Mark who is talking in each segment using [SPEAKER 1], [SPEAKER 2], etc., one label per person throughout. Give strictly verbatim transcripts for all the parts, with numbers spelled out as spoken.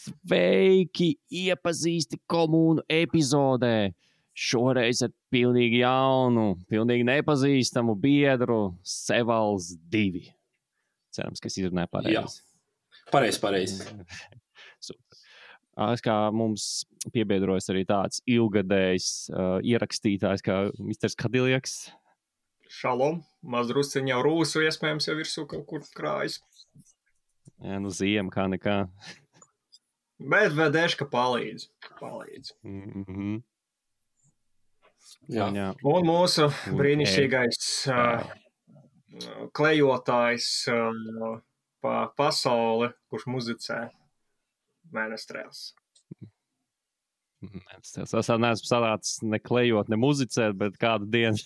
[SPEAKER 1] Sveiki, iepazīsti komūnu epizodē. Šoreiz ar pilnīgi jaunu, pilnīgi nepazīstamu biedru Sevals divi. Cerams, ka es izrunāju pareizi.
[SPEAKER 2] Jā, pareizi, pareizi.
[SPEAKER 1] Super. Es kā mums piebiedrojas arī tāds ilgadējs uh, ierakstītājs kā misters Kadiljaks.
[SPEAKER 3] Šalom, mazdrusciņ jau rūsu, iespējams, jau virsū kaut kur krājas.
[SPEAKER 1] Jā, nu ziema kā nekā.
[SPEAKER 3] Bet vedēška palīdz. palīdz.
[SPEAKER 1] Mm-hmm.
[SPEAKER 2] Jā.
[SPEAKER 1] Jā.
[SPEAKER 3] Un mūsu brīnišķīgais uh, klejotājs uh, pa pasauli, kurš muzicē Mēnestrēls.
[SPEAKER 1] Mēnestrēls. Es neesmu sanācis ne klejot, ne muzicēt, bet kādu dienu.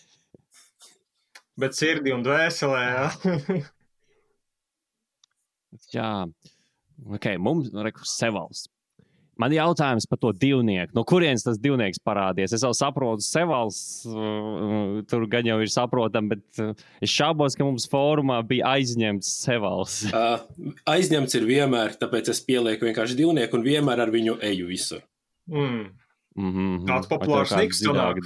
[SPEAKER 3] Bet sirdi un dvēselē, jā.
[SPEAKER 1] Jā. Ok, mums, reku, Sevals. Man jautājums par to divnieku. No kurienes tas divnieks parādies? Es jau saprotu, Sevals, uh, tur gan jau ir saprotam, bet uh, es šaubos, ka mums fórumā bija aizņemts Sevals.
[SPEAKER 2] Uh, aizņemts ir vienmēr, tāpēc es pielieku vienkārši divnieku un vienmēr ar viņu eju visur.
[SPEAKER 3] Mm.
[SPEAKER 1] Mm-hmm.
[SPEAKER 3] Tāds populārs niks sanāk.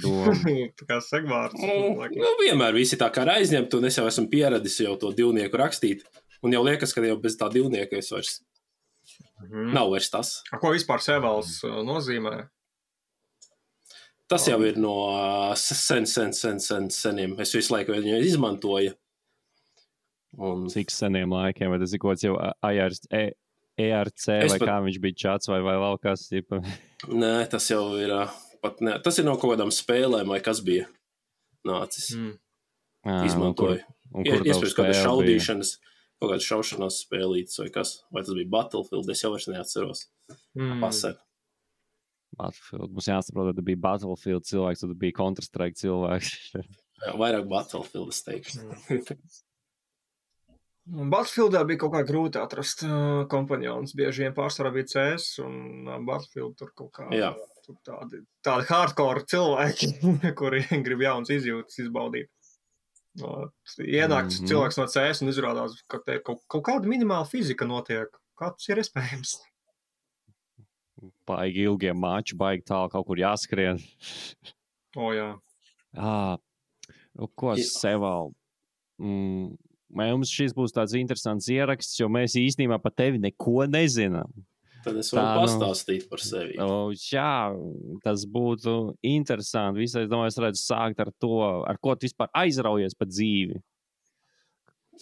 [SPEAKER 3] Tā kā segvārds.
[SPEAKER 2] Mm, nu, vienmēr visi tā kā ir aizņemti, un es jau esmu pieradis jau to divnieku rakstīt. Un jau liekas, ka jau bez tā divnieka es vairs mm-hmm. nav vairs tas.
[SPEAKER 3] A, ko vispār Sevals nozīmē?
[SPEAKER 2] Tas jau ir no sen, sen, sen, sen, seniem. Es visu laiku viņu izmantoju. Un...
[SPEAKER 1] Cik seniem laikiem, vai tas ir kaut kāds jau E R C, vai pat... kā viņš bija čats, vai, vai vēl kas? Tipa...
[SPEAKER 2] Nē, tas jau ir, pat ne, tas ir no kaut kādām spēlēm, vai kas bija nācis. Mm. À, izmantoju. Un kur, un kur Iespējams, kādas šaudīšanas, kaut kādas šaušanās spēlītas, vai kas? Vai tas bija Battlefield, es jau vairs neatceros. Mm. Pasēr.
[SPEAKER 1] Battlefield. Mums jāsaprot, ka bija Battlefield cilvēks, tad bija Counter-Strike cilvēks.
[SPEAKER 2] Jā, vairāk Battlefield, es teikšu. Mm.
[SPEAKER 3] Battlefieldā bija kaut kā grūti atrast uh, kompanionus. Bieži vien pārsvarā bija C S un uh, Battlefield tur kaut kā tur tādi, tādi hardcore cilvēki, kuri grib jauns izjūtas izbaudīt. Uh, ienāks mm-hmm. cilvēks no C S un izrādās, ka te kaut, kaut kāda minimāla fizika notiek. Kā tas ir iespējams?
[SPEAKER 1] Baigi ilgiem mači, baigi tālu kaut kur jāskrien.
[SPEAKER 3] O, jā.
[SPEAKER 1] Ah, ko Seval? Mm. Mums šis būs tāds interesants ieraksts, jo mēs īstenībā par tevi neko nezinām.
[SPEAKER 2] Tad es varu Tā, pastāstīt par sevi.
[SPEAKER 1] O, jā, tas būtu interesanti. Visai, es domāju, es redzu sākt ar to, ar ko tu vispār aizraujies pa dzīvi.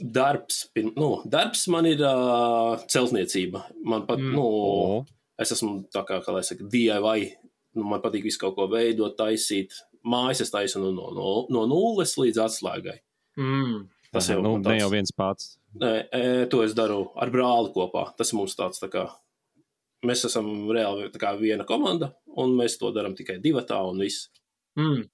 [SPEAKER 2] Darbs, nu, darbs man ir uh, celtniecība. Man pat, mm. nu, oh. es esmu tā kā, kā lai saka, D I Y. Nu, man patīk visu kaut ko veidot, taisīt. Mājas es taisu no, no, no nulles līdz atslēgai.
[SPEAKER 1] Mm. Tas jau, nu, tāds, ne jau viens pats.
[SPEAKER 2] Nē, e, to es daru ar brāli kopā. Tas mums tāds tā kā, mēs esam reāli tā kā viena komanda, un mēs to daram tikai divatā un viss.
[SPEAKER 1] Mm.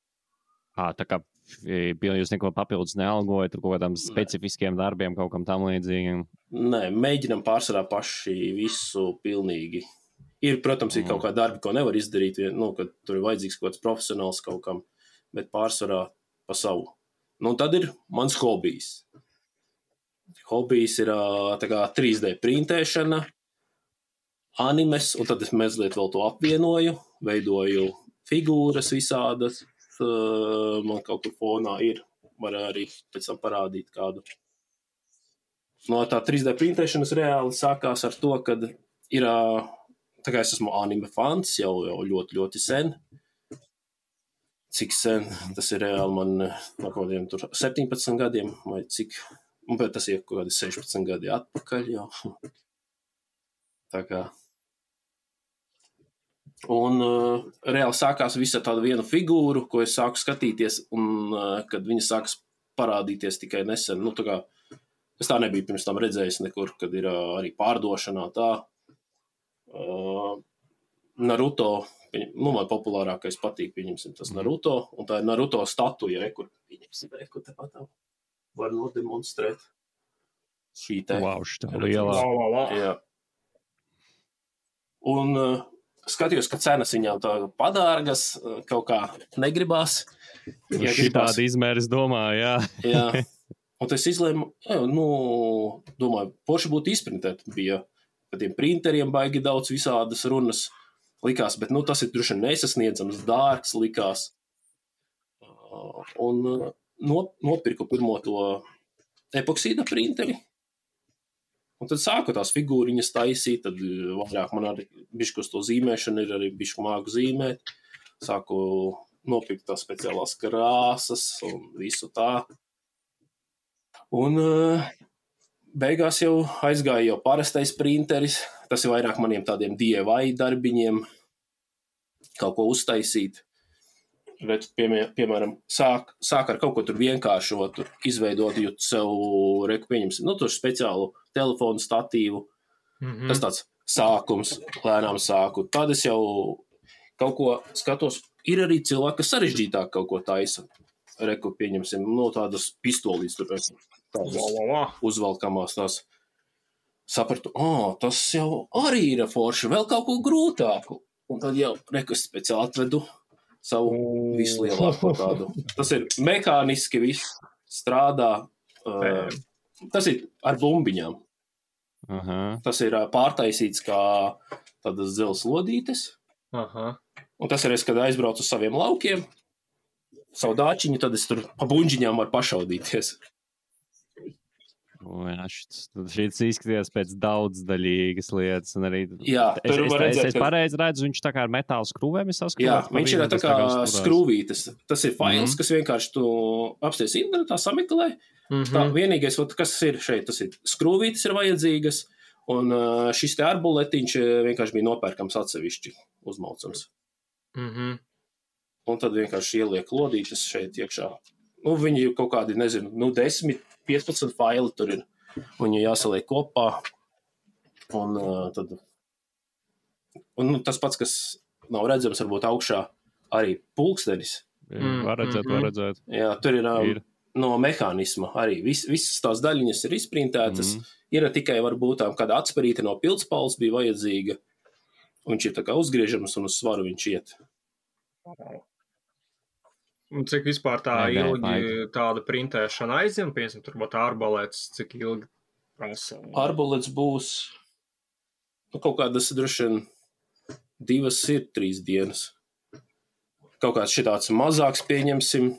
[SPEAKER 1] À, tā kā jūs neko papildus nealgojat, kaut kādām specifiskiem darbiem, kaut kam tam līdzīgiem?
[SPEAKER 2] Nē, mēģinam pārsvarā paši visu pilnīgi. Ir, protams, ir mm. kaut kā darbi, ko nevar izdarīt, nu, kad tur ir vajadzīgs kaut kāds profesionāls kaut kam, bet pārsvarā pa savu. Nu, tad ir mans hobijs. Hobijs ir tā kā trīs D printēšana, animes, un tad es mazliet vēl to apvienoju, veidoju figūras visādas. Man kaut kur fonā ir, var arī pēc tam parādīt kādu. No tā trīs D printēšanas reāli sākās ar to, kad ir, tā kā es esmu anime fans jau, jau ļoti, ļoti sen. Cik sen, tas ir reāli man no kaut kādiem tur septiņpadsmit gadiem, vai cik, bet tas ir kaut kādi sešpadsmit gadi atpakaļ jau. Tā kā. Un uh, reāli sākās visa tāda viena figūru, ko es sāku skatīties, un uh, kad viņa sākas parādīties tikai nesen, nu tā kā, es tā nebiju pirms tam redzējis nekur, kad ir uh, arī pārdošanā tā. Uh, Naruto, nu, man populārākais patīk, pieņemsim, tas Naruto, un tā ir Naruto statuja, re, kur pieņemsim, re, kur te patām var nodemonstrēt šī te.
[SPEAKER 1] Wow, šitā lielā.
[SPEAKER 2] Jā. Un uh, skatījos, ka cenas viņām tā padārgas, uh, kaut kā negribās.
[SPEAKER 1] Ja šitādi izmēri, es domāju, jā.
[SPEAKER 2] Jā. Un es izlēmu, jā, nu, domāju, poši būtu izprintēt, bija par tiem printeriem baigi daudz visādas runas likās, bet, nu, tas ir droši nesasniedzams, dārgs likās. Un nopirku pirmo to epoksīda printeri. Un tad sāku tās figūriņas taisīt, tad vairāk man arī bišķi uz to zīmēšanu ir arī bišķi māku zīmēt. Sāku nopirkt tās speciālās krāsas un visu tā. Un beigās jau aizgāja jau parastais printeris. Tas ir vairāk maniem tādiem D I Y darbiņiem kaut ko uztaisīt. Bet, piemēram, sāk, sāk ar kaut ko tur vienkāršotu, izveidot jūt sev, reku pieņemsim, nu, tur speciālu telefonu statīvu. Mm-hmm. Tas tāds sākums, lēnām sāku. Tad es jau kaut ko skatos, ir arī cilvēki, kas sarežģītāk kaut ko taisa. Reku pieņemsim, no tādas pistolīs tur, tādas uzvalkamās tās. Sapratu, o, tas jau arī ir forši, vēl kaut ko grūtāku. Un tad jau reku speciāli atvedu savu vislielāko tādu. Tas ir mehāniski viss strādā. Uh, tas ir ar bumbiņām. Aha. Tas ir pārtaisīts kā tādas dzeles lodītes. Aha. Un tas ir es, kad aizbraucu uz saviem laukiem, savu dāčiņu, tad es tur pa buņģiņām varu pašaudīties.
[SPEAKER 1] Šis izskatījās pēc daudzdaļīgas lietas. Un arī,
[SPEAKER 2] jā,
[SPEAKER 1] es,
[SPEAKER 2] tur
[SPEAKER 1] es,
[SPEAKER 2] var redzēt.
[SPEAKER 1] Es, es pareizi redzu, viņš tā kā ar metāla skrūvēm ir saskatīt.
[SPEAKER 2] Jā, viņš ir tā kā skrūvītes. Tas ir fails, mm-hmm. kas vienkārši tu apsties internetā, sameklē. Mm-hmm. Tā vienīgais, kas ir šeit, tas ir skrūvītes ir vajadzīgas, un šis te arbuletiņš vienkārši bija nopērkams atsevišķi uzmaucams. Mm-hmm. Un tad vienkārši ieliek lodītes šeit iekšā. Nu, viņi kaut kādi, nezinu, nu, desmit, piecpadsmit faili tur ir. Viņi jāsaliek kopā. Un uh, tad... Un nu, tas pats, kas nav redzams, varbūt augšā arī pulkstenis.
[SPEAKER 1] Mm, var redzēt, var redzēt.
[SPEAKER 2] Jā, tur ir, um, ir. No mehānisma arī. Vis, visas tās daļiņas ir izprintētas. Mm. Ir tikai varbūt kāda atsparīte no pildspalvas bija vajadzīga. Viņš ir tā kā uzgriežams un uz svaru viņš iet.
[SPEAKER 3] Un cik vispār tā Nē, ilgi nē, tāda printēšana aizņem, piemēram, tur būtu ārbolēts, cik ilgi prasa?
[SPEAKER 2] Ārbolēts būs, nu, kaut kādas droši vien divas ir trīs dienas. Kaut kāds šitāds mazāks pieņemsim,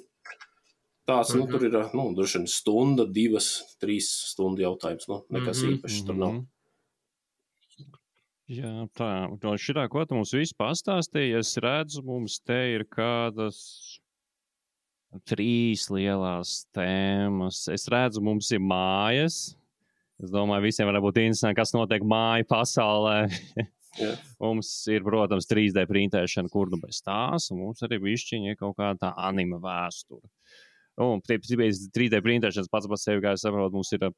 [SPEAKER 2] tāds, mm-hmm. nu, tur ir, nu, droši vien stunda, divas, trīs stundu jautājums, nu, nekas mm-hmm. īpaši tur nav.
[SPEAKER 1] Jā, tā, no šitā, ko tu mums visu pastāstīji, es redzu, mums te ir kādas trīs lielās tēmas. Es redzu, mums ir mājas. Es domāju, visiem var būt interesanti, kas notiek māju pasaulē. Yeah. Mums ir, protams, trīs D printēšana, kur nu bez tās, un mums arī višķiņi ir kaut kāda tā anime vēsture. Un trīs D printēšanas pats par sevi, kā es saprotu, mums ir,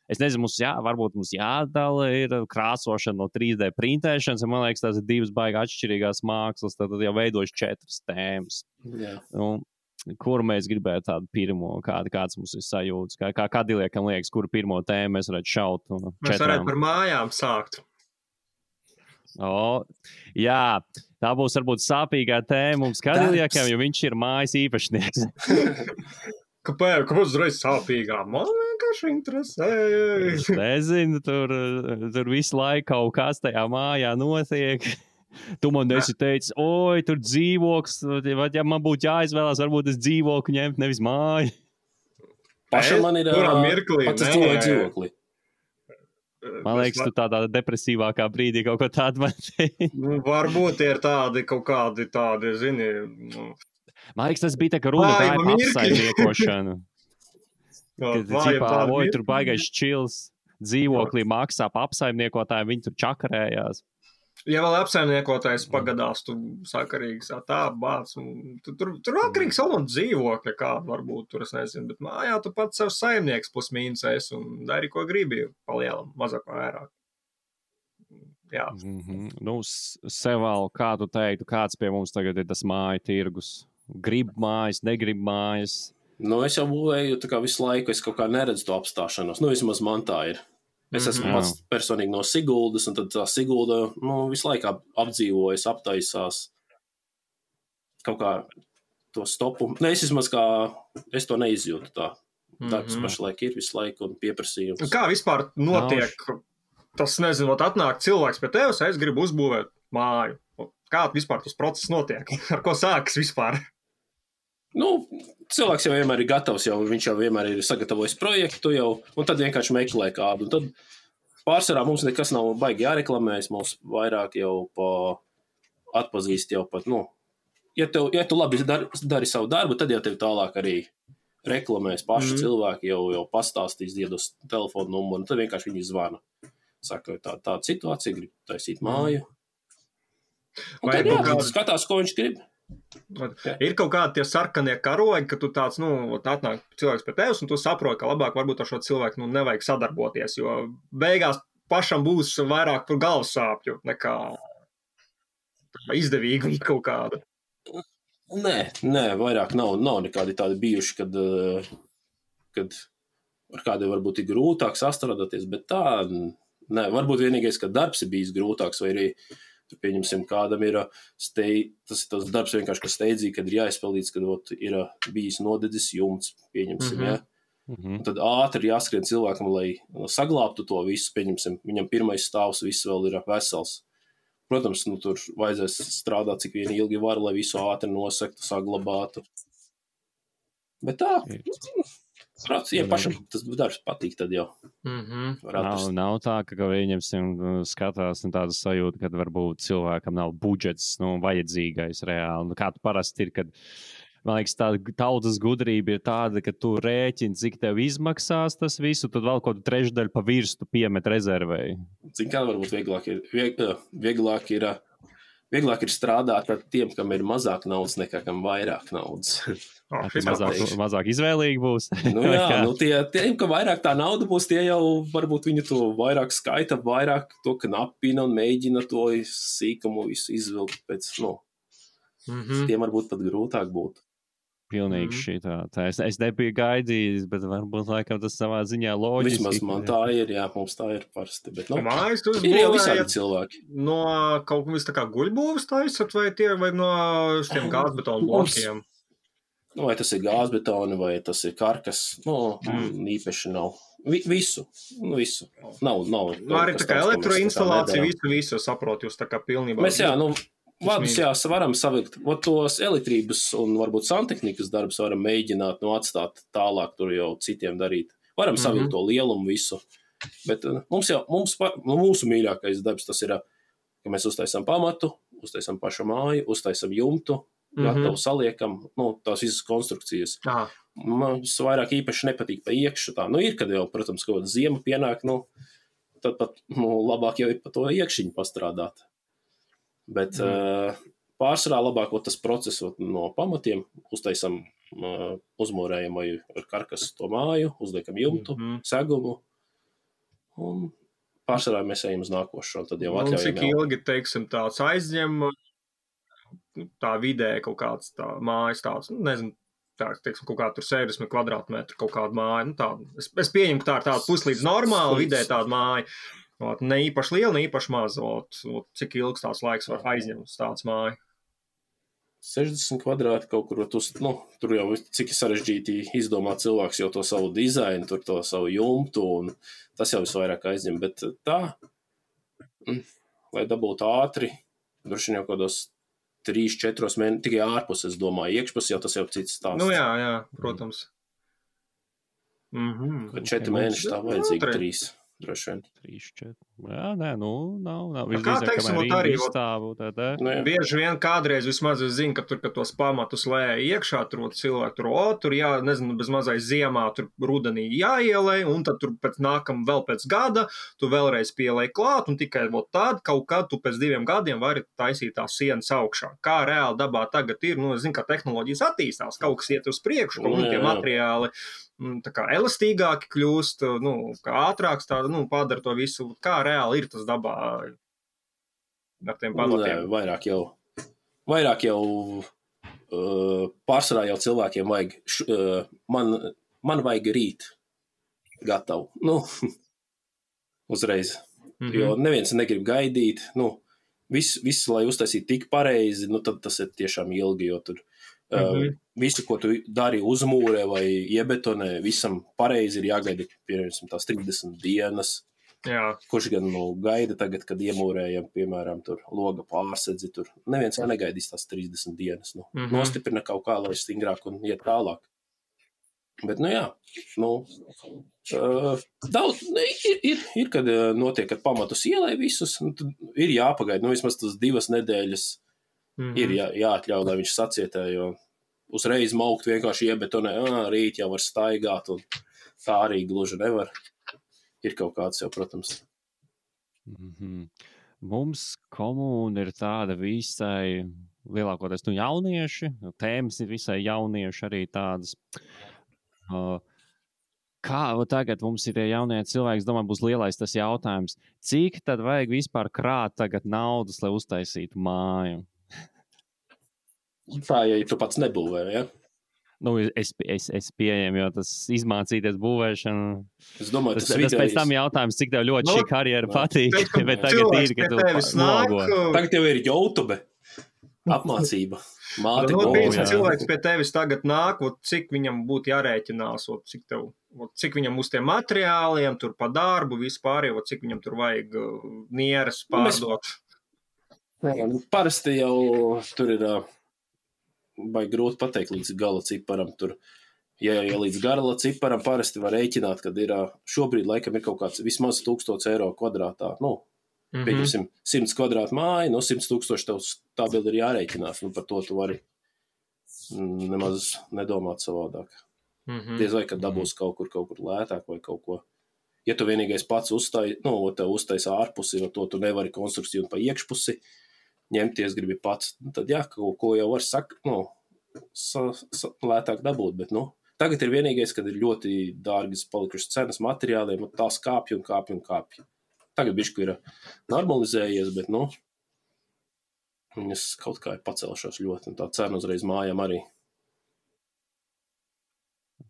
[SPEAKER 1] es nezinu, mums jā, varbūt mums jādala ir krāsošana no trīs D printēšanas, un man liekas, tās ir divas baigi atšķirīgās mākslas, tad jau veidojas četras tēmas.
[SPEAKER 2] Yeah.
[SPEAKER 1] Un, kur mēs gribētu tādu pirmo, kāda, kāds mums ir sajūtas, kā, kā Kadiliekam liekas, kuru pirmo tēmu mēs varētu šaut no četrām.
[SPEAKER 3] Mēs varētu par mājām sākt.
[SPEAKER 1] O, jā, tā būs varbūt sāpīgā tēma mums Kadiliekam, jo viņš ir mājas īpašnieks.
[SPEAKER 3] Kāpēc? Kāpēc uzreiz sāpīgā? Man vienkārši interesē.
[SPEAKER 1] Es nezinu, tur, tur visu laiku kaut kas tajā mājā notiek. Tu man esi teicis, oi, tur dzīvoklis, vai ja man būtu jāizvēlās, varbūt es dzīvokli ņemt, nevis māju.
[SPEAKER 2] Pašam man ir
[SPEAKER 3] mirklī,
[SPEAKER 2] pats es dzīvoju dzīvokli.
[SPEAKER 1] Man liekas, tu tādā depresīvākā brīdī kaut ko tādu man teici.
[SPEAKER 3] Nu, varbūt ir tādi kaut kādi tādi, zini... Nu...
[SPEAKER 1] Man liekas, tas bija tā, ka runa tā ir apsaimniekošanu. Kad cipā, oi, tur baigais čils, dzīvoklī maksā pa apsaimniekotājiem, viņi tur čakarējās.
[SPEAKER 3] Ja vēl apsaimniekotājs pagadās, tu sakarīgs tā bāc, un tu, tur, tur atkarīgs vēl no dzīvokļa kādu varbūt, tur es nezinu, bet mājā tu pats savs saimnieks plus mīnus esi un dari, ko gribi, palielam, mazāk vairāk. Jā.
[SPEAKER 1] Mm-hmm. Nu, Seval, kā tu teiktu, kāds pie mums tagad ir tas māju tirgus? Grib mājas, negrib mājas?
[SPEAKER 2] Nu, es jau būvēju, tā kā visu laiku es kaut kā neredzu to apstāšanos, nu, vismaz man tā ir. Es esmu mm-hmm. pats personīgi no Siguldas, un tad tā Sigulda, nu, visu laiku apdzīvojas, aptaisās. Kaut kā to stopu. Ne, es vismaz kā, es to neizjūtu tā. Mm-hmm. Darbs pašlaik ir visu laiku un pieprasījums.
[SPEAKER 3] Kā vispār notiek Nav. tas, nezinu, atnāk cilvēks pie tevis, es gribu uzbūvēt māju. Kā vispār tas process notiek? Ar ko sākas vispār?
[SPEAKER 2] Nu, cilvēks jau vienmēr ir gatavs, jau, viņš jau vienmēr ir sagatavojis projektu jau, un tad vienkārši meklē kādu. Un tad pārsvarā mums nekas nav baigi jāreklamējas, mums vairāk jau pa atpazīst jau pat, nu, ja, tev, ja tu labi dari, dari savu darbu, tad jau tev tālāk arī reklamēs paši mm. cilvēki, jau, jau pastāstīs, diedos telefonu numuru, un tad vienkārši viņi zvana. Saka, tā, tāda situācija, grib taisīt māju. Un tad, jā, kāda... skatās, ko viņš grib.
[SPEAKER 3] Ir kaut kādi tie sarkanie karogi, ka tu tāds, nu, atnāk cilvēks pie tevis, un tu saproti, ka labāk varbūt ar šo cilvēku, nu, nevajag sadarboties, jo beigās pašam būs vairāk par galvas sāpju nekā izdevīgi kaut kāda.
[SPEAKER 2] Nē, nē, vairāk nav, nav nekādi tādi bijuši, kad, kad ar kādiem varbūt ir grūtāk sastrādāties, bet tā, nē, varbūt vienīgais, ka darbs ir bijis grūtāks, vai arī pieņemsim, kādam ir, steid, tas ir tas darbs vienkārši, kas steidzīgi, kad ir jāizpildīts, kad ot, ir bijis nodedzis jumts, pieņemsim, mm-hmm. ja. Mm-hmm. Un tad ātri jāskrien cilvēkam, lai saglābtu to visu, pieņemsim, viņam pirmais stāvs, viss vēl ir vesels. Protams, nu, tur vajadzēs strādāt, cik vien ilgi var, lai visu ātri nosaktu, saglabātu. Bet tā, prāt, ja pašam tas darbs patīk, tad jau.
[SPEAKER 3] Mm-hmm.
[SPEAKER 1] Nav, nav tā, ka, ka viņam skatās nu, tāda sajūta, kad varbūt cilvēkam nav budžets, nu, vajadzīgais reāli. Nu, kā tu parasti ir, kad, man liekas, tāda tautas gudrība ir tāda, ka tu rēķini, cik tev izmaksās tas visu, tad vēl kaut trešdaļu pa virstu piemet rezervēji.
[SPEAKER 2] Cik kā varbūt vieglāk ir, vieg, vieglāk ir, vieglāk ir strādāt ar tiem, kam ir mazāk naudas nekā kam vairāk naudas.
[SPEAKER 3] Oh,
[SPEAKER 1] mazāk, mazāk izvēlīgi būs.
[SPEAKER 2] Nu jā, nu tie, tiem, ka vairāk tā nauda būs, tie jau varbūt viņi to vairāk skaita, vairāk to knapina un mēģina to sīkumu visu izvilkt pēc, nu, mm-hmm. tiem varbūt pat grūtāk būtu.
[SPEAKER 1] Pilnīgi mm-hmm. šī tā. tā es, es nebiju gaidījis, bet varbūt laikam tas savā ziņā loģiski.
[SPEAKER 2] Vismaz man tā ir, jā, mums tā ir parasti. Bet, nu,
[SPEAKER 3] Mājas,
[SPEAKER 2] ir jau visādi cilvēki.
[SPEAKER 3] No kaut kā vis tā kā guļbūvas taisat vai tie, vai no šiem gāzbetonu blokiem?
[SPEAKER 2] Nu, vai tas ir gāzbetoni, vai tas ir karkas, nu, mm. īpaši nav. Vi, visu, nu, visu. Nav, nav.
[SPEAKER 3] Nu, arī tā kā elektroinstalācija, visu, visu saprot, jūs tā kā pilnībā.
[SPEAKER 2] Mēs, jā, nu, vadus, jā, varam savilkt, ot tos elektrības un varbūt santehnikas darbus varam mēģināt, nu, atstāt tālāk tur jau citiem darīt. Varam mm-hmm. savilkt to lielumu visu. Bet mums jau, mums, mūsu mīļākais darbs tas ir, ka mēs uztaisam pamatu, uztaisam pašu māju, uztaisam jumtu, gatavu mm-hmm. saliekam, nu, tās visas konstrukcijas.
[SPEAKER 3] Aha.
[SPEAKER 2] Man vairāk īpaši nepatīk pa iekšu tā. Nu, ir, kad jau, protams, kaut kāda ziema pienāk, nu, tad pat, nu, labāk jau ir pa to iekšiņu pastrādāt. Bet mm. uh, pārsvarā labāk tas process no pamatiem, uztaisam, uh, uzmūrējam vai ar karkas to māju, uzliekam jumtu, mm-hmm. segumu, un pārsvarā mēs ejam uz nākošo, tad jau atļaujam.
[SPEAKER 3] Un cik ilgi, teiksim, tāds aizņem tā vidē kaut kāds tā mājas tāds, nu, nezinu, tā, teiksim, kaut kā tur sešdesmit kvadrātmetru kaut kāda māja, nu, tāda. Es, es pieņemu, ka tā ir tāda puslīdz normāla vidē tāda māja, ot, ne īpaši liela, ne īpaši maza, ot, ot, cik ilgs tās laiks var aizņemt tāds māja.
[SPEAKER 2] sešdesmit kvadrāti kaut kur, tu, nu, tur jau cik sarežģīti izdomā cilvēks jau to savu dizainu, tur to savu jumtu, un tas jau visvairāk aizņem, bet tā, lai dabūtu ātri, droši jau kādos trīs, četros mēnešus, tikai ārpus, es domāju, iekšpus jau tas jau cits stāsts.
[SPEAKER 3] Nu jā, jā, protams.
[SPEAKER 2] Mm-hmm. Kad četri mēneši tā vajadzīgi, trīs, droši vien.
[SPEAKER 1] Trīs, četri. Jā, nē, nu, nav, nav.
[SPEAKER 3] Kā teiksim, arī
[SPEAKER 1] izstāvu, tā, tā.
[SPEAKER 3] Nu, bieži vien kādreiz vismaz es zinu, ka tur, kad tos pamatus lēja iekšā, tur cilvēki tur, o, tur jā, nezinu, bez mazais ziemā, tur rudenī jāielē, un tad tur pēc nākam vēl pēc gada, tu vēlreiz pielēji klāt, un tikai vēl tad, kaut kad tu pēc diviem gadiem vari taisīt tās sienas augšā. Kā reāli dabā tagad ir, nu, es zinu, ka tehnoloģijas attīstās, kaut kas iet uz priekšu, kaut tie materiāli tā kā elastīgāki kļūst, nu, kā ātrāks tāda, nu, padara to visu, kā reāli ir tas dabā ar tiem pamatiem.
[SPEAKER 2] Nē, vairāk jau, vairāk jau uh, pārsvarā jau cilvēkiem vajag, š, uh, man, man vajag rīt gatavu, nu, uzreiz, mm-hmm. jo neviens negrib gaidīt, nu, viss, vis, lai uztaisītu tik pareizi, nu, tad tas ir tiešām ilgi, jo tur Mm-hmm. Uh, visu, ko tu dari uzmūrē vai iebetonē, visam pareizi ir jāgaida, piemēram, tās trīsdesmit dienas,
[SPEAKER 3] Jā.
[SPEAKER 2] Kurš gan nu, gaida tagad, kad iemūrējam, piemēram, tur loga pārsedzi, tur neviens jau negaidīs tās trīsdesmit dienas. Nu, mm -hmm. Nostiprina kaut kā, lai stingrāk un iet tālāk. Bet, nu jā, nu, uh, daudz, ir, ir, ir, kad notiek, kad pamatus ielai visus, nu, tad ir jāpagaida, nu, vismaz tas divas nedēļas mm -hmm. ir jā, jāatļauj, lai viņš sacietē, jo uzreiz maukt vienkārši iebetonē, ā, rīt jau var staigāt, un tā arī gluži nevar. Ir kaut kāds jau, protams.
[SPEAKER 1] Mm-hmm. Mums komūna ir tāda visai, lielākoties nu jaunieši, tēmas ir visai jaunieši arī tādas. Uh, kā tagad mums ir tie jaunie cilvēki, domāju, būs lielais tas jautājums, cik tad vajag vispār krāt tagad naudas, lai uztaisītu māju?
[SPEAKER 2] Tā, ja tu pats nebūvē, ja?
[SPEAKER 1] Nu, es, es, es pieejam, jo tas izmācīties būvēšanu.
[SPEAKER 2] Es domāju,
[SPEAKER 1] tas,
[SPEAKER 2] tas,
[SPEAKER 1] tas
[SPEAKER 2] vidējais...
[SPEAKER 1] pēc tam jautājums, cik tev ļoti no, šī karjera no. patīk.
[SPEAKER 3] Teikam,
[SPEAKER 1] bet tagad ir, ka tu
[SPEAKER 3] nogo.
[SPEAKER 2] Tagad jau ir YouTube apmācība. Māte
[SPEAKER 3] no, no, cilvēks pie tevis tagad nāk, ot, cik viņam būtu jārēķinās, ot, cik, tev, ot, cik viņam uz tiem materiāliem, tur pa darbu, vispār, ot, cik viņam tur vajag uh, nieres pārdot.
[SPEAKER 2] Mēs... Parasti jau tur ir... vai grūti pateikt līdz gala ciparam. Tur, ja, ja līdz gala ciparam parasti var rēķināt, kad ir šobrīd laikam ir kaut kāds vismaz tūkstots eiro kvadrātā. Nu, mm -hmm. pieņemsim, simts kvadrātu māju, no simts tūkstoši tev tā bildi ir jārēķinās. Nu, par to tu vari nemaz nedomāt savādāk. Mm -hmm. Diez vai, kad dabūs kaut kur, kaut kur lētāk vai kaut ko. Ja tu vienīgais pats uztai, nu, tev uztais ārpusi, no to tu nevari konstrukciju un pa iekšpusi, ņemties gribi pats, tad jā, kaut ko jau var sak, nu, sa, sa, lētāk dabūt, bet, nu, tagad ir vienīgais, kad ir ļoti dārgas palikušas cenas materiāliem, un tās kāpja un kāpja un kāpja. Tagad bišķi ir normalizējies, bet, nu, viņas kaut kā ir pacēlušās ļoti, un tā cena uzreiz mājām arī.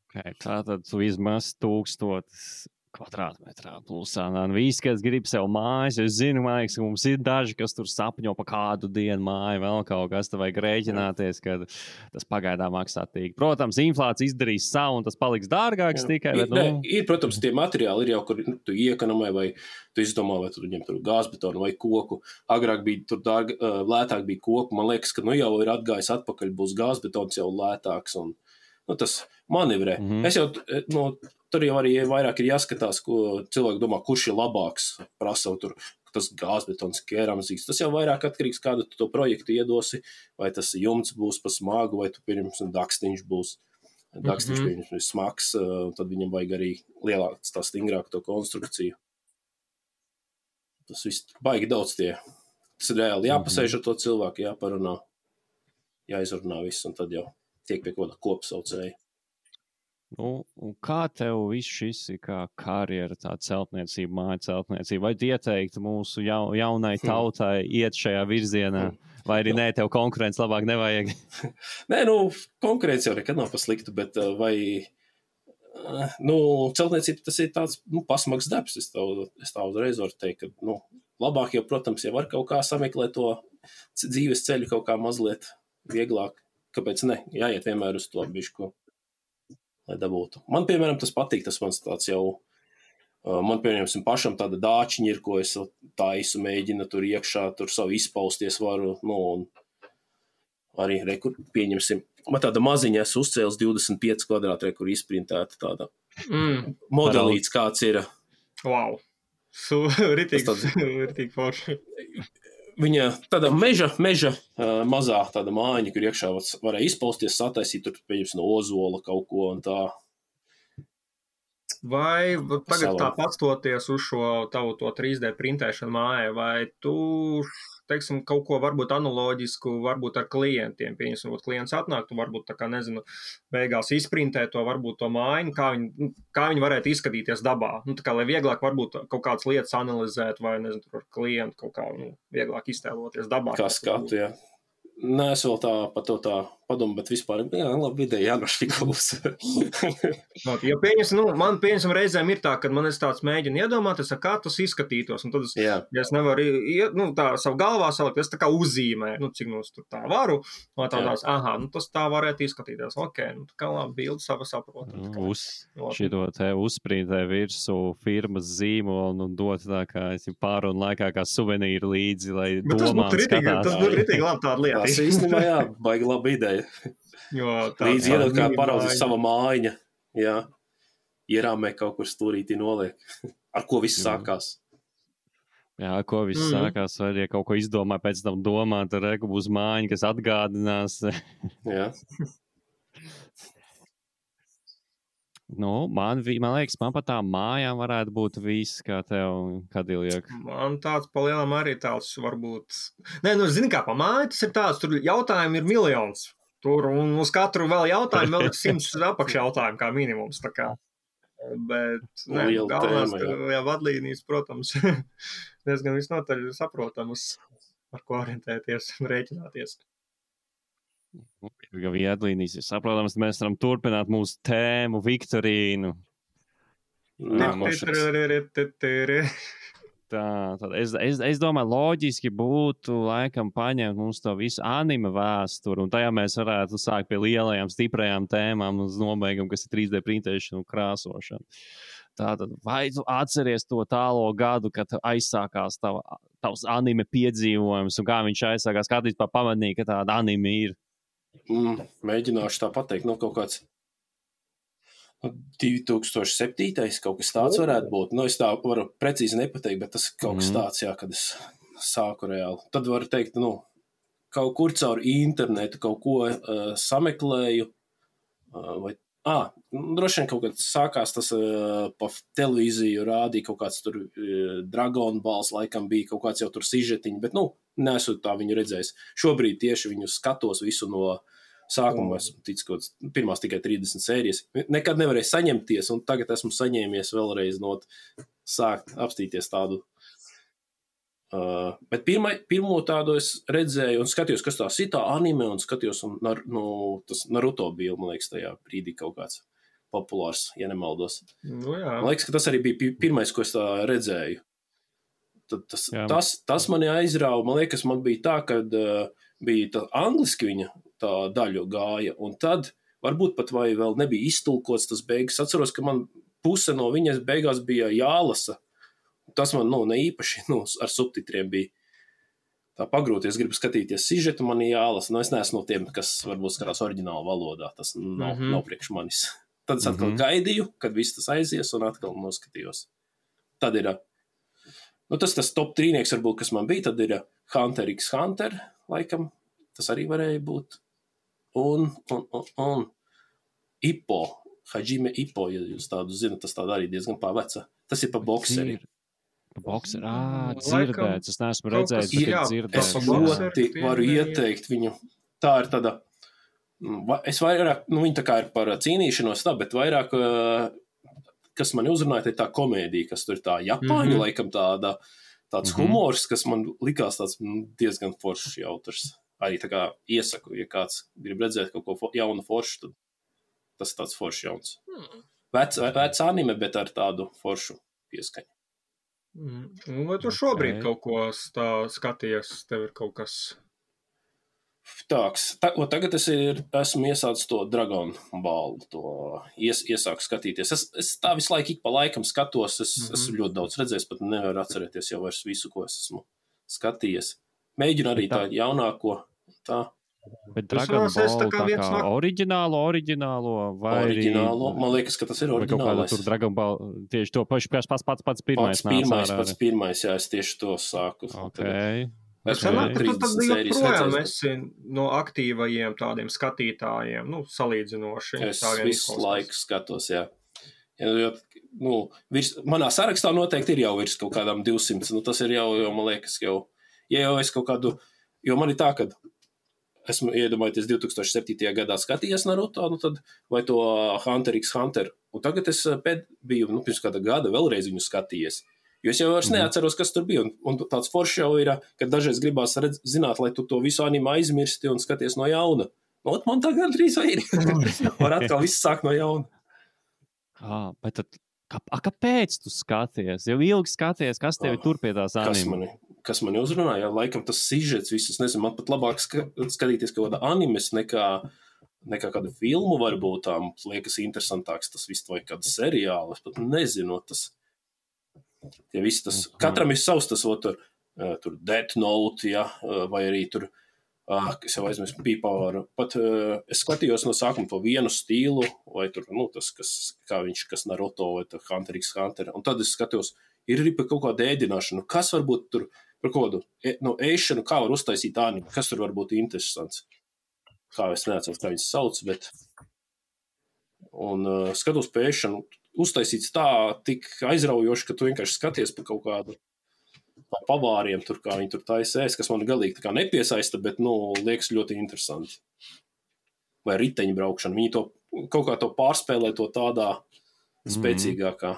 [SPEAKER 1] Okay, tātad tu vismaz tūkstotis kvadrātmetrā plusā. Un visi, kas grib sev mājas, es zinu, man liekas, ka mums ir daži, kas tur sapņo pa kādu dienu māju, vēl kaut kas, tad vajag rēķināties, ka tas pagaidā maksā tīk. Protams, inflācija izdarīs savu, un tas paliks dārgāks jā. Tikai.
[SPEAKER 2] Ir,
[SPEAKER 1] bet, nu...
[SPEAKER 2] ne, ir, protams, tie materiāli ir jau, kur tu iekonomē, vai tu izdomā, vai tu ņem tur gāzbetonu vai koku. Agrāk bija tur dārga, lētāk bija koku. Man liekas, ka nu jau ir atgājis atpakaļ, būs gāzbetons jau lētāks, un nu, tas manevrē. Mm-hmm. Es jau, nu, tur jau arī vairāk ir jāskatās, ko cilvēki domā, kurš ir labāks, prasa tur, tas gāzbetons, keramzīgs. Tas jau vairāk atkarīgs, kādu tu to projektu iedosi, vai tas jumts būs pa smagu, vai tu pirms dakstiņš būs. Dakstiņš mm-hmm. ir smags, tad viņam vajag arī lielāks, tā stingrāk to konstrukciju. Tas viss baigi daudz tie. Tas ir reāli jāpasēž ar to cilvēku, jāparunā, jāizrunā viss, un tad jau tiek pie kaut kāda kopsaucēja.
[SPEAKER 1] Nu, un kā tev viss šis ir kā karjera, tā celtniecība, māja celtniecība? Vai ieteiktu mūsu jau, jaunai tautai iet šajā virzienā? Vai arī nē, tev konkurence labāk nevajag?
[SPEAKER 2] Nē, nu, konkurence jau nekad nav pa sliktu, bet vai, nu, celtniecība tas ir tāds, nu, pasmags darbs. Es tā, es tā uzreiz varu teikt, ka, nu, labāk jau, protams, jau var kaut kā sameklēt to dzīves ceļu kaut kā mazliet vieglāk. Kāpēc ne? Jāiet vienmēr uz to bišku. Lai dabūtu. Man, piemēram, tas patīk, tas mans tāds jau, man, piemēram, pašam tāda dāčiņa ir, ko es taisu, mēģina tur iekšā, tur savu izpausties varu, nu, un arī, rekur, pieņemsim, man tāda maziņa es uzcēlis divdesmit pieci kvadrāti, rekur izprintēta tāda mm. modelīts, kāds ir.
[SPEAKER 3] Wow. Su, ritīgi, ritīgi forši.
[SPEAKER 2] Viņa tāda meža, meža uh, mazā tāda mājiņa, kur iekšā varēja izpausties, sataisīt tur, pieņems, no ozola kaut ko un tā.
[SPEAKER 3] Vai tagad tā pastoties uz šo tavu to trīs D printēšanu mājai, vai tu, teiksim, kaut ko varbūt analoģisku, varbūt ar klientiem, pieņemsim, klients atnāk, tu varbūt tā kā, nezinu, beigās izprintē to, varbūt to mājiņu, kā viņi, kā viņi varētu izskatīties dabā. Nu, tā kā, lai vieglāk varbūt kaut kādas lietas analizēt, vai, nezinu, tur ar klientu kaut kā, nu, vieglāk iztēloties dabā.
[SPEAKER 2] Kā skatu, jā. Nē, es vēl tā par to tā padomu, bet vispār, jā, labi, ideja jānošķika būs.
[SPEAKER 3] Ja pieņas, nu, man pieņasam reizēm ir tā, kad man es tāds mēģinu iedomāties, kā tas izskatītos, un tad es, ja es nevaru, nu, tā savu galvā salikt, es tā kā uzzīmē, nu, cik nu es tur tā varu, un tādās, aha, nu, tas tā varētu izskatīties, ok, nu, tā kā labi, bildi sava saprot.
[SPEAKER 1] Uz šito te uzsprītē virsu firmas zīmolu un dot tā kā pārunu laikā kā suvenīru līdzi, lai domām skatās.
[SPEAKER 3] Tas būtu ritīgi labi tāda lieta.
[SPEAKER 2] Tas īstenībā, jā, baigi laba ideja.
[SPEAKER 3] Jo, tā,
[SPEAKER 2] līdz iedot kā paraudzīt sava mājiņa, jā, ierāmē kaut kur stūrītī noliek. Ar ko viss sākās?
[SPEAKER 1] Jā, ar ko viss mm. sākās, vai ja kaut ko izdomā, pēc tam domā, tad reku būs mājiņa, kas atgādinās.
[SPEAKER 2] Jā.
[SPEAKER 1] Nu, man, man liekas, man pat tā mājām varētu būt viss, kā tev, Kadiljak.
[SPEAKER 3] Man tāds pa lielam arī tāds varbūt... Nē, nu, zini kā, pa māju tas ir tāds, tur jautājumi ir miljons. Tur, un uz katru vēl jautājumu vēl ir simts apakš jautājumu kā minimums, tā kā. Bet, nē, galvenās, ka, jā, vadlīnijas, protams, diezgan visnotaļ saprotamas, ar ko orientēties un rēķināties.
[SPEAKER 1] Ja viedlīnijas ir saprotams, mēs varam turpināt mūsu tēmu, Viktorīnu. Tā, tad es, es, es domāju, loģiski būtu laikam paņemt mums to visu anime vēsturi, un tajā mēs varētu sākt pie lielajām, stiprajām tēmām uz nobeigumu, kas ir trīs D printēšana un krāsošana. Tātad, vai tu atceries to tālo gadu, kad aizsākās tava, tavs anime piedzīvojums, un kā viņš aizsākās, kā tu vispār pamanīji, ka tāda anime ir?
[SPEAKER 2] Mm, mēģināšu tā pateikt, nu kaut kāds divi tūkstoši septītais kaut kas tāds varētu būt. Nu, es tā varu precīzi nepateikt, bet tas kaut kas tāds, jā, kad es sāku reāli. Tad varu teikt, nu, kaut kur caur internetu kaut ko uh, sameklēju, uh, vai, ā, droši vien kaut kad sākās tas uh, pa televīziju rādīja kaut kāds tur uh, Dragon Balls, laikam bija kaut kāds jau tur sižetiņi, bet, nu, neesmu tā viņu redzējis. Šobrīd tieši viņu skatos visu no sākuma, esmu ticis kaut kāds, pirmās tikai trīsdesmit sērijas. Nekad nevarēju saņemties, un tagad esmu saņēmies vēlreiz no sākt apstīties tādu. Uh, bet pirmai, pirmo tādu es redzēju un skatījos, kas tās ir tā anime, un skatījos, un nar, nu, tas Naruto bija, man liekas, tajā brīdī kaut kāds populārs, ja nemaldos.
[SPEAKER 3] Nu, jā.
[SPEAKER 2] Man liekas, ka tas arī bija pirmais, ko es tā redzēju. Tad tas, tas, tas mani aizrāva, man liekas, man bija tā, kad uh, bija tā angliski viņa tā daļu gāja, un tad varbūt pat vai vēl nebija iztulkots tas beigas. Atceros, ka man puse no viņas beigās bija jālasa. Tas man, nu, ne īpaši, nu, ar subtitriem bija tā pagrūti. Es gribu skatīties sižetu, man jālasa. Nu, es neesmu no tiem, kas varbūt skatās oriģinālu valodā. Tas nav, mm-hmm. nav priekš manis. Tad es atkal mm-hmm. gaidīju, kad viss tas aizies, un atkal noskatījos. Tad ir nu, tas, tas top trīnieks, varbūt, kas man bija, tad ir Hunter x Hunter, laikam, tas arī varēja būt. Un, un, un, un Ippo, Hajime Ippo, ja jūs tādu zinat, tas tāda arī diezgan paveca. Tas ir pa bokseri.
[SPEAKER 1] Pa bokseri, ā, dzirdēts, es neesmu redzējis, bet
[SPEAKER 2] jā,
[SPEAKER 1] dzirdēts.
[SPEAKER 2] Es ļoti varu ieteikt viņu. Tā ir tāda, es vairāk, nu, viņa tā kā ir par cīnīšanos tā, bet vairāk... kas mani uzrunāja, tā komēdija, kas tur ir tā Japāņu, mm-hmm. laikam tāda, tāds mm-hmm. humors, kas man likās tāds diezgan foršs jautrs. Arī tā kā iesaku, ja kāds grib redzēt kaut ko jaunu foršu, tad tas tāds foršs jauns. Mm. Vec, vec anime, bet ar tādu foršu pieskaņu.
[SPEAKER 3] Mm. Vai tu šobrīd okay. kaut ko tā skaties, tev ir kaut kas...
[SPEAKER 2] Tāks, ta, tagad es ir, esmu iesācis to Dragon Ball, to ies, iesāku skatīties. Es, es tā visu laiku ik pa laikam skatos, es mm-hmm. esmu ļoti daudz redzējis, pat nevaru atcerēties jau vairs visu, ko es esmu skatījies. Mēģinu arī tā jaunāko, tā.
[SPEAKER 1] Bet Dragon Ball tā kā, tā kā no... oriģinālo, oriģinālo, vai
[SPEAKER 2] oriģinālo, man liekas, ka tas ir oriģinālais.
[SPEAKER 1] Tur Dragon Ball, tieši to paši, pats, pats, pats pirmais.
[SPEAKER 2] Pats pirmais, pats pirmais, jā, es tieši to sāku.
[SPEAKER 3] Okay. Es domāju, ka tu tad joprojām esi no aktīvajiem tādiem skatītājiem, nu, salīdzinoši.
[SPEAKER 2] Es visu laiku skatos, jā. Jo, nu, virs, manā sarakstā noteikti ir jau virs kaut kādām divsimts, nu, tas ir jau, jau, man liekas, jau, ja jau es kaut kādu, jo man ir tā, kad esmu iedomājoties divi tūkstoši septītajā gadā skatījies Naruto, nu tad, vai to Hunter x Hunter, un tagad es pēd biju, nu, pirms kāda gada vēlreiz viņu skatījies. Jo es jau vairs neatceros, kas tur bija. Un, un tāds foršs jau ir, ka dažreiz gribās redz, zināt, lai tu to visu anime aizmirsti un skaties no jauna. Ot, man tā gandrīz vai ir. Var atkal viss sākt no jauna.
[SPEAKER 1] Ah, bet tad, kā, a, kāpēc tu skaties? Jau ilgi skaties, kas tevi ah, tur pie tās anime?
[SPEAKER 2] Kas mani, kas mani uzrunāja? Laikam tas sižets visus, nezinu, man pat labāk ska, skatīties kaut kāda animes nekā, nekā kāda filmu varbūt tām liekas interesantāks. Tas viss vai kāda seriāla. Es pat nezinu, tas... Ja viss tas... Mm. Katram ir savs tas, o, tur, tur Death Note, ja, vai arī tur... Ah, es jau aizmirsu P-Power. Pat uh, es skatījos no sākuma to vienu stilu, vai tur, nu, tas, kas, kā viņš, kas Naruto, vai tur Hunter x Hunter. Un tad es skatījos, ir arī par kaut kādu ēdināšanu. Kas varbūt tur, par kādu, no ēšanu, kā var uztaisīt anime, kas tur var būt interesants. Kā es neatceros, kā viņas sauc, bet... Un uh, skatos pa ēšanu, uztaisīts tā tik aizraujoši, ka tu vienkārši skaties pa kaut kādu pavāriem, tur, kā viņi tur taisēs, kas man galīgi tā kā nepiesaista, bet, nu, liekas ļoti interesanti. Vai riteņu braukšana. Viņi to kaut kā to pārspēlē to tādā spēcīgākā.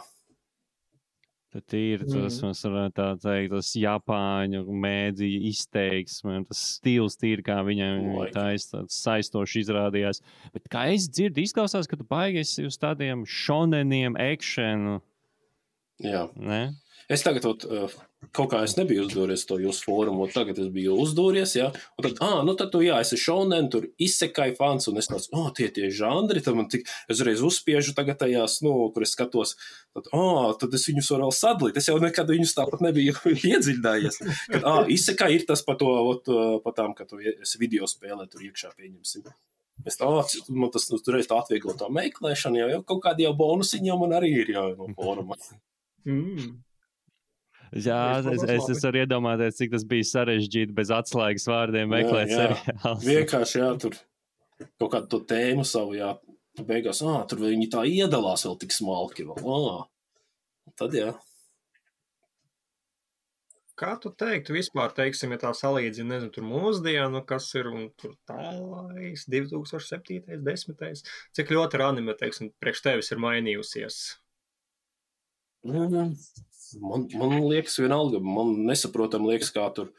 [SPEAKER 1] Tad ir tas, mm. mēs varam tā teikt, tas Japāņu mēdīja izteiksme, tas stils tīri, kā viņam taisa, tāds saistoši izrādījās. Bet kā es dzirdu, izklausās, ka tu baigies uz tādiem šoneniem, ekšenu.
[SPEAKER 2] Jā.
[SPEAKER 1] Ne?
[SPEAKER 2] Es tagad, ot, kaut kā es nebiju uzdūries to jūsu fórumu, tagad es biju uzdūries, jā, un tad, ā, nu tad tu, jā, esi šonen, tur izsekai fans, un es tāds, ā, tie tie žandri, tad man tik, es reiz uzspiežu tagad tajās, nu, kur es skatos, tad, ā, tad es viņus varu vēl sadalīt, es jau nekad viņus tāpat nebiju iedziļinājies, kad, ā, izsekai ir tas pa to, ot, pa tām, ka tu esi video spēlē, tur iekšā pieņemsim. Es tā, man tas, nu, reiz tā atvieglo tā meklēšana, jau, jau kaut kādi jau bonusiņi jau man arī ir jau no fóruma.
[SPEAKER 3] Mm.
[SPEAKER 1] Jā, es, es, es varu iedomāties, cik tas bija sarežģīti bez atslēgas vārdiem meklēt seriālus.
[SPEAKER 2] Vienkārši, jā, tur kaut kādu to tēmu savu, jā, beigās, ā, tur viņi tā iedalās vēl tik smalki vēl, ā, tad jā.
[SPEAKER 3] Kā tu teiktu vispār, teiksim, ja tā salīdzina, nezinu, tur mūsdienu, kas ir, un tur tālais, divi tūkstoši septītais, desmitais, cik ļoti ir anime, teiksim, priekš tevis ir mainījusies?
[SPEAKER 2] Mm. Man, man liekas vienalga, man nesaprotam liekas, kā tur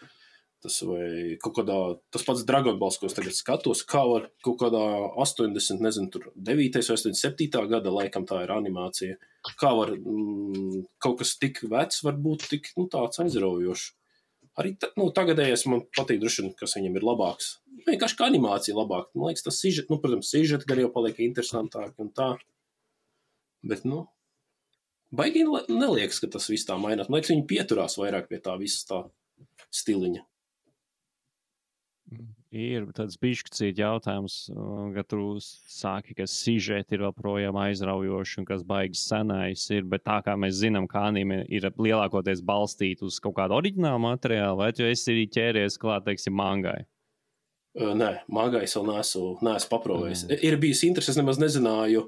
[SPEAKER 2] tas vai kaut kādā, tas pats Dragon Balls, ko es tagad skatos, kā var kaut kādā astoņdesmit, nezinu, tur devītais vai astoņdesmit septītā gada laikam tā ir animācija. Kā var, mm, kaut kas tik vecs var būt tik, nu, tāds aizraujošs. Arī, ta, nu, tagadējais man patīk droši, kas viņam ir labāks. Vienkārši kā animācija labāk. Man liekas, tas sižet, nu, protams, sižet gar jau paliek interesantāk un tā. Bet, nu, baigi neliekas, ka tas viss tā mainās. Man liekas, viņi pieturās vairāk pie tā visas tā stiliņa.
[SPEAKER 1] Ir tāds bišķicīt jautājums, ka tu sāki, ka sižeti ir vēl projām aizraujoši un kas baigas senais ir, bet tā kā mēs zinām, ka anime ir lielākoties balstīt uz kaut kādu oriģinālu materiālu, vai tu esi arī ķēries klāt, teiksim, mangai?
[SPEAKER 2] Uh, nē, mangai es vēl neesmu, neesmu paprovējis. Mm. Ir bijis interesi, es nemaz nezināju,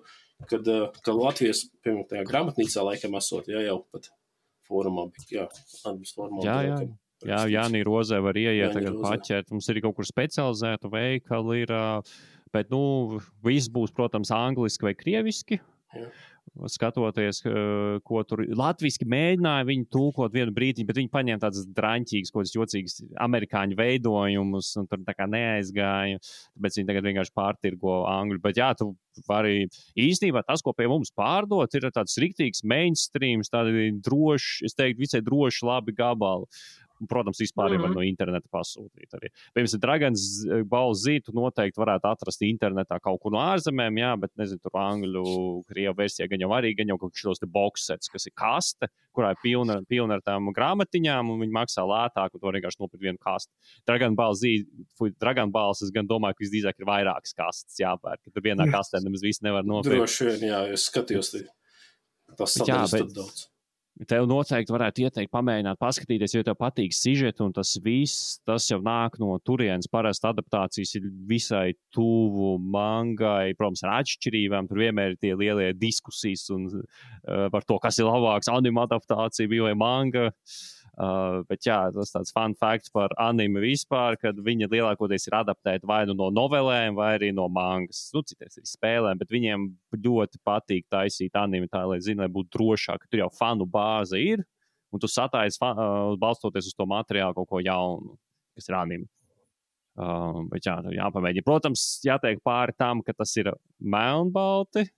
[SPEAKER 2] kad, ka Latvijas, piemēram, tajā grāmatnīcā laikam esot, jā, jau pat fórumā bija, jā, Anības fórumā.
[SPEAKER 1] Jā, jā. Jā, Jānī Rozē var ieiet, tagad paķert. Mums ir kaut kur specializēta veikali, ir, bet, nu, viss būs, protams, angliski vai krieviski.
[SPEAKER 2] Jā.
[SPEAKER 1] Skatoties, ko tur latviski mēģināja viņi tulkot vienu brīdi, bet viņi paņēma tādas draņķīgas, kaut kādas jocīgas amerikāņu veidojumus, un tur tā kā neaizgāja, tāpēc viņi tagad vienkārši pārtirgo angļu. Bet jā, tu vari īstenībā tas, ko pie mums pārdot, ir tāds riktīgs mainstreams, tādi droši, es teiktu, visai droši labi gabali. Protams, vispār mm-hmm. var no interneta pasūtīt arī. Piemēram, Dragons Ball Z tu noteikti varētu atrast internetā kaut kur no ārzemēm, jā, bet, nezinu, tur angļu, krievu versijā gan jau arī, gan jau kaut šos te boxsets, kas ir kaste, kurā ir pilna, pilna ar tām grāmatiņām, un viņi maksā lētāk, un to vienkārši nopirkt vienu kastu. Dragon Ball Z, Dragon Balls, es gan domāju, ka visdrīzāk ir vairākas kastes jāpērk, ka tur vienā kastē nemaz viss nevar nopirkt.
[SPEAKER 2] Droši vien, jā, es skatījos, tas sadaļas tad daudz.
[SPEAKER 1] Tev noteikti varētu ieteikt pamēģināt paskatīties, jo tev patīk sižeti un tas viss, tas jau nāk no turienes. Parasti adaptācijas ir visai tuvu mangai, protams, ar atšķirībām. Tur vienmēr ir tie lielie diskusijas un, uh, par to, kas ir labāks, anime adaptācija bija vai manga. Uh, bet jā, tas tāds fun facts par anime vispār, kad viņa lielākoties ir adaptēta vai nu no novelēm, vai arī no mangas. Nu, cities arī spēlēm, bet viņiem ļoti patīk taisīt anime tā, lai zina, lai būtu drošāk, ka tur jau fanu bāze ir, un tu satais, uh, balstoties uz to materiālu, kaut ko jaunu, kas ir anime. Uh, bet jā, jāpamēģina. Protams, jātiek pāri tam, ka tas ir melnbalti,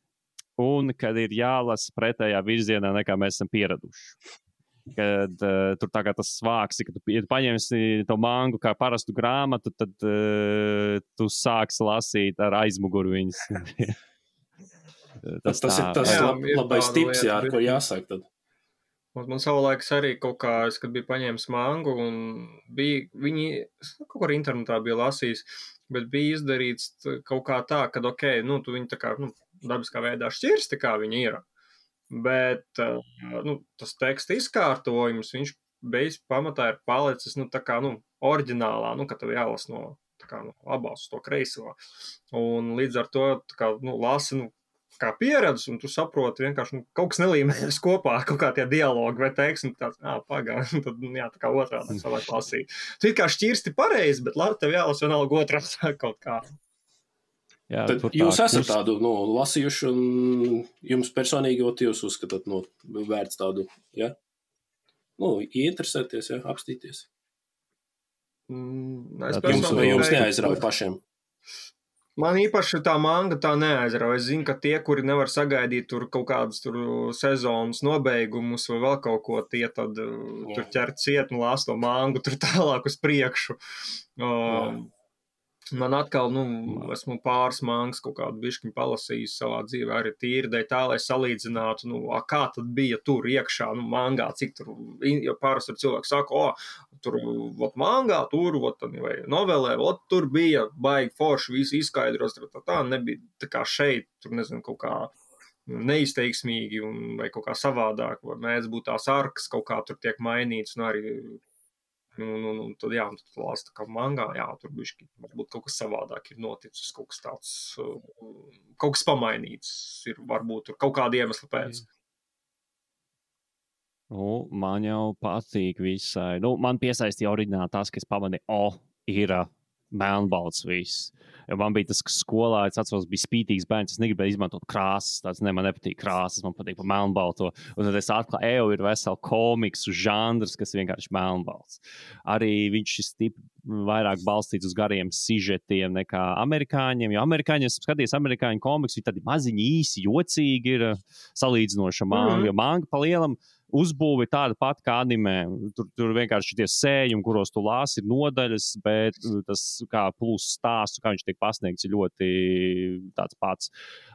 [SPEAKER 1] un kad ir jālasa pretējā virzienā, nekā mēs esam pieraduši. Kad uh, tur tā kā tas svāks, ka tu, ja tu paņemsi to mangu kā parastu grāmatu, tad uh, tu sāksi lasīt ar aizmuguru viņas.
[SPEAKER 2] tas, tas tā, ir tas jā, lab, labais tips, jā, ar ko jāsāk tad.
[SPEAKER 3] Man savulaiks arī kaut kā, es, kad biju paņēmis mangu, un bija, viņi kaut kā internetā bija lasījis, bet bija izdarīts kaut kā tā, ka, ok, nu, tu viņi tā kā, nu, dabiskā veidā šķirsti, kā viņi ir. Bet nu, tas teksta izkārtojums, viņš beigas pamatā ir palicis, nu, tā kā, nu, oriģinālā, nu, ka tev jālas no, tā kā, no labās uz to kreiso. Un līdz ar to, tā kā, nu, lasi, nu, kā pieredzi, un tu saproti vienkārši, nu, kaut kas nelīmējas kopā, kaut kā tie dialogi vai teiks, un tāds, ā, pagā, tad, jā, tā kā otrādi savāk lasīt. Tu it kā šķirsti pareizi, bet labi, tev jālas vienalga otrādi kaut kā.
[SPEAKER 2] Jā, jūs esat kurs... tādu nu, lasījuši, un jums personīgi jūs uzskatāt, nu, vērts tādu, ja? Nu, ieinteresēties, ja, apstīties.
[SPEAKER 3] Mm,
[SPEAKER 2] es jums, jums neaizrauj pašiem.
[SPEAKER 3] Man īpaši tā manga tā neaizrauj. Es zinu, ka tie, kuri nevar sagaidīt tur kaut kādas tur sezonas nobeigumus vai vēl kaut ko, tie tad Jā. tur ķer ciet un lās to mangu tur tālāk uz priekšu. Um, Man atkal, nu, esmu pāris mangas kaut kādu bišķiņu palasījis savā dzīvē arī tīri, dēļ tā, lai salīdzinātu, nu, a, kā tad bija tur iekšā, nu, mangā, cik tur, jo pāris tur cilvēki saka, o, tur, vot mangā, tur, vot, vai novelē, vot, tur bija baigi forši, visi izskaidros, tā, tā, nebija tā kā šeit, tur, nezinu, kaut kā neizteiksmīgi un, vai kaut kā savādāk, vai mēdz būt tās arkas, kaut kā tur tiek mainīts, un arī Nu, nu, nu, tad, jā, tad lāsta kā mangā, jā, tur bišķi, varbūt kaut kas savādāk ir noticis, kaut kas tāds, kaut kas pamainīts ir, varbūt tur kaut kāda iemesla pēc.
[SPEAKER 1] Nu, man jau patīk visai. Nu, man piesaistīja oriģināli tas, ka es pamanīju, o, ir melnbalts viss. Jo man bija tas, ka skolā, es atceros, bija spītīgs bērns, es negribēju izmantot krāsas, tāds, ne, man nepatīk krāsas, man patīk pa melnbalto. Un tad es atklāju, eju, ir vesela komiksu žanrs, kas vienkārši melnbalts. Arī viņš ir stipri vairāk balstīts uz gariem sižetiem nekā amerikāņiem, jo amerikāņi, es skaties amerikāņu komiksu, viņi tādi maziņi īsi, jocīgi ir salīdzinoši manga, mm-hmm. jo manga pa lielam uzbūve tāda pati kā animē. Tur, tur vienkārši tie sējumi, kuros tu lāsi, ir nodaļas, bet tas kā plus stāstu, kā viņš tiek pasniegts, ir ļoti tāds pats.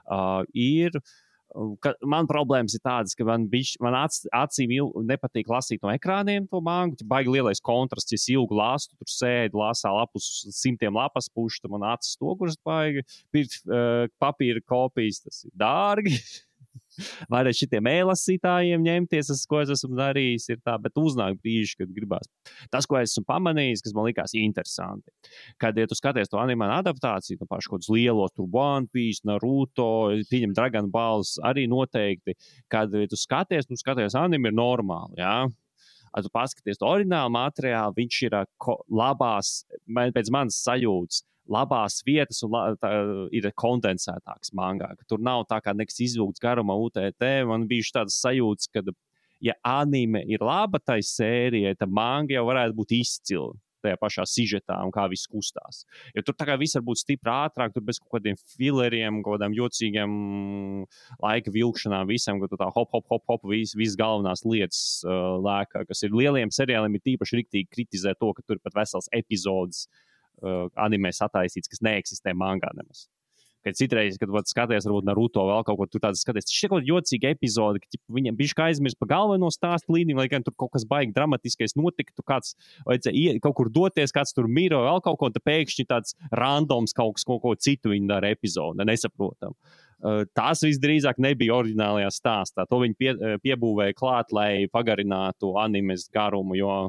[SPEAKER 1] Uh, ir, ka, man problēmas ir tādas, ka man, bišķi, man ac, acīm il, nepatīk lasīt no ekrāniem to mangu, ja baigi lielais kontrasts, ja es ilgu lastu, tur sēdu, lasā lapus simtiem lapas pušu, tad man acis stoguras baigi, pirkt uh, papīra kopijas, tas ir dārgi. Vai arī šitiem e-lasītājiem ņemties, ko es esmu darījis, ir tā, bet uznāk brīži, kad gribās. Tas, ko es esmu pamanījis, kas man likās interesanti, kad, ja tu skaties to animānu adaptāciju, no pašu kaut kādus lielos, tur One Piece, Naruto, pieņem Dragon Balls, arī noteikti, kad, ja tu skaties, nu skaties anime ir normāli, jā. Ja tu paskaties to oriģinālu materiālu, viņš ir labās, pēc manas sajūtas, labās vietas un la, tā, ir kondensētāks mangā, ka tur nav tā kā nekas izvilkts garumā U T T. Man bija tādas sajūtas, ka, ja anime ir laba tai sērijai, tad manga jau varētu būt izcila tajā pašā sižetā un kā viss kustās. Jo tur tā kā viss var būt stipri ātrāk, tur bez kaut kādiem fileriem, kaut kādām jocīgiem laika vilkšanām visam, ka tu tā hop, hop, hop, hop, viss vis galvenās lietas uh, lēkā, kas ir lieliem seriāliem, ir tīpaši riktīgi kritizē to, ka tur pat vesels epizodes uh, animē sataisīts, kas neeksistē mangā nemaz. Kad citreiz, kad skaties, varbūt Naruto vēl kaut ko, tur tādas skaties, šī kaut jocīga epizode, ka ķip, viņam bišķi kā aizmirst pa galveno stāstu līniju, lai gan tur kaut kas baigi dramatiskais notika, tu kāds vajadzēja kaut kur doties, kāds tur miro vēl kaut ko, un te pēkšņi tāds randoms kaut kas, kaut ko citu viņi dara epizode, nesaprotam. Uh, tās visdrīzāk nebija oriģinālajā stāstā. To viņi pie, piebūvēja klāt, lai pagarinātu animes garumu, jo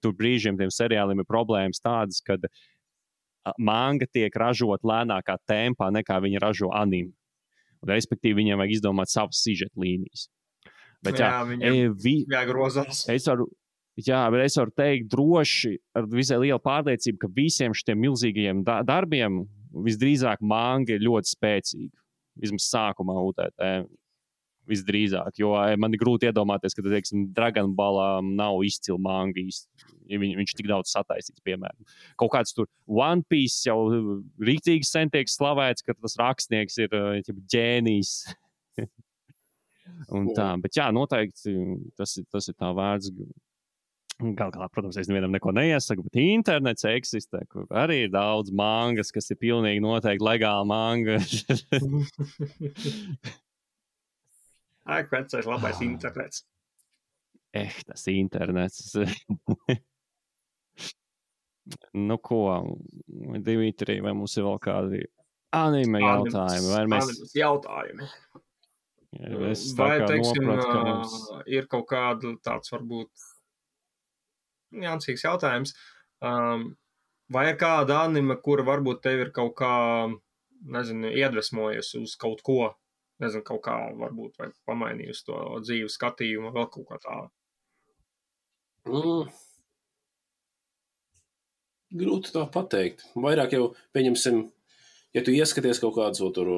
[SPEAKER 1] tur brīžiem tiem seriāliem ir problēmas tādas, kad manga tiek ražot lēnākā tempā, nekā viņa ražo anime. Un, respektīvi, viņiem vajag izdomāt savas sižeta līnijas. Bet, jā, jā viņam e, vi,
[SPEAKER 3] jāgrozās.
[SPEAKER 1] Es varu, jā, bet es varu teikt droši, ar visai lielu pārliecību, ka visiem šitiem milzīgajiem da- darbiem visdrīzāk manga ir ļoti spēcīga. Vismaz sākumā U T T. visdrīzāk, jo man ir grūti iedomāties, ka, teiksim, Dragon Ballā nav izcila manga īsti. Ja viņ, viņš tik daudz sataisīts, piemēram. Kaut kāds tur One Piece jau rīktīgi sen tiek slavēts, ka tas rakstnieks ir ģēnijs. Un tā, bet jā, noteikti tas ir, tas ir tā vērts. Gal galā, protams, es nevienam neko neiesaku, bet internets eksistē, kur arī ir daudz mangas, kas ir pilnīgi noteikti legāla manga.
[SPEAKER 3] Ai, vecais labais internets.
[SPEAKER 1] Eh, tas internets. Nu ko, Dimitri, vai mums ir vēl kādi anime jautājumi? Vai mēs...
[SPEAKER 3] Animes jautājumi.
[SPEAKER 1] Ja, es
[SPEAKER 3] vai,
[SPEAKER 1] kā
[SPEAKER 3] teiksim,
[SPEAKER 1] noprat, ka mums...
[SPEAKER 3] ir kaut kāda tāds varbūt jānsīgs jautājums. Um, vai ir kāda anime, kura varbūt tev ir kaut kā, nezinu, iedvesmojies uz kaut ko, nezinu, kaut kā varbūt, vai pamainījusi to dzīves skatījumu, vēl kaut kā tā?
[SPEAKER 2] Mm. Grūti tā pateikt. Vairāk jau, pieņemsim, ja tu ieskaties kaut kāds tur,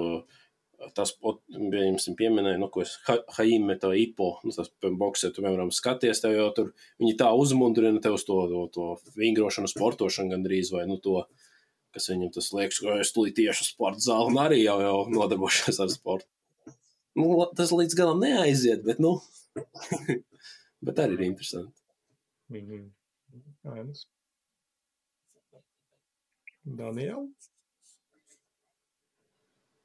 [SPEAKER 2] tas, pieņemsim, pieminēja, nu, ko es, Haime, tā Ipo, nu, tas boksē, tu, piemēram, skaties, tev jau tur, viņi tā uzmundrina tev uz to, to, to vingrošanu, sportošanu gandrīz, vai, nu, to, kas viņam tas liekas, ka es tulīt tieši uz sporta zāli, un arī jau, jau nodarbošos ar sportu. Nu, tas līdz galam neaiziet, bet, nu, bet arī ir interesanti.
[SPEAKER 3] Mm-hmm. Ainas. Daniel?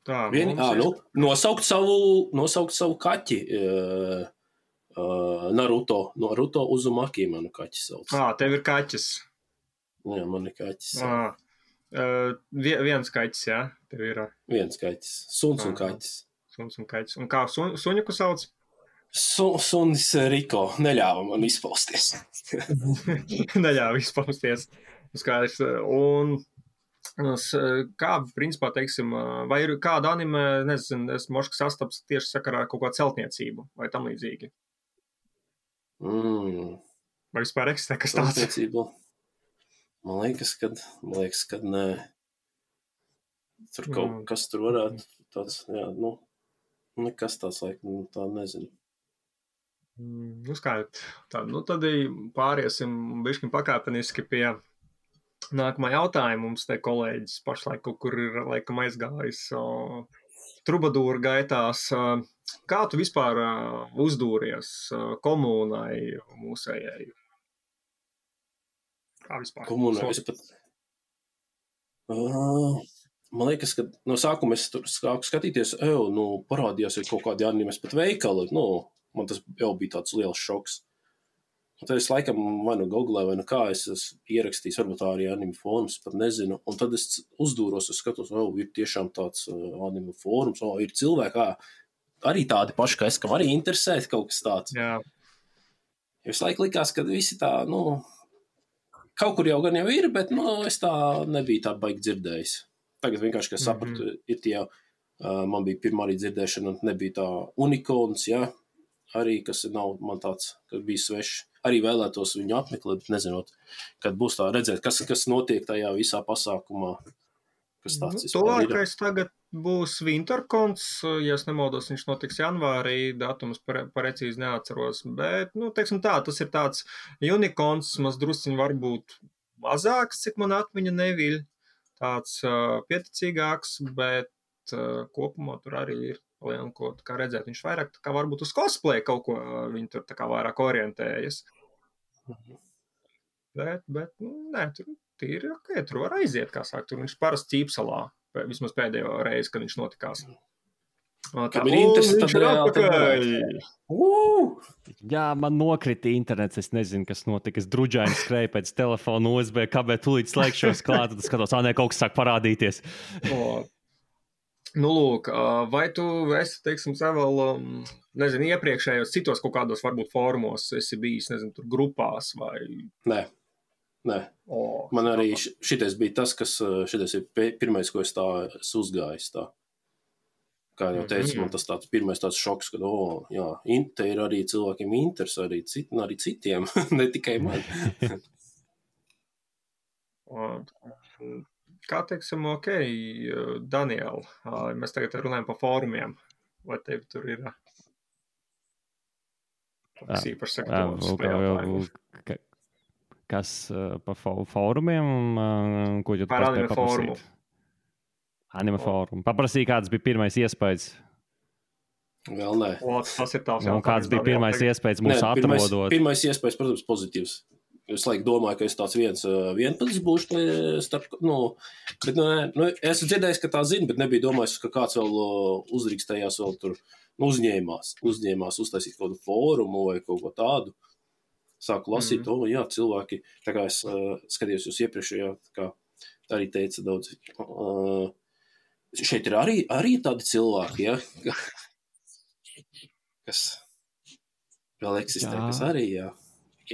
[SPEAKER 3] Tā,
[SPEAKER 2] Vien, ā, nu, nosaukt savu, nosaukt savu kaķi. Uh, uh, Naruto. Naruto Uzumaki manu kaķi sauc.
[SPEAKER 3] Ā, tev ir kaķis.
[SPEAKER 2] Jā, man ir kaķis.
[SPEAKER 3] Ā, uh, viens kaķis, jā? Tev ir.
[SPEAKER 2] Viens kaķis. Suns un kaķis.
[SPEAKER 3] Suns un kaķis. Un kā sun, suņuku sauc?
[SPEAKER 2] Su, sunis Riko. Neļāva man izpausties.
[SPEAKER 3] Neļāva izpausties. Skaidrs. Un... Kā, principā, teiksim, vai ir kāda anime, nezinu, es mošku sastaps tieši sakarā kaut kādu celtniecību vai tam līdzīgi?
[SPEAKER 2] Mm.
[SPEAKER 3] Vai vispār eksistē kas tāds?
[SPEAKER 2] Celtniecību? Man liekas, kad, man liekas, kad nē. Tur kaut mm. kas tur varētu tāds, jā, nu, nekas tāds, laikam, tā nezinu.
[SPEAKER 3] Mm, nu, skaidrs. Tā, nu, tad pāriesim bišķiņ pakāpeniski pie nākamā jautājuma. Mums te kolēģis pašlaik kaut kur ir laikam aizgājis o, trubadūra gaitās. Kā tu vispār uzdūries komunai mūsējai? Kā vispār?
[SPEAKER 2] Komunai es pat... Uh, man liekas, ka no sākuma es tur sāku skatīties, eju, nu, parādījās ir kaut kādi animes pat veikali. Nu, man tas jau bija tāds liels šoks. Un tad es laikam vai nu googlēju, vai nu kā es esmu ierakstījis, varbūt tā arī anime fórums, pat nezinu. Un tad es uzdūros, es skatos, o, ir tiešām tāds uh, anime fórums, o, ir cilvēki, arī tādi paši, kā es, kam arī interesēt kaut kas tāds.
[SPEAKER 3] Jā.
[SPEAKER 2] Es laikam likās, ka visi tā, nu, kaut kur jau gan jau ir, bet, nu, es tā nebiju tā baigi dzirdējis. Tagad vienkārši, ka sapratu, mm-hmm. ir tie, uh, man bija pirmā arī dzirdēšana, nebija tā unikons, jā, arī, kas nav man tāds, kas bija svešs. Arī vēlētos viņu apmeklēt, bet nezinot, kad būs tā redzēt, kas, kas notiek tajā visā pasākumā. Kas tāds
[SPEAKER 3] nu, tuvākais tagad būs Wintercons, ja es nemaldos, viņš notiks janvārī, datums precīzi neatceros, bet, nu, teiksim tā, tas ir tāds Unicons, maz drusciņi varbūt mazāks, cik man atmiņa neviļ, tāds uh, pieticīgāks, bet uh, kopumā tur arī ir liela, ko kā redzēt. Viņš vairāk tā kā varbūt uz cosplay kaut ko, viņi tur tā kā vairāk orientējas. Mhm. Bet, bet, nu, nē, tur tīri, ok, tur var aiziet, kā sāk, tur viņš parasti Ķīpsalā, vismaz pēdējo reizi, kad viņš notikās. Tā,
[SPEAKER 2] Kam ir interesi, tad reāli.
[SPEAKER 1] Uh! Jā, man nokrita internets, es nezinu, kas notika, es druģaini skrēju pēc telefona U S B kabē, tūlīt slēgšos klāt, tad skatos, ā, nē, kaut kas sāk parādīties.
[SPEAKER 3] O. Nu, lūk, vai tu esi, teiksim, vēl, nezinu, iepriekšējos citos kaut kādos varbūt fórumos esi bijis, nezinu, tur grupās vai...
[SPEAKER 2] Nē, nē. O, man arī šitais bija tas, kas, šitais ir pirmais, ko es tā esmu uzgājis tā. Kā jau teicu, mm-hmm. man tas tāds pirmais tāds šoks, ka, o, jā, te ir arī cilvēkiem interesi, arī, cit, arī citiem, ne tikai man.
[SPEAKER 3] Kā teiksim, ok, Daniel, mēs tagad runājam par fórumiem, vai tev tur ir Tas īpaši sektoris.
[SPEAKER 1] Kas pa fórumiem, ko tu
[SPEAKER 3] par
[SPEAKER 1] paspēji paprasīt? Anime fórumu. Paprasīja, kāds bija pirmais iespējas.
[SPEAKER 2] Vēl nē.
[SPEAKER 3] O, tas ir tās
[SPEAKER 1] un kāds bija pirmais iespējas mūs
[SPEAKER 2] nē, pirmais,
[SPEAKER 1] atrodot?
[SPEAKER 2] Pirmais iespējas, protams, pozitīvs. Es laik domāju, ka es tāds viens vienpats būšu starp, nu, bet, nu, nu, es dzirdējis, ka tā zina, bet nebija domājis, ka kāds vēl uzrīkstējās vēl tur, nu, uzņēmās, uzņēmās uztaisīt kaut kādu fórumu vai kaut ko tādu. Sāku lasīt, mm-hmm. o, jā, cilvēki, tā kā es uh, skatījos jūs iepriekšējā, tā kā arī teica daudz, uh, šeit ir arī, arī tādi cilvēki, ja, kas vēl eksistē, jā. Kas arī, jā,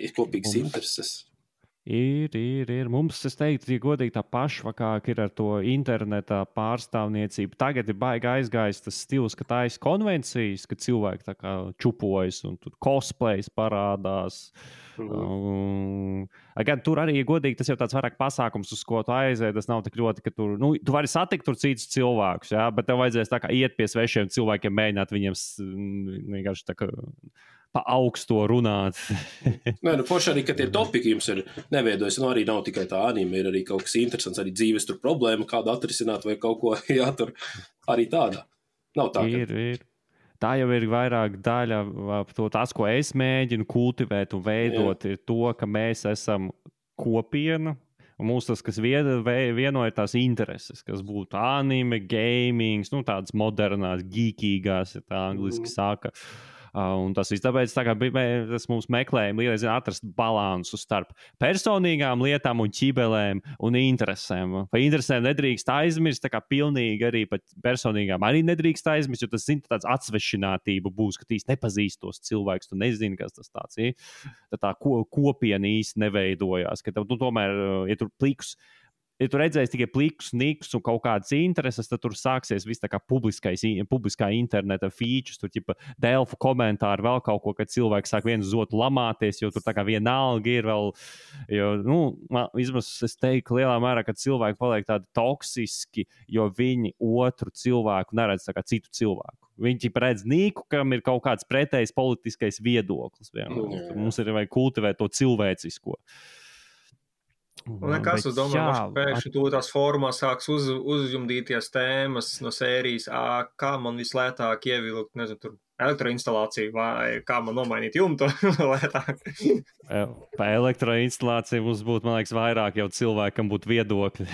[SPEAKER 2] ir kopīgas Mums. Intereses.
[SPEAKER 1] Ir, ir, ir. Mums, es teiktu, ja godīgi tā pašvakāk ir ar to interneta pārstāvniecību. Tagad ir baigi aizgājis tas stils, ka tā ir konvencijas, ka cilvēki tā kā čupojas un tur cosplays parādās. Mm. Um, gan tur arī, ja godīgi, tas jau tāds vairāk pasākums, uz ko tu aiziet. Tas nav tik ļoti, ka tur, nu, tu vari satikt tur citus cilvēkus, jā, bet tev vajadzēs tā kā iet pie svešiem cilvēkiem, mēģināt viņiem vienkārši tā kā pa augsto runāt.
[SPEAKER 2] Nē, nu, forši arī, ka tie topiki jums ir neveidojas, nu arī nav tikai tā anime, ir arī kaut kas interesants, arī dzīves tur problēma, kādu atrisināt vai kaut ko, jā, tur arī tāda. Nav tā, ka...
[SPEAKER 1] Ir, ir. Tā jau ir vairāk daļa, to, tas, ko es mēģinu kultivēt un veidot, jā. Ir to, ka mēs esam kopiena, un mums tas, kas vieno, ir tās intereses, kas būtu anime, gaming, nu tādas modernās, geekīgās, ja tā angliski mm. saka. Uh, un tas viss tāpēc tā kā bija, tas mums meklējumi līdz atrast balansu starp personīgām lietām un ķibelēm un interesēm. Par interesēm nedrīkst aizmirst, tā kā pilnīgi arī pat personīgām arī nedrīkst aizmirst, jo tas, zin, tāds atsvešinātība būs, ka tīs nepazīst tos cilvēkus, tu nezini, kas tas tāds ir. Tad tā ko, kopiena īsti neveidojās, ka tu tomēr, ja tur plikus, ja tu redzēsi tikai plikus, nikus un kaut kādas intereses, tad tur sāksies viss tā kā publiskais, publiskā interneta features, tur ķipa Delfu komentāri, vēl kaut ko, kad cilvēki sāk viens uz otru lamāties, jo tur tā kā vienalga ir vēl, jo, nu, vismaz es teiktu lielā mērā, ka cilvēki paliek tādi toksiski, jo viņi otru cilvēku neredz tā kā citu cilvēku. Viņi ķipa redz nīku, kam ir kaut kāds pretējs politiskais viedoklis. Mm. Mums ir vajag kultivēt to cilvēcisko.
[SPEAKER 3] Un nekas, es domāju, ka pēkšņi tu tās formā sāks uz, uzjumdīties tēmas no sērijas, ā, kā man vislētāk ievilkt, nezinu, tur elektroinstalāciju vai kā man nomainīt jumtu lētāk.
[SPEAKER 1] Pa elektroinstalāciju mums būtu, man liekas, vairāk jau cilvēkam būtu viedokļi.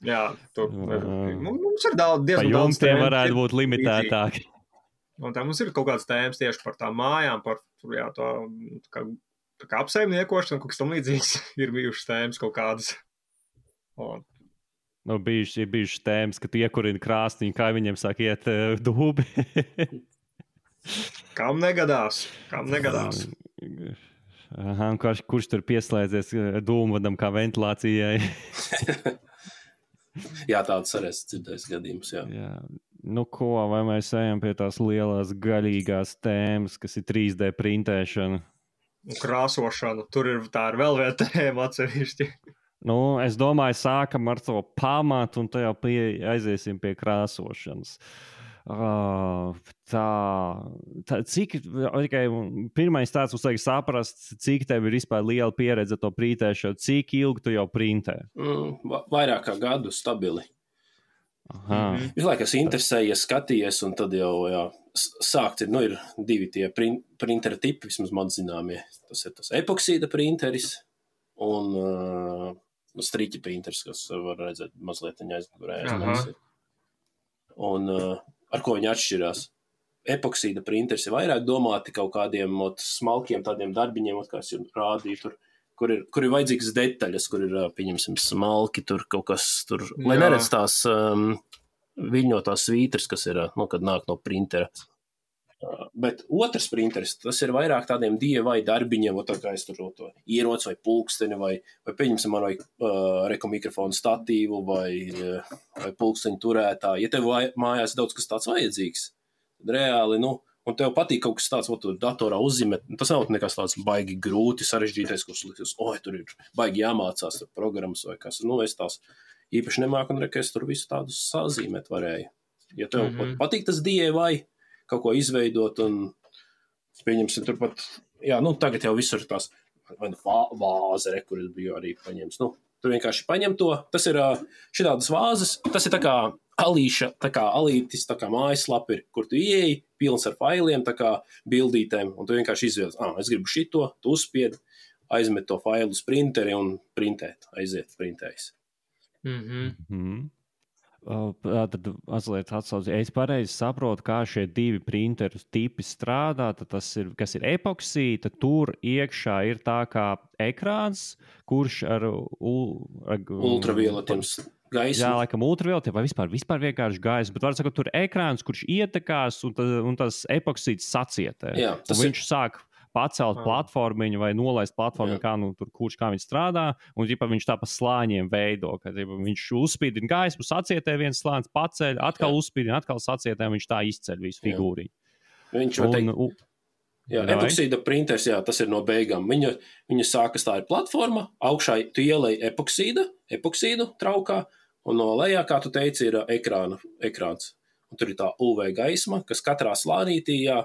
[SPEAKER 3] Jā, tur mums ir daudz, diezgan
[SPEAKER 1] pa
[SPEAKER 3] daudz
[SPEAKER 1] tēmas. Varētu būt limitētāki.
[SPEAKER 3] Un tā mums ir kaut kādas tēmas tieši par tām mājām, par, jā, to, kā, tā kā apsaimniekošana, kaut kas tam līdzīgs ir bijušas tēmas kaut kādas. Un...
[SPEAKER 1] Nu, bijuši, ir bijušas tēmas, ka tu iekurini krāstiņu, kā viņiem sāk iet uh, dūbi.
[SPEAKER 3] Kam negadās? Kam negadās?
[SPEAKER 1] Aha, kurš, kurš tur pieslēdzies dūmvadam kā ventilācijai?
[SPEAKER 2] Jā, tāds arī es dzirdējis gadījums, jā.
[SPEAKER 1] jā. Nu ko, vai mēs ejam pie tās lielās gaļīgās tēmas, kas ir trīs D printēšana?
[SPEAKER 3] Un krāsošana, tur ir tā ir vēl viena tēma atsevišķi.
[SPEAKER 1] Nu, es domāju, sākam ar to pamatu un tajā pie, aiziesim pie krāsošanas. Uh, tā, tā, cik, okay, pirmais tāds mums vajag saprast, cik tev ir vispār liela pieredze to printēšanu, cik ilgi tu jau printē?
[SPEAKER 2] Mm, vairāk kā gadu stabili.
[SPEAKER 1] Aha.
[SPEAKER 2] Visu laiku es interesējies, skatījies, un tad jau jā, sākt ir, nu, ir divi tie print, printera tipi, vismaz man zināmie. Tas ir tas epoksīda printeris un uh, striķa printeris, kas var redzēt mazliet aizmugurē. Un uh, ar ko viņi atšķirās? Epoksīda printeris ir vairāk domāti kaut kādiem ot, smalkiem tādiem darbiņiem, ot, kā es jums rādīju tur. Kur ir, kur ir vajadzīgas detaļas, kur ir, pieņemsim, smalki, tur kaut kas tur, jā. Lai neredz tās um, viļņotās svītras, kas ir, nu, kad nāk no printera. Uh, bet otrs printeris, tas ir vairāk tādiem D I Y darbiņiem, tā kā es tur to ieroci vai pulksteni, vai, vai pieņemsim, man vai uh, rekomikrofonu statīvu, vai, uh, vai pulksteņu turētā. Ja tev mājās daudz kas tāds vajadzīgs, tad reāli, nu, un tev patīk kaut kas tāds, ko tu datorā uzzīmēt, tas nav nekas tāds baigi grūti, sarežģītais, kurš liksies, oi, tur ir baigi jāmācās tur programmas vai kas. Nu, es tās īpaši nemāku, un reka, es tur visu tādus sazīmēt varēju. Ja tev mm-hmm. patīk tas D I Y, kaut ko izveidot un Pieņemsim, turpat, jā, nu, tagad jau visur tās, vai nu vāze, re, kur es biju arī paņems. Nu, tur vienkārši paņem to. Tas ir šitādas vāzes, tas ir tā kā alīša, tā kā alītis, tā kā mājaslapa ir, kur tu ieeji, pilns ar failiem, tā kā bildītēm, un tu vienkārši izvēlies, ah, es gribu šito, tu uzspiedi, aizmet to failu uz printeri un printēt, aiziet printējis.
[SPEAKER 3] Mhm.
[SPEAKER 1] Mm-hmm. Tad mazliet atsauc, ja es pareizi saprotu, kā šie divi printeru tipi strādā, tad tas ir, kas ir epoksija, tad tur iekšā ir tā kā ekrāns, kurš ar, ar
[SPEAKER 2] ultravioletiem gaismu.
[SPEAKER 1] Jā, laikam ultravioletiem vai vispār, vispār vienkārši gaismu, bet var sakot, tur ir ekrāns, kurš ietekās un, ta, un tas epoksīds sacietē.
[SPEAKER 2] Jā, tas
[SPEAKER 1] un viņš
[SPEAKER 2] ir...
[SPEAKER 1] sāk pacelt platformiņu vai nolaist platformiņu, kā, nu, tur, kurš kā viņš strādā, un ģipa, viņš tā pa slāņiem veido, ka ģipa, viņš uzspīdina gaismu, sacietē viens slānis, paceļ, atkal jā. Uzspīdina, atkal sacietē, un viņš tā izceļ visu figūriņu.
[SPEAKER 2] Viņš var teikt, un, jā, epoksīda printers, jā, tas ir no beigām. Viņa, viņa sākas, tā ir platforma, augšā tu ielej epoksīda, epoksīdu traukā, un no lejā, kā tu teici, ir ekrāna, ekrāns. Un tur ir tā U V gaisma, kas katrā slānītī, jā,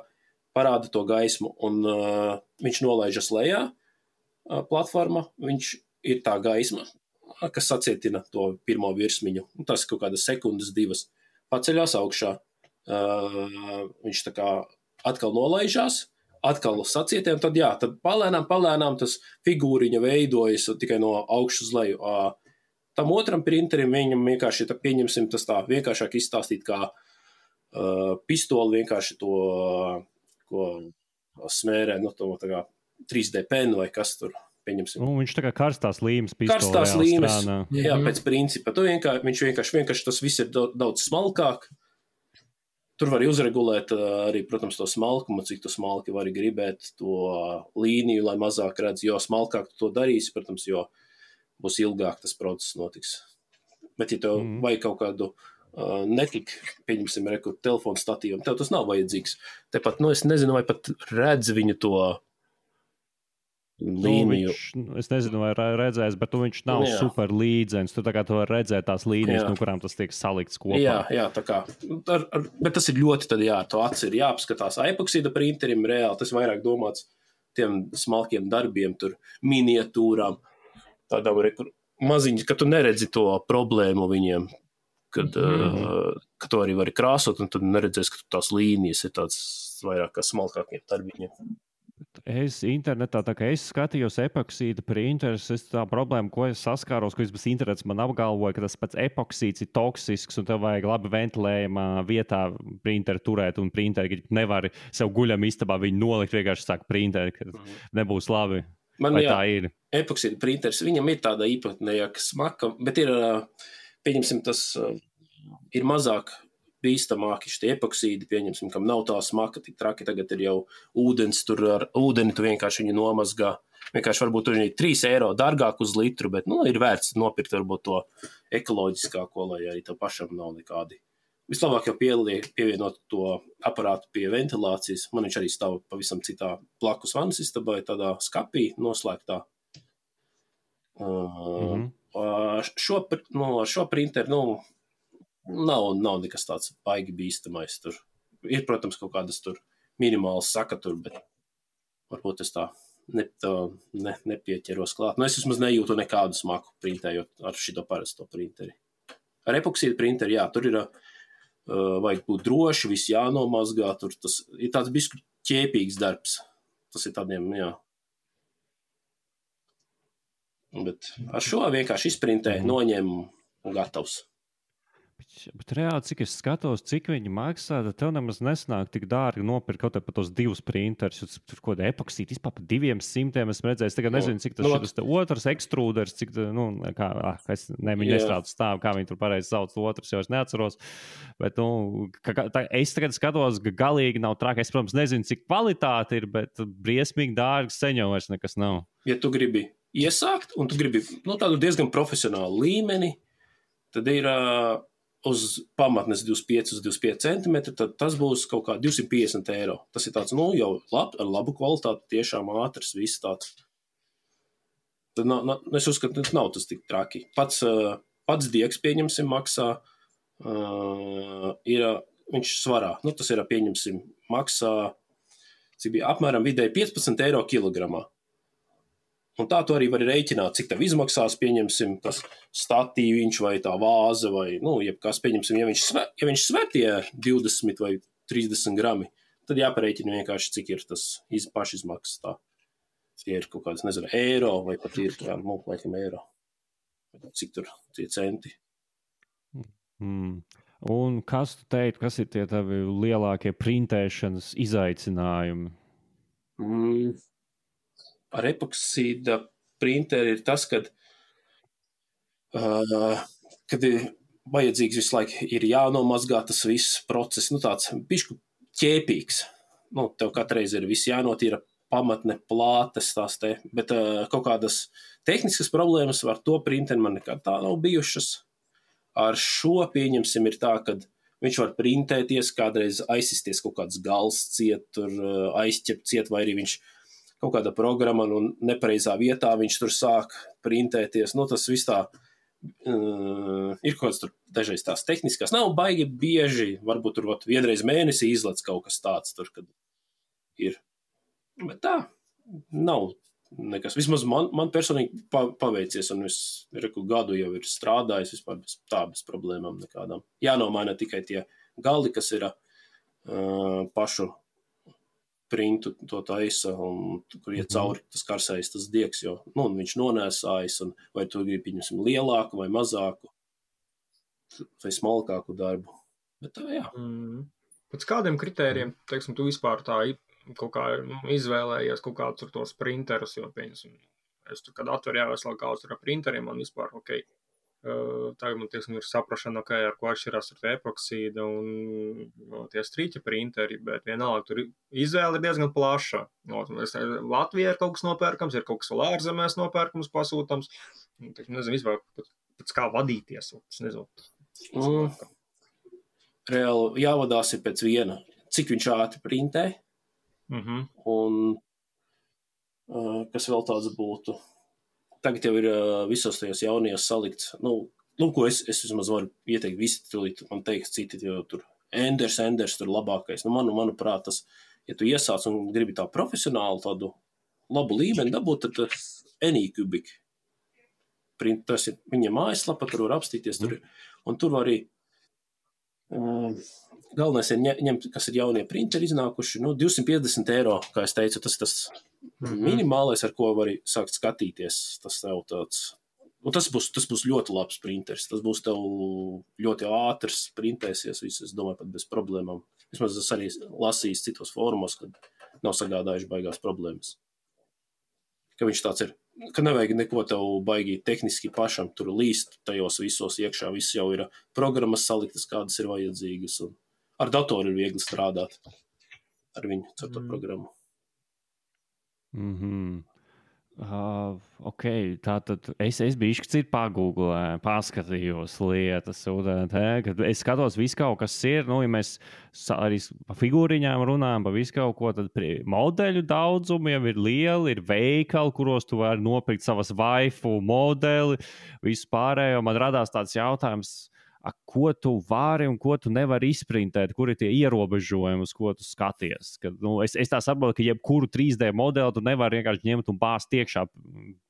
[SPEAKER 2] parāda to gaismu, un uh, viņš nolaižas lejā uh, platforma, viņš ir tā gaisma, kas sacietina to pirmo virsmiņu. Un tas kaut kādas sekundes, divas paceļās augšā. Uh, viņš tā kā atkal nolaižās, atkal sacietē, un tad jā, tad palēnām, palēnām tas figūriņa veidojas tikai no augšas uz leju. Uh, tam otram printerim viņam vienkārši, tā, pieņemsim, tas tā vienkāršāk izstāstīt kā uh, pistoli vienkārši to uh, ko smērē, nu, to tā kā trīs D penu vai kas tur, pieņemsim.
[SPEAKER 1] Nu, viņš tā kā karstās līmes pistoli.
[SPEAKER 2] Karstās līmes, jā, pēc principa. Tu vienkārši, viņš vienkārši, vienkārši tas viss ir daudz smalkāk. Tur var uzregulēt arī, protams, to smalkumu, cik tu smalki vari gribēt to līniju, lai mazāk redz, jo smalkāk tu to darīsi, protams, jo būs ilgāk tas process notiks. Bet, ja tev mm. vajag kaut kādu Uh, netik, pieņemsim, rekur telefonu statīvam, tev tas nav vajadzīgs. Tepat, nu, es nezinu, vai pat redz viņu to līniju.
[SPEAKER 1] Nu, viņš, es nezinu, vai redzēs, bet tu, viņš nav jā. Super līdzens. Tu tā kā tu var redzēt tās līnijas, jā. No kurām tas tiek salikts kopā.
[SPEAKER 2] Jā, jā, tā kā. Ar, ar, bet tas ir ļoti, tad jā, to aci ir jāapskatās. Epoksīda printerim reāli, tas vairāk domāts tiem smalkiem darbiem, tur miniatūrām, tādām rekur maziņas, ka tu neredzi to problēmu viņiem. Kad, mm-hmm. uh, ka to arī vari krāsot, un tad neredzēs, ka tās līnijas ir tāds vairāk kā smalkākiem darbiņiem.
[SPEAKER 1] Es internetā, tā kā es skatījos epoksīda printers, es tā problēma, ko es saskāros, ko es bez internets man apgalvoja, ka tas pats epoksīds ir toksisks, un tev vajag labi ventilējumā vietā printeri turēt, un printeri nevar sev guļam istabā viņu nolikt, vienkārši sāk printeri, ka mm-hmm. nebūs labi.
[SPEAKER 2] Man
[SPEAKER 1] vai
[SPEAKER 2] jā,
[SPEAKER 1] tā ir?
[SPEAKER 2] Epoksīda printers, viņam ir tāda īpatnējāka smaka, bet ir... Uh, Pieņemsim, tas uh, ir mazāk bīstamāki šitie epoksīdi, pieņemsim, kam nav tā smaka, tik traki, tagad ir jau ūdens, tur ar ūdeni tu vienkārši viņu nomazgā. Vienkārši varbūt tur ir trīs eiro dārgāk uz litru, bet, nu, ir vērts nopirkt varbūt to ekoloģiskāko, lai arī tev pašam nav nekādi. Vislabāk jau pieliek, pievienot to aparātu pie ventilācijas. Man viņš arī stāv pavisam citā blakus vannas istabai, tādā skapī noslēgtā. Uh, mm-hmm. Šo, nu, šo printeru, nu, nav, nav nekas tāds baigi bīstamais tur. Ir, protams, kaut kādas tur minimālas sakatur, bet varbūt es tā, ne, tā ne, nepieķeros klāt. Nu, es vismaz nejūtu nekādu smaku printējot ar šito parasto printeri. Ar epoksīdu printeri, jā, tur ir, uh, vajag būt droši, viss jānomazgā, tur tas ir tāds bišķi ķēpīgs darbs. Tas ir tādiem, jā. Bet ar šo vienkārši izprintē, noņem un gatavs.
[SPEAKER 1] Bet, bet reāli, cik es skatos, cik viņi maksā, tad tev nemaz nesnāk tik dārgi nopirkt kaut par tos divus printerus. Tur kaut kāda epoksīta vispār par diviem simtiem es redzēju. Es tagad nezinu, cik tas no, šitas otrs ekstrūders, cik, nu, kā, ah, es ne, viņi nestrādu stāv, kā viņi tur pareizi sauc otrs, jo es neatceros. Bet, nu, ka, tā, es tagad skatos, ka galīgi nav traki. Es, protams, nezinu, cik kvalitāte ir, bet briesmīgi dārgi seņo vairs nekas nav.
[SPEAKER 2] Ja tu gribi iesākt, un tu gribi, nu, tādu diezgan profesionālu līmeni, tad ir uh, uz pamatnes divdesmit pieci uz divdesmit pieci centimetri, tad tas būs kaut kā divsimt piecdesmit eiro. Tas ir tāds, nu, jau lab, ar labu kvalitāti, tiešām ātrs, viss tāds. Tad nav, nav, es uzskatu, nav tas tik traki. Pats, uh, pats diegs, pieņemsim, maksā, uh, ir, viņš svarā, nu, tas ir, pieņemsim, maksā cik bija apmēram vidēji piecpadsmit eiro kilogramā. Un tā tu arī vari rēķināt, cik tev izmaksās, pieņemsim, tas statīviņš vai tā vāze vai, nu, jebkas, pieņemsim, ja viņš sver, ja viņš sver tie divdesmit vai trīsdesmit grami, tad jāparēķina vienkārši, cik ir tas iz, pašizmaksas tā. Tie ir kaut kāds, nezinu, eiro vai pat ir, jā, nu, laikam eiro. Cik tur tie centi.
[SPEAKER 1] Mm. Un kas tu teiktu, kas ir tie tavi lielākie printēšanas izaicinājumi?
[SPEAKER 2] Mm. Ar epoksīda printeri ir tas, kad, uh, kad ir vajadzīgs visu laiku, ir jānomazgā tas viss process, nu tāds bišku ķēpīgs. Nu, tev katreiz ir viss jānotīra pamatne, plātes tās te, bet uh, kaut kādas tehniskas problēmas ar to printeri man nekad tā nav bijušas. Ar šo pieņemsim ir tā, kad viņš var printēties, kādreiz aizsisties kaut kāds gals ciet, tur uh, aizķept ciet, vai arī viņš kaut kāda programma, un nepareizā vietā viņš tur sāk printēties. Nu, tas viss tā, uh, ir kaut kāds tur dažreiz tās tehniskās. Nav baigi bieži, varbūt tur vat, vienreiz mēnesī izlec kaut kas tāds tur, kad ir. Bet tā, nav nekas. Vismaz man, man personīgi pa, paveicies, un es reku gadu jau ir strādājis vispār bez, tā, bez problēmām nekādām. Jānomaina tikai tie gali, kas ir uh, pašu printu to taisa, un kur iet cauri tas karsējs, tas diegs, jo nu, viņš nonēsājas, un vai tu gribi pieņemsim lielāku vai mazāku, vai smalkāku darbu. Bet tā, jā.
[SPEAKER 3] Mm. Pēc kādiem kritērijiem, teiksim, tu vispār tā kaut kā nu, izvēlējies kaut kādus ar tos printerus, jo, pieņemsim, es tur, kad atveru jāvēs vēl kādus ar printeriem, man vispār, ok, Uh, tagad man tieksim ir saprašana, okay, ar ko atšķirās ar epoksīda un no, tie strīķa printeri, bet vienalga tur izvēle ir diezgan plaša. No, Latvijā ir kaut kas nopērkams, ir kaut kas vēl ārzemēs nopērkams, pasūtams. Teiksim, nezinu, vispār pēc kā vadīties. Es nezinu.
[SPEAKER 2] Mm. Reāli jāvadās ir pēc viena, cik viņš ātri printē. Mm-hmm. Un uh, kas vēl tāds būtu? Tagad jau ir uh, visos tajos jaunajos salikts, nu, nu ko es, es vismaz varu ieteikt, visi tulīt, man teiks citi, jo tur Enders, Enders tur labākais. Nu, manu, manuprāt, tas, ja tu iesāc un gribi tā profesionāli tādu labu līmeni dabūt, tad tas Anycubic print, tas ir viņa mājaslapa, tur var apstīties, tur ir, un tur var arī, um, galvenais ir ņemt, kas ir jaunie printeri iznākuši, nu, divsimt piecdesmit eiro, kā es teicu, tas tas Mm-hmm. minimālais, ar ko var sākt skatīties, tas tev tāds, un tas būs, tas būs ļoti labs printers, tas būs tev ļoti ātrs printēsies, viss, es domāju, pat bez problēmām. Vismaz es arī lasījis citos fórumos, kad nav sagādājuši baigās problēmas. Ka viņš tāds ir, ka nevajag neko tev baigi tehniski pašam tur līst tajos visos iekšā, viss jau ir programmas saliktas, kādas ir vajadzīgas, un ar datoru ir viegli strādāt ar viņu, ar to mm. programmu.
[SPEAKER 1] Mm-hmm. Uh, ok, tātad es, es biju šķiet pagūglē, paskatījos lietas, un te, kad es skatos visu kaut kas ir, nu, ja mēs arī pa figūriņām runājam, pa visu kaut ko, tad modeļu daudzumi jau ir lieli, ir veikali, kuros tu vari nopirkt savas waifu modeli, visu pārējo, man radās tāds jautājums, a, ko tu vari un ko tu nevari izprintēt, kur ir tie ierobežojumi, uz ko tu skaties. Kad, nu, es, es tā saprotu, ka jebkuru trīs D modeli tu nevari vienkārši ņemt un bāzt iekšā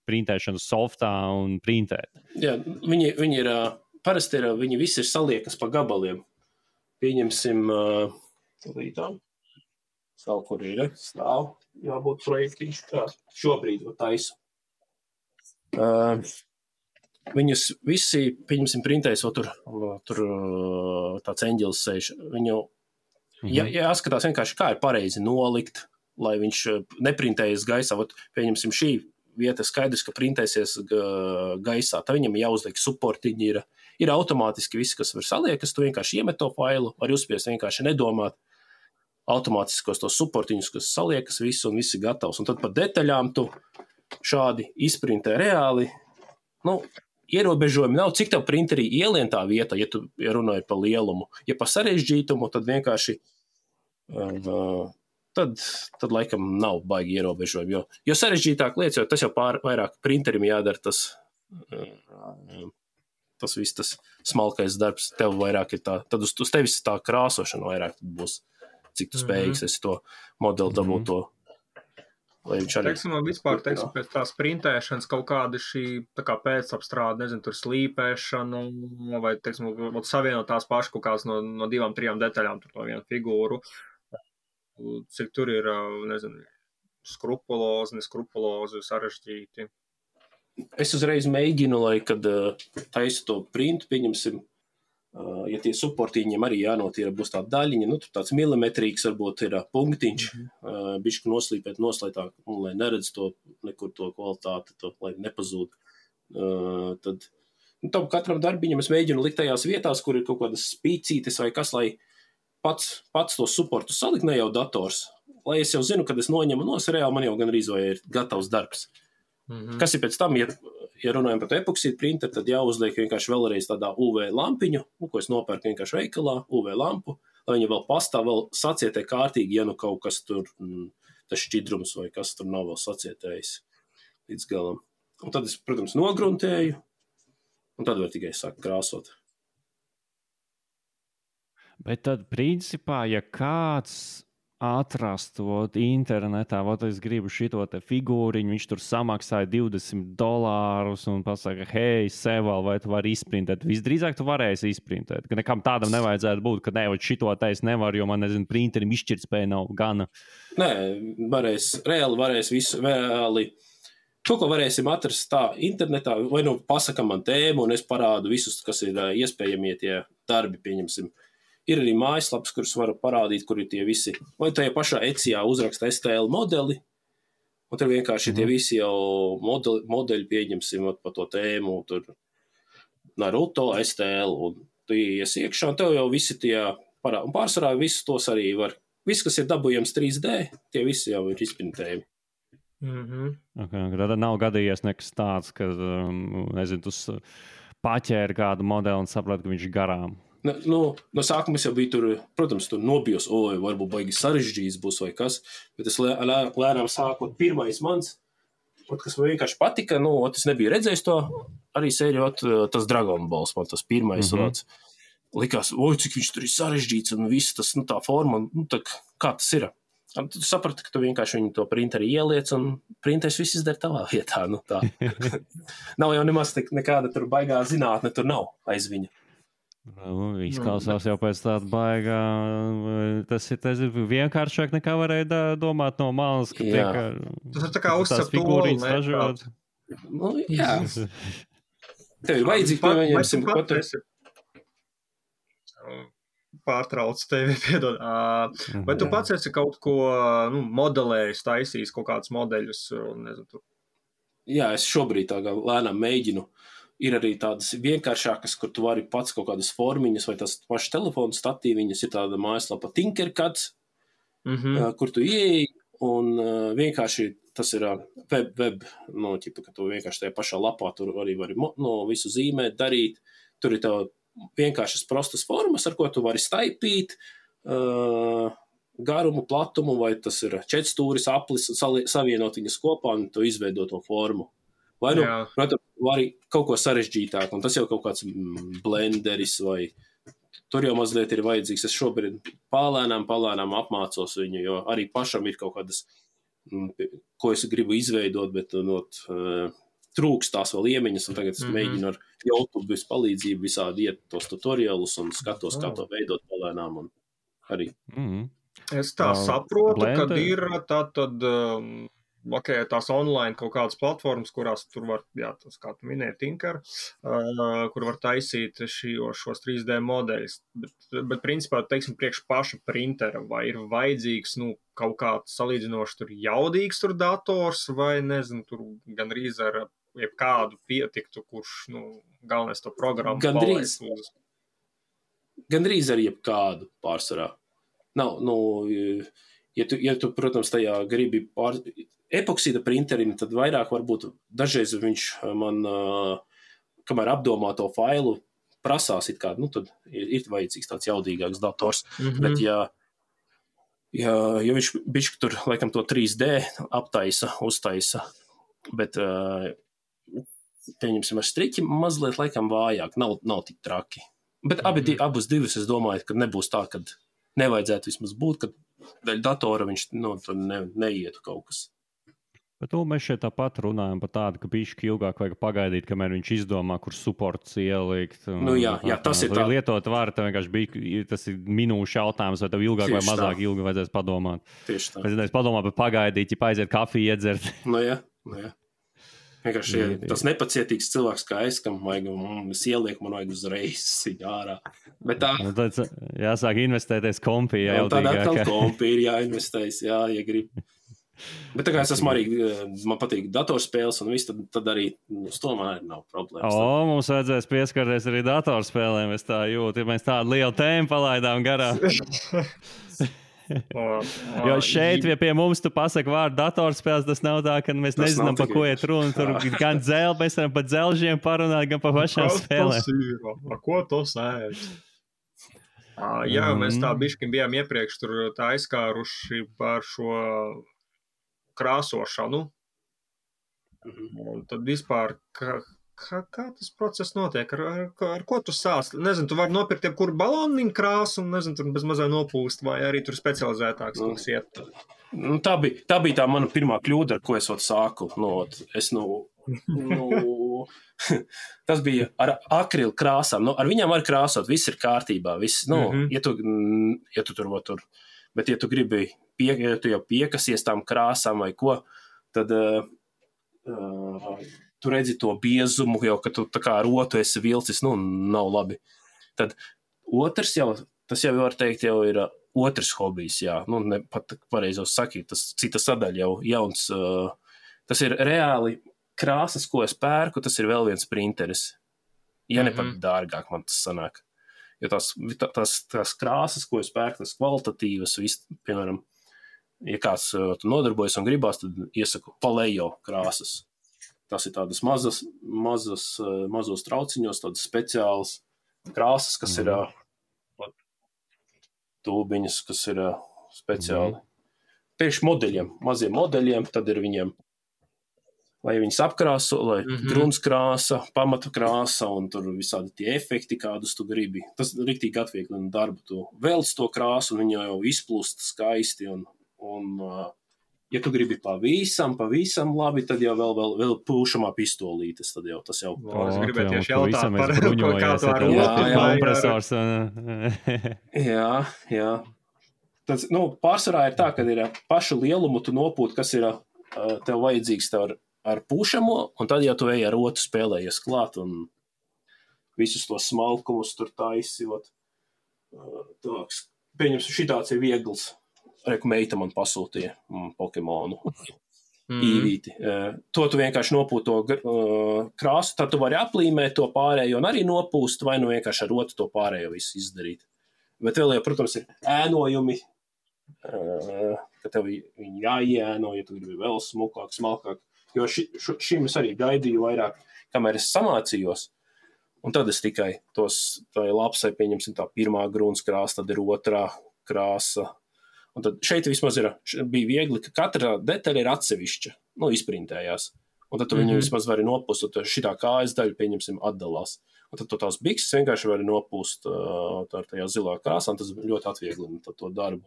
[SPEAKER 1] printēšanas softā un printēt.
[SPEAKER 2] Jā, viņi, viņi ir, parasti ir, viņi visi ir saliekas pa gabaliem. Pieņemsim, līdām, savu, kur ir, stāv, jābūt projektiņš, tā, šobrīd taisu. Uh, Viņus visi, pieņemsim, printēs, o tur, tur tāds eņģelis sēž. Viņu mm-hmm. jā, jāskatās vienkārši, kā ir pareizi nolikt, lai viņš neprintējas gaisā. Ot, pieņemsim, šī vieta skaidrs, ka printēsies gaisā. Tā viņam jāuzliek supportiņi, ir, ir automātiski viss, kas var saliekas. Tu vienkārši iemet to failu, var uzspiest vienkārši nedomāt. Automātiskos tos supportiņus, kas saliekas visu un viss ir gatavs. Un tad par detaļām tu šādi izprintē reāli. Nu, ierobežojumi nav, cik tev printerī ielien tā vieta, ja tu ja runāji par lielumu. Ja par sarežģītumu, tad vienkārši uh, tad, tad laikam nav baigi ierobežojumi. Jo, jo sarežģītāk lietas, jo tas jau pār, vairāk printerim jādara tas, uh, tas viss tas smalkais darbs. Tev vairāk ir tā, tad uz, uz tevis tā krāsošana vairāk būs cik tu spējīgs esi to modeli dabūt to. Lai viņš arī...
[SPEAKER 3] Teiksim, man vispār, teiksim, pēc tās printēšanas kaut kāda šī tā kā pēcapstrāde, nezinu, tur slīpēšana vai, teiksim, savienot tās pašas kaut kādas no, no divām, trijām detaļām, tur to vienu figūru. Cik tur ir, nezinu, skrupulozi, neskrupulozi, sarežģīti.
[SPEAKER 2] Es uzreiz mēģinu, lai, kad uh, taisu to printu, pieņemsim, uh, ja tie supportīņiem arī jānotīra, būs tā daļiņa, nu, tur tāds milimetrīgs varbūt ir uh, punktiņš, mm-hmm. uh, bišķi noslīpēt, noslētāk, un lai neredz to, nekur to kvalitāti, to, lai nepazūd. Uh, tad, nu, tam katram darbiņam es mēģinu likt tajās vietās, kur ir kaut kādas spīcītes vai kas, lai pats, pats to supportu salikt, ne jau dators, lai es jau zinu, kad es noņemu nos, reāli man jau gan arī ir gatavs darbs. Mm-hmm. Kas ir pēc tam, ja, ja runājam par epoksīdu printeru, tad jāuzliek vienkārši vēlreiz tādā U V lampiņu, nu, ko es nopērku vienkārši veikalā, U V lampu, lai viņa vēl pastāv, vēl sacietē kārtīgi, ja nu kaut kas tur, mm, tas šķidrums vai kas tur nav vēl sacietējis līdz galam. Un tad es, protams, nogruntēju, un tad var tikai sākt krāsot.
[SPEAKER 1] Bet tad, principā, ja kāds atrast vot, internetā, vot es gribu šito te figūriņu, viņš tur samaksāja divdesmit dolārus un pasaka, hei, Seval, vai tu vari izprintēt? Visdrīzāk tu varēsi izprintēt, ka nekam tādam nevajadzētu būt, ka ne, vot šito te es nevaru, jo man, nezinu, printerim izšķirtspēja nav gana.
[SPEAKER 2] Nē, varēs, reāli varēs visu, reāli. To, ko varēsim atrast tā internetā, vai nu pasaka man tēmu, un es parādu visus, kas ir iespējamie tie darbi, pieņemsim. Ir arī mājaslaps, kurus varu parādīt, kur ir tie visi. Vai tajā pašā Etsijā uzraksta S T L modeli, un tur vienkārši mm. tie visi jau modeli, modeļi pieņemsim pa to tēmu, tur Naruto, S T L, un tu ies iekšā, un tev jau visi tie parādi. Un pārsvarā visus tos arī var. Viss, kas ir dabūjams trīs D, tie visi jau ir izprintējumi.
[SPEAKER 3] Mm-hmm.
[SPEAKER 1] Okay, tad nav gadījies nekas tāds, ka, nezinu, tu paķēri kādu modeli un saprati, ka viņš ir garām.
[SPEAKER 2] Nu, no, no sākuma es jau biju tur, protams, tur nobijos, oi, varbūt baigi sarežģījis būs vai kas, bet es lē, lē, lēnām sākot pirmais mans, ot, kas man vienkārši patika, nu, ot, es nebiju redzējis to, arī sēriju, ot, tas Dragon Balls, man tas pirmais, mm-hmm. ot, likās, oi, cik viņš tur ir sarežģīts un viss tas, nu, tā forma, nu, tā, kā tas ir? Un tu saprati, ka tu vienkārši viņu to printeri ieliec un printeris viss izdara tavā vietā, nu, tā. Nav jau nemaz nekāda tur baigā zinātne, tur nav aiz viņa.
[SPEAKER 1] Nu, izklausās jau pēc tāda baigā. Tas ir, tas ir vienkāršāk nekā varēja domāt no malas, ka
[SPEAKER 2] jā.
[SPEAKER 1] tiek
[SPEAKER 3] tas ir tā kā uzcept toli,
[SPEAKER 2] ne? Nu, jā. Tev ir vajadzīgi, ka viņiem
[SPEAKER 3] katru pārtrauc tevi, piedod. Uh, vai tu jā. Pats esi kaut ko nu, modelējis, taisījis kaut kādus modeļus? Nezinu, tu...
[SPEAKER 2] Jā, es šobrīd tā kā lēnām mēģinu. Ir arī tādas vienkāršākas, kur tu vari pats kaut kādas formiņas vai tās pašas telefonu statīviņas, ir tāda mājaslapa Tinkercad, mm-hmm. uh, kur tu ieeji un uh, vienkārši tas ir uh, web, web no, ķipa, ka tu vienkārši tajā pašā lapā tur arī vari no, visu zīmēt, darīt. Tur ir tev vienkāršas prostas formas, ar ko tu vari staipīt, uh, garumu, platumu, vai tas ir četrstūris, aplis, savienot viņas kopā un tu izveido to formu. Vai nu, protams, vari kaut ko sarežģītāk, un tas jau kaut kāds blenderis, vai tur jau mazliet ir vajadzīgs. Es šobrīd palēnām, palēnām apmācos viņu, jo arī pašam ir kaut kādas, ko es gribu izveidot, bet not, uh, trūks tās vēl iemiņas, un tagad es mm-hmm. mēģinu ar YouTube palīdzību visādi iet tos tutorialus un skatos, oh. kā to veidot palēnām, un arī.
[SPEAKER 1] Mm-hmm.
[SPEAKER 3] Es tā uh, saprotu,
[SPEAKER 1] blender.
[SPEAKER 3] Kad ir tā tad... Um... Ok, tās online kaut kādas platformas, kurās tur var, jā, tas kā tu minēji, Tinker, uh, kur var taisīt šio, šos trīs D modeļus, bet, bet principā, teiksim, priekš paša printera, vai ir vajadzīgs, nu, kaut kāds salīdzinoši tur jaudīgs tur dators, vai, nezinu, tur gandrīz ar jebkādu pietiktu, kurš, nu, galvenais to programmu
[SPEAKER 2] gandrīz,
[SPEAKER 3] palaist.
[SPEAKER 2] Gandrīz ar jebkādu pārsvarā. Nav, nu, ja tu, ja tu, protams, tajā gribi pār... Epoksīda printerim, tad vairāk varbūt dažreiz viņš man, kamēr apdomā to failu, prasās it kā, nu tad ir, ir vajadzīgs tāds jaudīgāks dators, mm-hmm. bet ja, ja, ja viņš bišķi tur, laikam, to trīs D aptaisa, uztaisa, bet, pieņemsim, ar striķi mazliet, laikam, vājāk, nav, nav tik traki. Bet abi, abus divus es domāju, ka nebūs tā, kad nevajadzētu vismaz būt, ka daļa datora viņš nu, ne, neietu kaut kas.
[SPEAKER 1] Bet nu, mēs šeit tāpat runājam par tādu, ka bišķi ilgāk vajag pagaidīt, kamēr viņš izdomā, kur supports ielikt.
[SPEAKER 2] Nu jā, jā tas ir tā.
[SPEAKER 1] Lietot var, tev vienkārši bija, tas ir minūšu jautājums, vai tev ilgāk Tieši vai mazāk tā. ilgi vajadzēs padomāt.
[SPEAKER 2] Tieši tā.
[SPEAKER 1] Es padomā par pagaidīt, ja aiziet kafiju iedzert.
[SPEAKER 2] Nu jā, nu jā. Vienkārši jā, tas nepacietīgs cilvēks kā es, kam vajag, un es ielieku, man vajag uzreiz ārā. Bet tā.
[SPEAKER 1] Nu, tad jāsāk investēties kompī. Jā,
[SPEAKER 2] tad atkal kompī ir jāinvestējas, jā, ja grib. Bet tā kā es esmu arī, man patīk datorspēles un viss, tad, tad arī uz to man nav problēmas.
[SPEAKER 1] O, mums vajadzēs pieskarties arī datorspēlēm, es tā jūtu, ja mēs tādu lielu tēmu palaidām garā. Jo šeit, ja pie mums tu pasaki vārdu datorspēles, tas nav tā, ka mēs tas nezinām, pa ko iet runa. Tur gan dzel, mēs varam pa dzelžiem parunāt, gan pa pašām spēlēm.
[SPEAKER 3] Ar ko to sēž? Jā, mēs tā bišķiņ bijām iepriekš tur tā aizkāruši par šo krāsošanu. Mm-hmm. Un tad vispār, kā, kā, kā tas process notiek? Ar, ar, ar ko tu sāc? Nezinu, tu vari nopirkt jebkuru baloniņu krāsu un, nezinu, tur bez mazā nopūst, vai arī tur specializētāks
[SPEAKER 2] nu,
[SPEAKER 3] mums iet.
[SPEAKER 2] Nu, tā, bija, tā bija tā mana pirmā kļūda, ar ko es ot sāku. Nu, ot, es, nu, nu, tas bija ar akrilu krāsām. Nu, ar viņām var krāsot, viss ir kārtībā. Viss, nu, mm-hmm. ja, tu, ja tu tur, tur, bet ja tu gribi Pie, ja tu jau piekasies tām krāsām vai ko, tad uh, uh, tu redzi to biezumu, jau, ka tu tā kā rotu esi vilcis, nu, nav labi. Tad otrs jau, tas jau var teikt, jau ir uh, otrs hobijs, jā, nu, ne pat pareizos sakīt, tas cita sadaļa jau jauns, uh, tas ir reāli krāsas, ko es pērku, tas ir vēl viens printeris. Ja ne pat dārgāk man tas sanāk. Jo tās, tās, tās krāsas, ko es pērku, tas kvalitatīvas, viss, piemēram, ja kāds uh, nodarbojas un gribās, tad iesaku Palejo krāsas. Tas ir tādas mazas, mazas, uh, mazos trauciņos, tādas speciālas krāsas, kas mm. ir uh, tūbiņas, kas ir uh, speciāli. Mm. Tieši modeļiem, maziem modeļiem, tad ir viņiem, lai viņas apkrāso, lai mm-hmm. grunskrāsa, pamata krāsa un tur visādi tie efekti, kādus tu gribi. Tas riktīgi atvieglina darbu. Tu velc to krāsu un viņa jau izplūst skaisti un Un, uh, ja tu gribi pavisam, pavisam labi, tad jau vēl, vēl, vēl pūšamā pistolītes, tad jau tas jau...
[SPEAKER 3] O, es gribētu tieši jautāt par ko kā tu ar
[SPEAKER 1] kompresors.
[SPEAKER 2] Jā, jā. Tas, nu, pārsvarā ir tā, ka ir pašu lielumu tu nopūt, kas ir uh, tev vajadzīgs tev ar, ar pūšamo, un tad jau tu ej ar rotu spēlējies klāt un visus tos smalkumus tur taisot. Uh, tāks, pieņemsim, šitāds ir viegls. Reku meita man pasūtīja mm, Pokemonu mm. īvīti. Uh, to tu vienkārši nopūt to uh, krāsu, tad tu vari aplīmēt to pārējo un arī nopūst, vai nu vienkārši ar rotu to pārējo visu izdarīt. Bet vēl jau, protams, ir ēnojumi, uh, ka tev viņi jāiēno, ja tu gribi vēl smukāk, smalkāk. Jo ši, š, šim es arī gaidīju vairāk, kamēr es samācījos. Un tad es tikai tos, tā lapsai pieņemsim tā pirmā grūns krāsa, tad ir otrā krāsa. Un tad šeit vismaz ir, bija viegli, ka katra detaļa ir atsevišķa, nu, izprintējās. Un tad tu viņu mm-hmm. vismaz vari nopūst, un šitā kājas daļa, pieņemsim, atdalās. Un tad tu tās bikses vienkārši vari nopūst uh, tā ar tajā zilā krāsā, un tas ļoti atvieglina to darbu.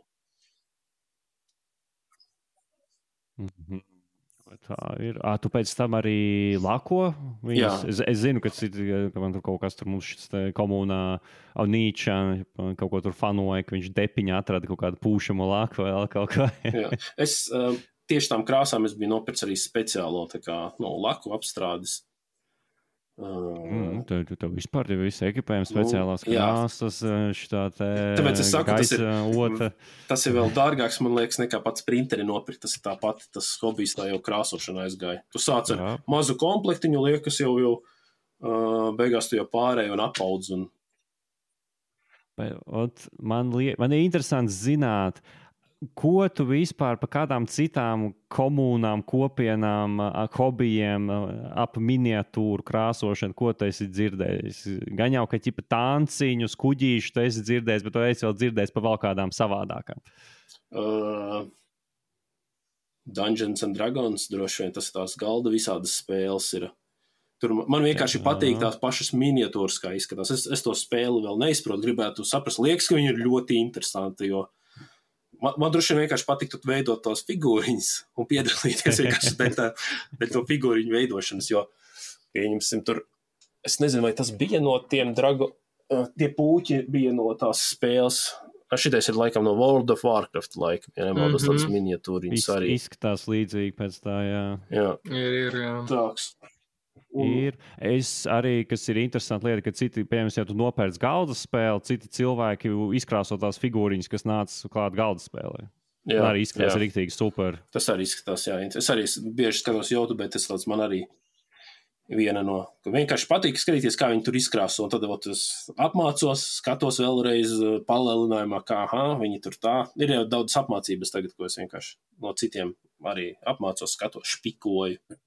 [SPEAKER 1] Mm-hmm. Tā ir. Ā, tu pēc tam arī lako viņas? Es, es zinu, ka, cit, ka man tur kaut kas tur mums šis komunā Nīča kaut ko tur fanoja, ka viņš depiņā atrada kaut kādu pūšamo laku vai kaut kā.
[SPEAKER 2] Jā. Es uh, tieši tām krāsām es biju nopircis arī speciālo tā kā, no, laku apstrādes. Uh,
[SPEAKER 1] mm, tev, tev vispār ir visi ekipējumi, speciālās nu, krāsas, šitā te
[SPEAKER 2] Tāpēc es saku,
[SPEAKER 1] gaisa,
[SPEAKER 2] tas, ir,
[SPEAKER 1] ota.
[SPEAKER 2] Tas ir vēl dārgāks, man liekas, nekā pats printeri nopirkt. Tas ir tāpat, tas hobijs tā jau krāsošana aizgāja. Tu sāc ar Jā. mazu komplektiņu, liekas jau, jau uh, beigās tu jau pārēji un apaudz. Un...
[SPEAKER 1] Ot, man, liek, man ir interesants zināt, ko tu vispār par kādām citām komunām, kopienām, hobijiem ap miniatūru krāsošanu, ko tu esi dzirdējis? Gan jau, ka ķipa tanciņus, kuģīšu tu esi dzirdējis, bet tu esi vēl dzirdējis par vēl kādām savādākām.
[SPEAKER 2] Uh, Dungeons and Dragons, droši vien tas tās galda visādas spēles ir. Tur man vienkārši jā. patīk tās pašas miniatūras, kā izskatās. Es, es to spēli vēl neizprotu, gribētu saprast. Liekas, ka viņi ir ļoti interesanti, jo man, man droši vien vienkārši patiktu veidot tos figūriņas un piedalīties vienkārši pēc to figūriņu veidošanas, jo pieņemsim tur, es nezinu, vai tas bija no tiem drago, tie pūķi bija no tās spēles. Šitais ir laikam no World of Warcraft laika, ja nemaldos mm-hmm. tādas miniatūriņas arī.
[SPEAKER 1] Izskatās līdzīgi pēc tā, jā.
[SPEAKER 2] Jā.
[SPEAKER 3] Ir, ir, jā.
[SPEAKER 2] Tāks.
[SPEAKER 1] Un... Ir. Es arī, kas ir interesanti lieta, ka citi, piemēram, ja tu nopērc galdas spēli, citi cilvēki izkrāso tās figūriņas, kas nāca klāt galdas spēlē. Jā, arī izskatās riktīgi super.
[SPEAKER 2] Tas arī izskatās, jā. Es arī bieži skatos YouTube, bet tas tāds man arī viena no, ka vienkārši patīk skatīties, kā viņi tur izkrāso, un tad ot, es apmācos, skatos vēlreiz palielinājumā, kā, aha, viņi tur tā. Ir jau daudz apmācības tagad, ko es vienkārši no citiem arī apmācos, skatos, špikoju.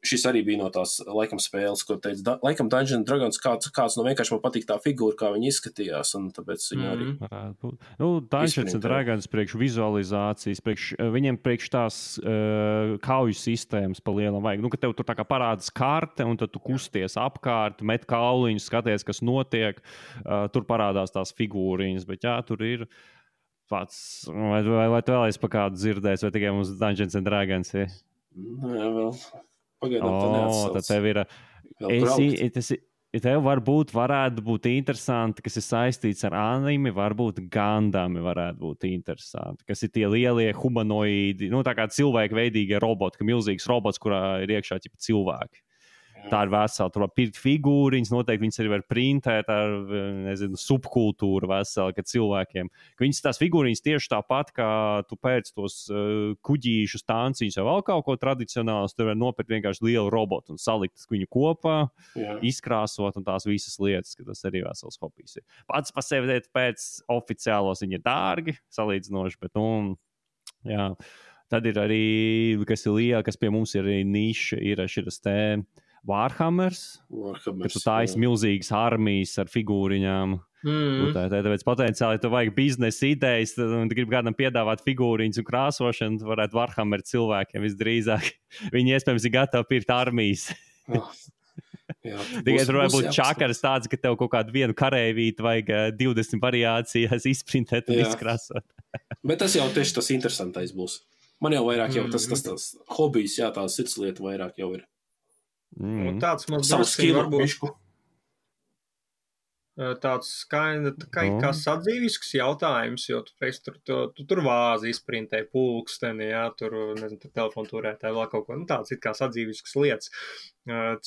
[SPEAKER 2] Šis arī bija no tās, laikam, spēles, ko teica, da, laikam Dungeons and Dragons, kāds, kāds no vienkārši man patīk tā figūra, kā viņi izskatījās, un tāpēc viņi arī...
[SPEAKER 1] Mm. Nu, Dungeons and Dragons priekš vizualizācijas, priekš, viņiem priekš tās uh, kauju sistēmas pa lielam vajag. Nu, ka tev tur tā kā parādas karte, un tad tu kusties apkārt, met kauliņus, skaties, kas notiek, uh, tur parādās tās figūriņas, bet jā, tur ir pats, vai, vai, vai tu vēlies pa kādu dzirdēs, vai tikai mums Dungeons and Dragons ir?
[SPEAKER 2] Nē, vēl...
[SPEAKER 1] Pagaidām, oh, tad tev ir, es, tas, tev varbūt varētu būt interesanti, kas ir saistīts ar anime, varbūt Gundami varētu būt interesanti, kas ir tie lielie humanoīdi, nu tā kā cilvēku veidīgie roboti, ka milzīgs robots, kurā ir iekšā ķipa cilvēki. Tā ir vesela, tur var pirkt figūriņas, noteikti viņas arī var printēt ar, nezinu, subkultūru veselu, ka cilvēkiem. Ka viņas tās figūriņas tieši tāpat, kā tu pēc tos uh, kuģīšus, tanciņus vai vēl kaut ko tradicionāls, tur var nopirkt vienkārši lielu robotu un salikt viņu kopā, jā. Izkrāsot un tās visas lietas, ka tas arī vesels hobijs ir. Pats pa sevi pēc oficiālos viņi ir dārgi, salīdzinoši, bet, nu, jā. Tad ir arī, kas ir liela, kas pie mums ir arī niša, ir šitas te Warhammers,
[SPEAKER 2] Warhammers,
[SPEAKER 1] ka tu taisi milzīgas armijas ar figūriņām.
[SPEAKER 3] Mm.
[SPEAKER 1] Tā, tā, tāpēc potenciāli, ja tu vajag biznesa idejas, un tu gribi kādam piedāvāt figūriņas un krāsošanu, tu varētu Warhammer cilvēkiem visdrīzāk. Viņi iespējams ir gatavi pirkt armijas.
[SPEAKER 2] Oh. Jā,
[SPEAKER 1] tikai tur varētu būt čakaras tāds, ka tev kaut kādu vienu karēvīti vajag divdesmit variācijas izprintēt un izkrāsot.
[SPEAKER 2] Bet tas jau tieši tas interesantais būs. Man jau vairāk jau tas, tas, tas hobijs, jā, tā sirdslieta vairāk jau ir.
[SPEAKER 3] Mm. Un tāds mums
[SPEAKER 2] varbūt
[SPEAKER 3] tāds skaina, kā, kā sadzīvisks jautājums, jo tu, reiz, tur, tu, tu tur vāzi izprintēji pulksteni, jā, tur, nezinu, tur telefonu turētāji vēl kaut ko, nu tāds ir kā sadzīvisks lietas.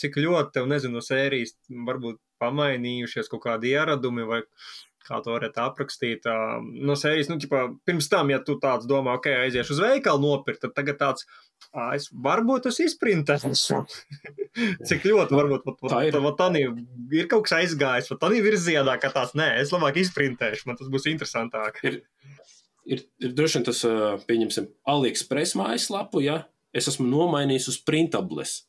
[SPEAKER 3] Cik ļoti tev, nezinu, no sērijas varbūt pamainījušies kaut kādi ieradumi vai kā to varētu aprakstīt, no sērijas, nu, ķipā, pirms tam, ja tu tāds domā, ok, aiziešu uz veikalu nopirkt, tad tagad tāds, ā, es varbūt es izprintēšu. Cik ļoti, varbūt, pat, pat, pat, pat tanī ir kaut kas aizgājis, pat tanī virzienā, ka tāds, nē, es labāk izprintēšu, man tas būs interesantāk.
[SPEAKER 2] Ir, ir, ir droši vien tas, pieņemsim, AliExpress mājaslapu, ja, es esmu nomainījis uz printables.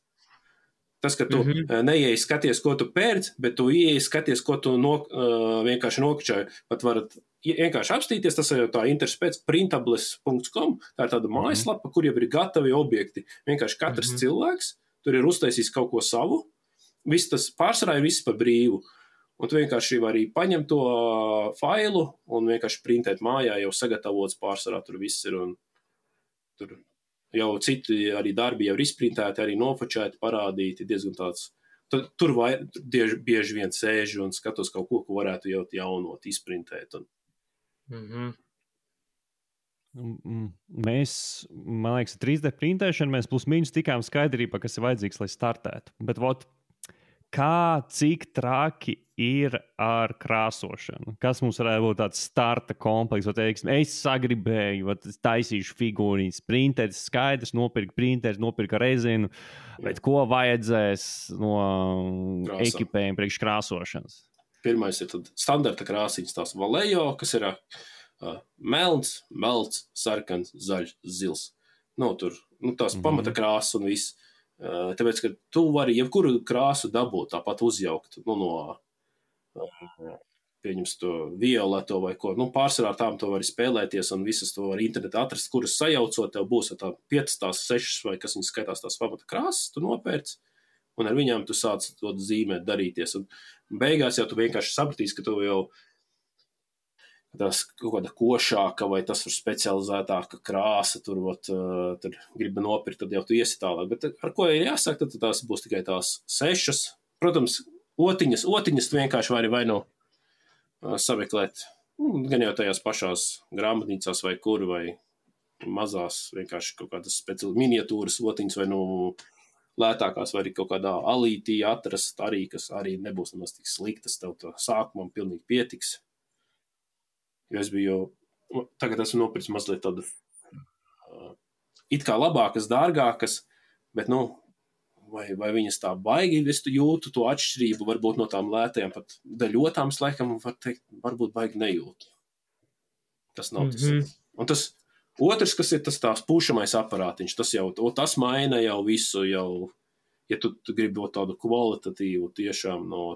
[SPEAKER 2] Tas, ka tu mm-hmm. neieej skaties, ko tu pērc, bet tu ieej skaties, ko tu no, uh, vienkārši nokačāji. Pat varat vienkārši apstīties, tas jau tā interesi pēc printables punkts com. Tā ir tāda mājaslapa, mm-hmm. kur jau ir gatavi objekti. Vienkārši katrs mm-hmm. cilvēks tur ir uztaisījis kaut ko savu. Viss tas pārsvarā ir viss par brīvu. Un tu vienkārši vari paņemt to failu un vienkārši printēt mājā, jau sagatavots pārsvarā tur viss ir un tur... Jau citi arī darbi jau ir izprintēti, arī nofočēti, parādīti, diezgan tāds. Tad, tur vai, bieži, bieži vien sēžu un skatos kaut ko, ko varētu jau jaunot, izprintēt. Un...
[SPEAKER 3] Mm-hmm.
[SPEAKER 1] Mēs, man liekas, trīs D printēšana, mēs plus mīnus tikām skaidrībā, kas ir vajadzīgs, lai startētu. Bet vot, kā, cik traki ir ar krāsošanu? Kas mums varētu būt tāds starta komplekss? Teiksim, es sagribēju, vat, taisīšu figūriņas, printētas skaidrs, nopirkt printētas, nopirkt rezinu, bet ko vajadzēs no Krāsa. Ekipējuma priekš krāsošanas?
[SPEAKER 2] Pirmais ir tad standarta krāsiņas, tās Vallejo, kas ir uh, melns, melts, sarkans, zaļš, zils. No, tur, nu, tās mm-hmm. pamata krāsas un viss. Uh, tāpēc, ka tu vari jebkuru krāsu dabūt, tāpat uzjaukt, nu, no pieņems to violeto vai ko, nu, pārsvarā tām to var spēlēties un visas to var internetā atrast, kuras sajaucot, tev būs tā piecas, tās sešas vai kas viņas skaitās tās pamata krāsas, tu nopērc un ar viņām tu sāc to zīmēt, darīties. Un beigās jau tu vienkārši sapratīsi, ka tu jau tās kaut kāda košāka vai tas ir specializētāka krāsa, tur, ot, tur gribi nopirkt, tad jau tu iesi tālāk. Bet ar ko ir jāsāk, tad tās būs tikai tās sešas. Protams, otiņas, otiņas tu vienkārši vari vai no sameklēt, gan jau tajās pašās grāmatnīcās vai kur, vai mazās vienkārši kaut kādas speciāli miniatūras otiņas vai no lētākās, vai arī kaut kādā alītī atrast arī, kas arī nebūs nemaz tik sliktas, tev to sākumam pilnīgi pietiks. Jo es biju, tagad esmu nopircis mazliet tādu uh, it kā labākas, dārgākas, bet, nu, vai, vai viņas tā baigi, es tu jūtu to atšķirību, varbūt no tām lētajām, pat daļotām slēkam, var teikt, varbūt baigi nejūtu. Tas nav tas. Mm-hmm. Un tas otrs, kas ir tas tās pūšamais aparātiņš, tas jau, tas maina jau visu, jau, ja tu, tu gribi tādu kvalitatīvu tiešām no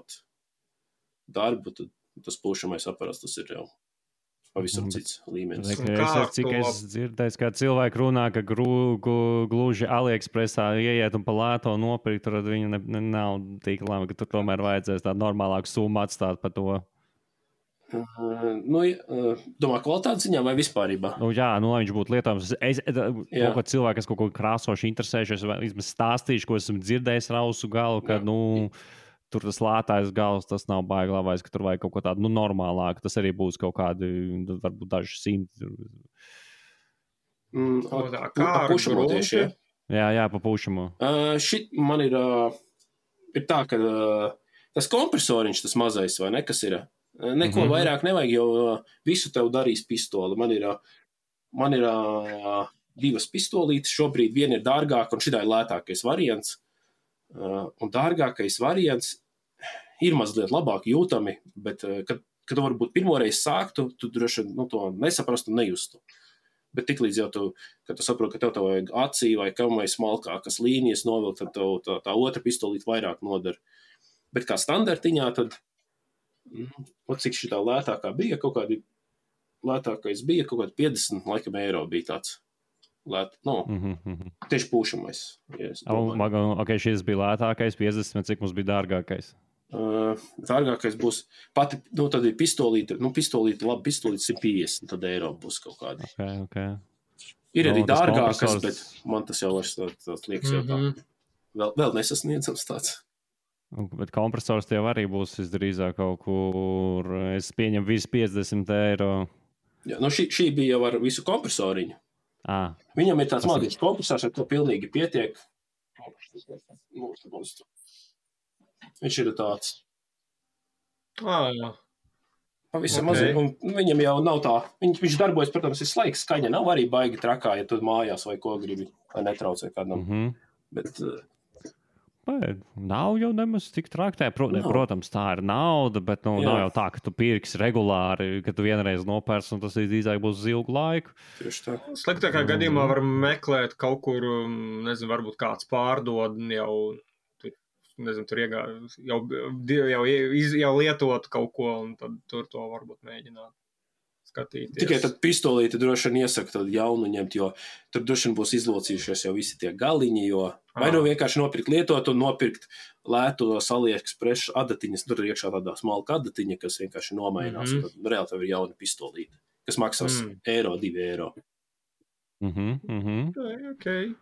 [SPEAKER 2] darbu, tad tas pūšamais aparāts, tas ir jau pavisam cits līmenis.
[SPEAKER 1] Es, cik es dzirdēju, kā cilvēki runā, ka gru, gu, gluži AliExpressā ieiet un pa lēto nopirkt, tad viņi ne, ne, nav tik labi, ka tur tomēr vajadzēs tādu normālāku summu atstāt par to.
[SPEAKER 2] Uh, nu, uh, domā, kvalitātes ziņā vai vispārībā?
[SPEAKER 1] Nu, jā, nu, lai viņš būtu lietojams. Es, kaut ko cilvēku, kas kaut ko krāsoši interesējušies, vismaz stāstīšu, ko esmu dzirdējis rausu galu, ka, jā. nu, tur tas lētājs gals, tas nav baigi labais, ka tur vajag kaut ko tādu, nu, normālāku. Tas arī būs kaut kādi, varbūt daži simti.
[SPEAKER 2] Mm, o, tā, kā pa pušamo tieši, ja?
[SPEAKER 1] Jā, jā, pa pušamo.
[SPEAKER 2] Uh, šit man ir, uh, ir tā, ka uh, tas kompresoriņš, tas mazais, vai ne, kas ir, uh, neko mm-hmm. vairāk nevajag, jo uh, visu tev darīs pistoli. Man ir, uh, man ir uh, divas pistolītes, šobrīd viena ir dārgāka, un šitā ir lētākais variants. Uh, un dārgākais variants ir mazliet labāk jūtami, bet, kad, kad tu varbūt pirmoreiz sāktu, tu droši nu, to nesaprastu un nejustu. Bet tiklīdz jau tu, kad tu saproti, ka tev tev vajag acī vai kam vai smalkākas līnijas novilkt, tad tev tā, tā otra pistolīte vairāk nodara. Bet kā standartiņā, tad, mm, cik šitā lētākā bija, kaut kādi lētākais bija, kaut kādi piecdesmit laikam eiro bija tāds. Lēt, no, mm-hmm. tieši pūšamais. Ja
[SPEAKER 1] oh, ok, šis bija lētākais, piecdesmit, cik mums bija dārgākais?
[SPEAKER 2] Uh, dārgākais būs, pati, nu, tad ir pistolīte, nu, pistolīte, labi, pistolīte simt piecdesmit, tad eiro būs kaut kādi.
[SPEAKER 1] Okay, okay.
[SPEAKER 2] Ir arī
[SPEAKER 1] no,
[SPEAKER 2] dārgākas,
[SPEAKER 1] kompresors...
[SPEAKER 2] bet man tas jau vairs tā, tāds liekas jau tā. Mm-hmm. Vēl, vēl nesasniedzams tāds.
[SPEAKER 1] Bet kompresors tev arī būs visdrīzāk kaut kur, es pieņemu visu piecdesmit eiro.
[SPEAKER 2] Jā, nu, šī, šī bija jau ar visu kompresoriņu.
[SPEAKER 1] Ah,
[SPEAKER 2] Viņam ir tāds mazliet kompresors, ar to pilnīgi pietiek. Viņš ir tāds.
[SPEAKER 3] Ah, jā.
[SPEAKER 2] Pavisam
[SPEAKER 3] okay.
[SPEAKER 2] mazliet. Un viņam jau nav tā. Viņš, viņš darbojas, protams, ir slaiks, skaņa nav arī baigi trakā, ja tu mājās vai ko gribi, lai netraucē kādam.
[SPEAKER 1] Mm-hmm.
[SPEAKER 2] Bet...
[SPEAKER 1] Bet nav jau nemaz tik traktē. Pro, ne, protams, tā ir nauda, bet nu, nav jau tā, ka tu pirksi regulāri, ka tu vienreiz nopērsi, un tas drīzāk būs uz ilgu laiku.
[SPEAKER 2] Tieši tā.
[SPEAKER 3] Sliktākā mm. gadījumā var meklēt kaut kur, nezinu, varbūt kāds pārdod jau, tur, nezinu, tur iegā, jau, jau, iz, jau lietot kaut ko, un tad tur to varbūt mēģināt. Skatīties.
[SPEAKER 2] Tikai tad pistolīti droši vien iesaka tad jaunu ņemt, jo tur droši vien būs izlocījušies jau visi tie galiņi, jo vai nu vienkārši nopirkt lietot un nopirkt lētu AliExpress adatiņas, tur ir iekšā tādā smalka adatiņa, kas vienkārši nomainās, mm-hmm. tad reāli tev ir jauna pistolīte, kas maksās mm. eiro, divi eiro.
[SPEAKER 1] Mhm, mhm.
[SPEAKER 3] Okay, okay.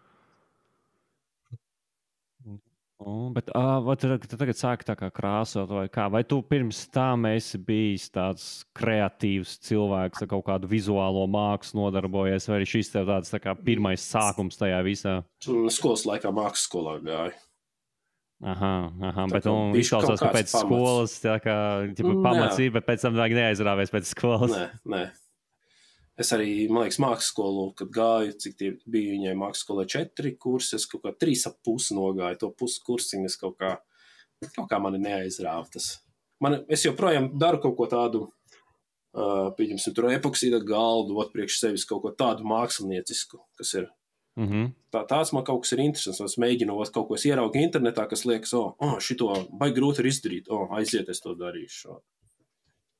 [SPEAKER 1] Oh, bet uh, vai tu tagad sāki tā kā krāsot vai kā? Vai tu pirms tam esi bijis tāds kreatīvs cilvēks ar kaut kādu vizuālo mākslu nodarbojies, vai arī šis tev tāds tā kā pirmais sākums tajā visā?
[SPEAKER 2] Skolas laikā mākslas skolā gāju.
[SPEAKER 1] Aha, aha, bet nu izklausās, ka pēc pamats. Skolas tā kā ķipa, pamacība, bet pēc tam vajag neaizrāvies pēc skolas.
[SPEAKER 2] Nē, nē. Es arī, man liekas, mākslas skolu, kad gāju, cik tie bija viņai mākslas skolai četri kursi, es kaut kā trīs ap pusi nogāju, to pusi kursiņu es kaut kā, kaut kā mani neaizrāva tas. Man, es joprojām daru kaut ko tādu, uh, pieņemsim, tur epoksīda galdu, ot priekš sevis kaut ko tādu māksliniecisku, kas ir.
[SPEAKER 1] Mm-hmm.
[SPEAKER 2] Tā, tāds man kaut kas ir interesants, es mēģinu, ot kaut ko es ieraugu internetā, kas liekas, o, oh, šito baigi grūti ir izdarīt, o, oh, aiziet, es to darīšu.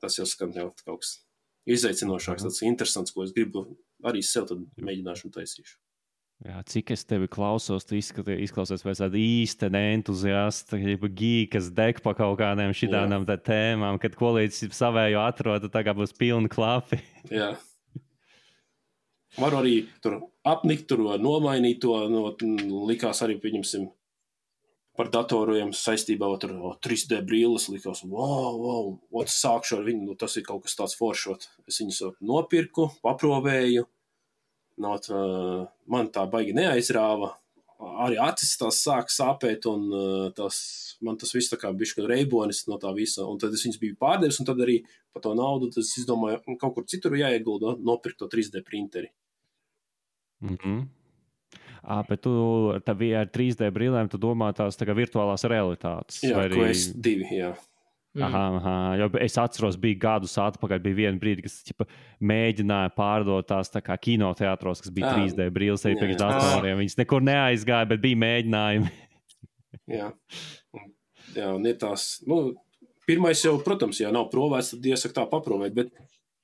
[SPEAKER 2] Tas jau skan jau kaut kas. Izaicinošāks, tāds interesants, ko es gribu arī sev tad mēģināšu un taisīšu.
[SPEAKER 1] Jā, cik es tevi klausos, tu izklausies pēc tāda īsta entuziasta, gīkas deg pa kaut kādiem šitādām tēmām, kad ko līdz savējo atrod, tā kā būs pilni klapi.
[SPEAKER 2] Jā. Varu arī tur apnikt, tur nomainīt to, no, likās arī, pieņemsim, par datoriem saistībā ar oh, trīs D brīles, likās, wow, wow, ot, sākšu ar viņu, nu, tas ir kaut kas tāds foršot. Es viņus nopirku, paprovēju. Not, uh, man tā baigi neaizrāva, arī acis tās sāk sāpēt, un uh, tas, man tas viss tā kā bišķi reibonis no tā visa, un tad es viņus biju pārdevis, un tad arī par to naudu, tad es izdomāju, kaut kur citur jāiegulda, nopirkt to trīs D printeri.
[SPEAKER 1] Mhm. Ā, bet tu ar trīs D brīlēm, tu domā tās tā kā virtuālās realitātes?
[SPEAKER 2] Jā,
[SPEAKER 1] arī...
[SPEAKER 2] Quest divi, jā.
[SPEAKER 1] Mm. Aha, aha. Jo es atceros, bija gadus atpakaļ, bija viena brīdi, kas ķipa, mēģināja pārdot tās tā kā kinoteātros, kas bija jā. trīs D brīles arī priekš datoriem. Viņas nekur neaizgāja, bet bija mēģinājumi.
[SPEAKER 2] jā. jā, un ir tās, nu, pirmais jau, protams, ja nav provēts, tad iesaka tā paprovēt, bet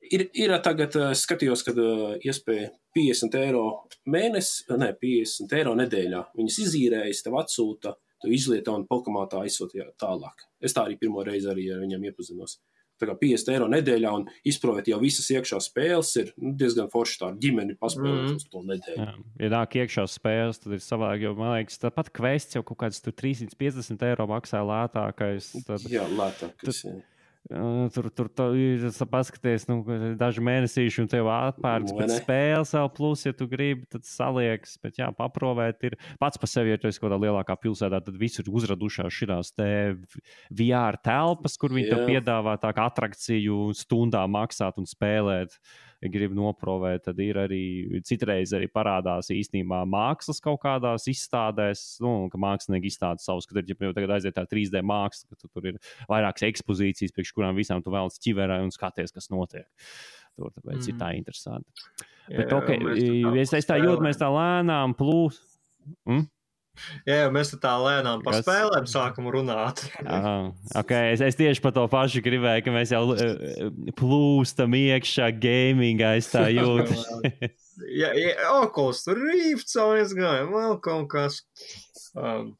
[SPEAKER 2] ir, ir tagad, es skatījos, kad iespēja piecdesmit eiro mēnesi, ne, piecdesmit eiro nedēļā. Viņas izīrējas, tev atsūta, tu izlieto un Pokamātā aizsūtīja tālāk. Es tā arī pirmo reizi arī ar viņiem iepazinos. Tā kā piecdesmit eiro nedēļā un izprovēt jau visas iekšā spēles ir nu, diezgan forši tā ģimeni paspēlēt mm. uz to nedēļu. Jā,
[SPEAKER 1] ja nāk iekšā spēles, tad ir savādāk, jo man liekas, tāpat Quests jau kaut kāds tur trīs simti piecdesmit eiro maksā lētākais. Tad,
[SPEAKER 2] jā, lētākais, jā.
[SPEAKER 1] Tur, tur, tur ir paskaties, nu, daži mēnesīši, un tev atpērts pēc spēles vēl plus, ja tu gribi, tad saliekas, bet jā, paprovēt ir pats par sevi, ja tu esi kaut kādā lielākā pilsētā, tad visur uzradušās šitās te V R telpas, kur viņi jā. Tev piedāvā tā kā atrakciju stundā maksāt un spēlēt. Ja gribi noprovēt, tad ir arī citreiz arī parādās īstenībā mākslas kaut kādās izstādēs, nu, ka mākslinieki izstāda savus, kad ir, ja tagad aiziet tā trīs D māksla, ka tu, tur ir vairākas ekspozīcijas, priekš kurām visām tu vēlas ķiverē un skaties, kas notiek. Tur tāpēc mm. ir tā interesanti. Jā, Bet, ok, es, es tā jūtu, mēs tā lēnām plūs. Mm?
[SPEAKER 3] Jā, mēs tā lēnām par spēlēm sākam runāt.
[SPEAKER 1] Aha, okay. es, es tieši par to pašu gribēju, ka mēs jau plūstam iekšā gamingā, es tā jūtu.
[SPEAKER 3] jā, jā, Oculus, tur Rifts aizgāja, vēl kaut kas. Um,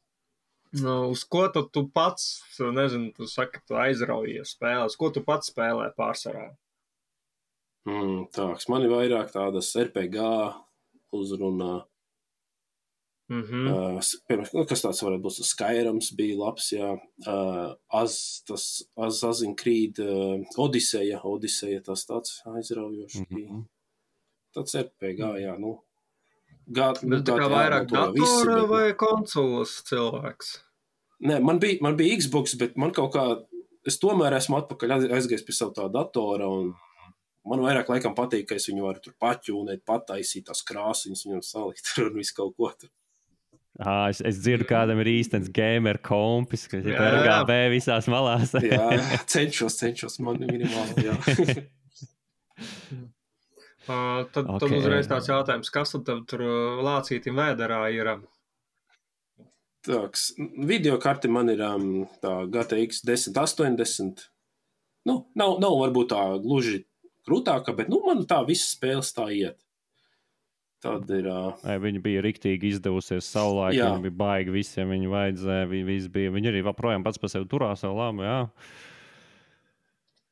[SPEAKER 3] nu, uz ko tu, tu pats, nezinu, tu saki, tu aizraujies spēlēs, ko tu pats spēlē pārsvarā?
[SPEAKER 2] Mm, tāks, man ir vairāk tādas R P G uzrunā.
[SPEAKER 3] Mm-hmm.
[SPEAKER 2] Uh, pirms, nu, kas tāds varētu būt? Skyrams bija labs, jā. Uh, Az, tas, Az, Assassin's Creed, uh, Odiseja, Odiseja, tas tāds aizraujošs bija. Mm-hmm. Tāds R P G, jā, nu. Gāt,
[SPEAKER 3] Bet tā kā vairāk datora visi, bet, vai konsoles cilvēks?
[SPEAKER 2] Nē, man bija, man bija Xbox, bet man kaut kā, es tomēr esmu atpakaļ aizgājis pie savu tā datora, un man vairāk laikam patīk, ka es viņu varu tur paķūnēt, pataisīt tās krāsiņas, viņam salikt tur un visu kaut ko tur.
[SPEAKER 1] Ah, es, es dzirdu, kādam ir īstenis gamer kompis, kas ir R G B visās malās.
[SPEAKER 2] jā, cenšos, cenšos, man minimāli, jā.
[SPEAKER 3] uh, tad, okay. tad uzreiz tāds jautājums, kas tad tur lācītim vēderā ir?
[SPEAKER 2] Tāks, videokarte man ir um, tā G T X desmit astoņdesmit. Nu, nav, nav varbūt tā gluži krūtāka, bet nu, man tā visas spēles tā iet. Tad ir. Uh...
[SPEAKER 1] Viņa bija riktīgi izdevusies savulaik, viņa bija baigi visiem, viņa vajadzēja, viņa bija. Viņa arī projām pats par sevi turās vēl labi, jā.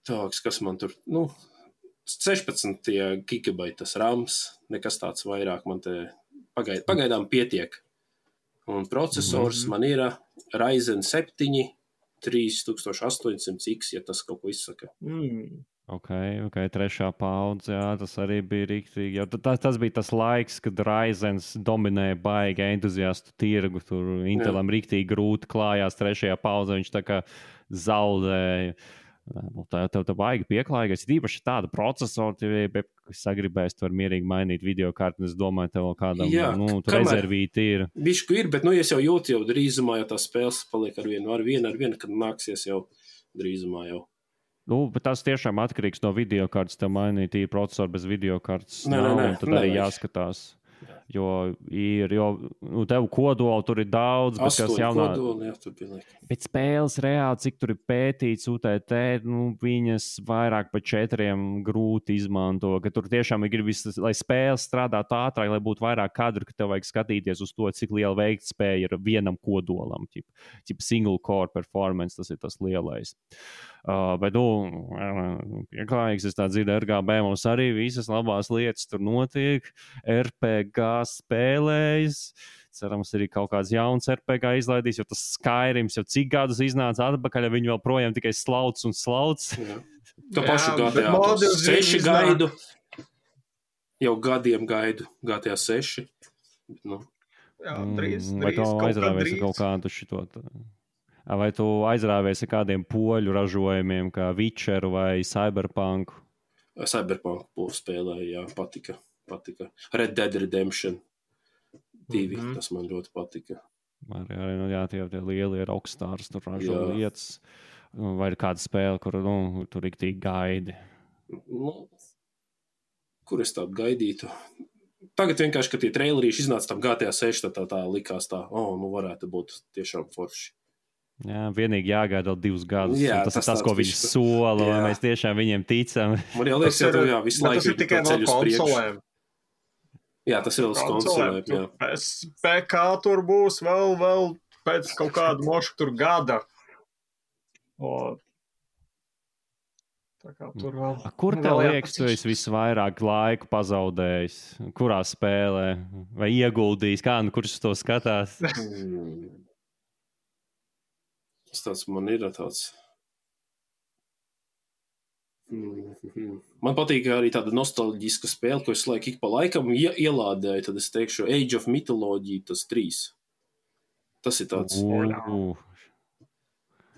[SPEAKER 2] Tāks, kas man tur, nu, sešpadsmit gigabaitas rams, nekas tāds vairāk man te pagaid, pagaidām pietiek. Un procesors mm-hmm. man ir Ryzen septiņi trīs tūkstoši astoņsimt X, ja tas kaut ko izsaka.
[SPEAKER 3] Mm.
[SPEAKER 1] Ok, ok, trešā paudze, jā, tas arī bija riktīgi. Tas, tas bija tas laiks, kad Ryzens dominēja baigi entuziastu tirgu, tur Intelam jā. Riktīgi grūti klājās trešajā paudzē, viņš tā kā zaudēja. Nu, tā tev tā baigi pieklājīgais, ir īpaši tāda procesora, ja sagribēs, tu var mierīgi mainīt videokarti, un es domāju, tev kādam, jā, nu, tu rezervīti ir.
[SPEAKER 2] Bišku ir, bet, nu, es jau jūtu jau drīzumā, ja tās spēles paliek ar vienu, ar vienu, ar vienu, kad nāksies jau drīzumā jau.
[SPEAKER 1] Nu, bet tas tiešām atkarīgs no videokartes, tev mainīt īri procesoru bez videokartes.
[SPEAKER 2] Nē,
[SPEAKER 1] nav,
[SPEAKER 2] nē, nē,
[SPEAKER 1] un tad
[SPEAKER 2] nē,
[SPEAKER 1] arī
[SPEAKER 2] nē.
[SPEAKER 1] jāskatās. Jo ir, jo nu, tev kodoli tur ir daudz, bet kas jaunā...
[SPEAKER 2] kodoli, jā, tur bija laika.
[SPEAKER 1] Bet spēles reāli, cik tur ir pētīts U T T, nu, viņas vairāk pa četriem grūti izmanto, ka tur tiešām ir gribis, lai spēles strādātu ātrāk, lai būtu vairāk kadru, ka tev vajag skatīties uz to, cik liela veiktspēja ir vienam kodolam, ķip, ķip single core performance, tas ir tas lielais. Uh, bet, nu, pieklājīgs, es tā dzirdu, R G B mums arī visas labās lietas tur notiek, R P G spēlējas, cerams, arī kaut kāds jauns R P G izlaidīs, jo tas Skyrims jau cik gadus iznāca atpakaļ, ja viņi vēl projām tikai slauc un slauc.
[SPEAKER 2] To pašu G T A seši gaidu, jau gadiem gaidu G T A seši. Nu.
[SPEAKER 3] Jā, drīz, drīz,
[SPEAKER 1] vai to aizrāvēsi kaut kādu šito... Vai tu aizrāvies ar kādiem poļu ražojumiem, kā Witcheru vai Cyberpunk?
[SPEAKER 2] Cyberpunk spēlēju, jā, patika, patika. Red Dead Redemption divi, mm-hmm. tas man ļoti patika.
[SPEAKER 1] Arī, arī nu, jā, tie, tie lielie rockstars tur ražo lietas. Vai ir kāda spēle, kur nu, tur riktīgi gaidi?
[SPEAKER 2] Nu, kur es tādu gaidītu? Tagad vienkārši, kad tie trailerīši iznāca tam G T A seši, tā, tā, tā likās tā, o, oh, nu varētu būt tiešām forši.
[SPEAKER 1] Jā, vienīgi jāgaida vēl divus gadus.
[SPEAKER 2] Jā,
[SPEAKER 1] tas, tas ir tas, ko viņi
[SPEAKER 2] visu...
[SPEAKER 1] sola, lai mēs tiešām viņiem ticam.
[SPEAKER 2] Man jau liekas, ka jā, visu laiku
[SPEAKER 3] ir tikai vēl konsolēm.
[SPEAKER 2] Jā, tas ir vēl uz konsolēm, jā.
[SPEAKER 3] P K tur būs vēl, vēl pēc kaut kāda moša tur gada. O, tā kā tur vēl...
[SPEAKER 1] A, kur tev liekas, tu esi visvairāk laiku pazaudējis? Kurā spēlē? Vai ieguldījis? Kā, nu, kurš to skatās?
[SPEAKER 2] Tas man ir tāds. Man patīk arī tāda nostalģiska spēle, ko es laiku ik pa laikam ielādēju, tad es teikšu Age of Mythology, tas trīs. Tas ir tāds.
[SPEAKER 1] Uh,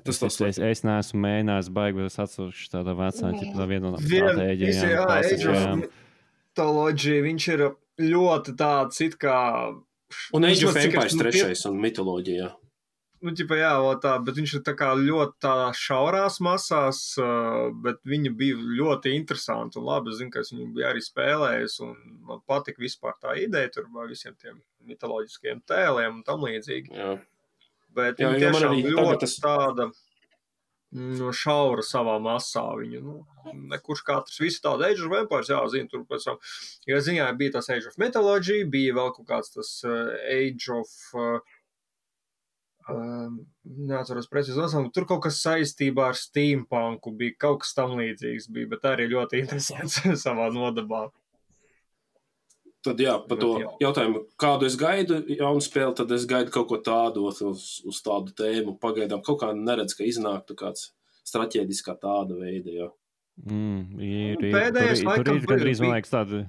[SPEAKER 1] tas tas es, es, es neesmu mēģinājis baigi, bet es atceros tādā vecā, tā viena no stratēģijām.
[SPEAKER 3] Jā, Age of Mythology, viņš ir ļoti tāds it kā...
[SPEAKER 2] Un Age of Empires trešais un Mythology, jā.
[SPEAKER 3] Nu, ķipa, jā, tā, bet viņš ir tā kā ļoti tā šaurās masās, bet viņa bija ļoti interesanta un labi. Es zinu, ka es viņu biju arī spēlējis un man patika vispār tā ideja tur vai visiem tiem mitoloģiskiem tēliem un tam līdzīgi.
[SPEAKER 2] Jā.
[SPEAKER 3] Bet
[SPEAKER 2] jā,
[SPEAKER 3] viņa tiešām ļoti
[SPEAKER 2] tas...
[SPEAKER 3] tāda no šaura savā masā. Viņa, nu, nekurš katrs, visi tādi Age of Empires, jā, zinu, tur pēc tam, ja ziņā bija tas Age of Mythology, bija vēl kaut kāds tas uh, Age of... Uh, Um, neatceros precīzi nosaukumu, tur kaut kas saistībā ar steampunku bija, kaut kas tam līdzīgs bija, bet arī ļoti interesants savā nodabā.
[SPEAKER 2] Tad jā, par to jautājumu, kādu es gaidu jaunu spēli, tad es gaidu kaut ko tādu uz, uz tādu tēmu, pagaidām kaut kā neredz, ka iznāktu kāds strateģiskā tāda veida, jā.
[SPEAKER 1] Mm, ir, ir,
[SPEAKER 3] Pēdējais
[SPEAKER 1] tur,
[SPEAKER 3] laikam
[SPEAKER 1] tur ir gandrīz, man liekas, tāda...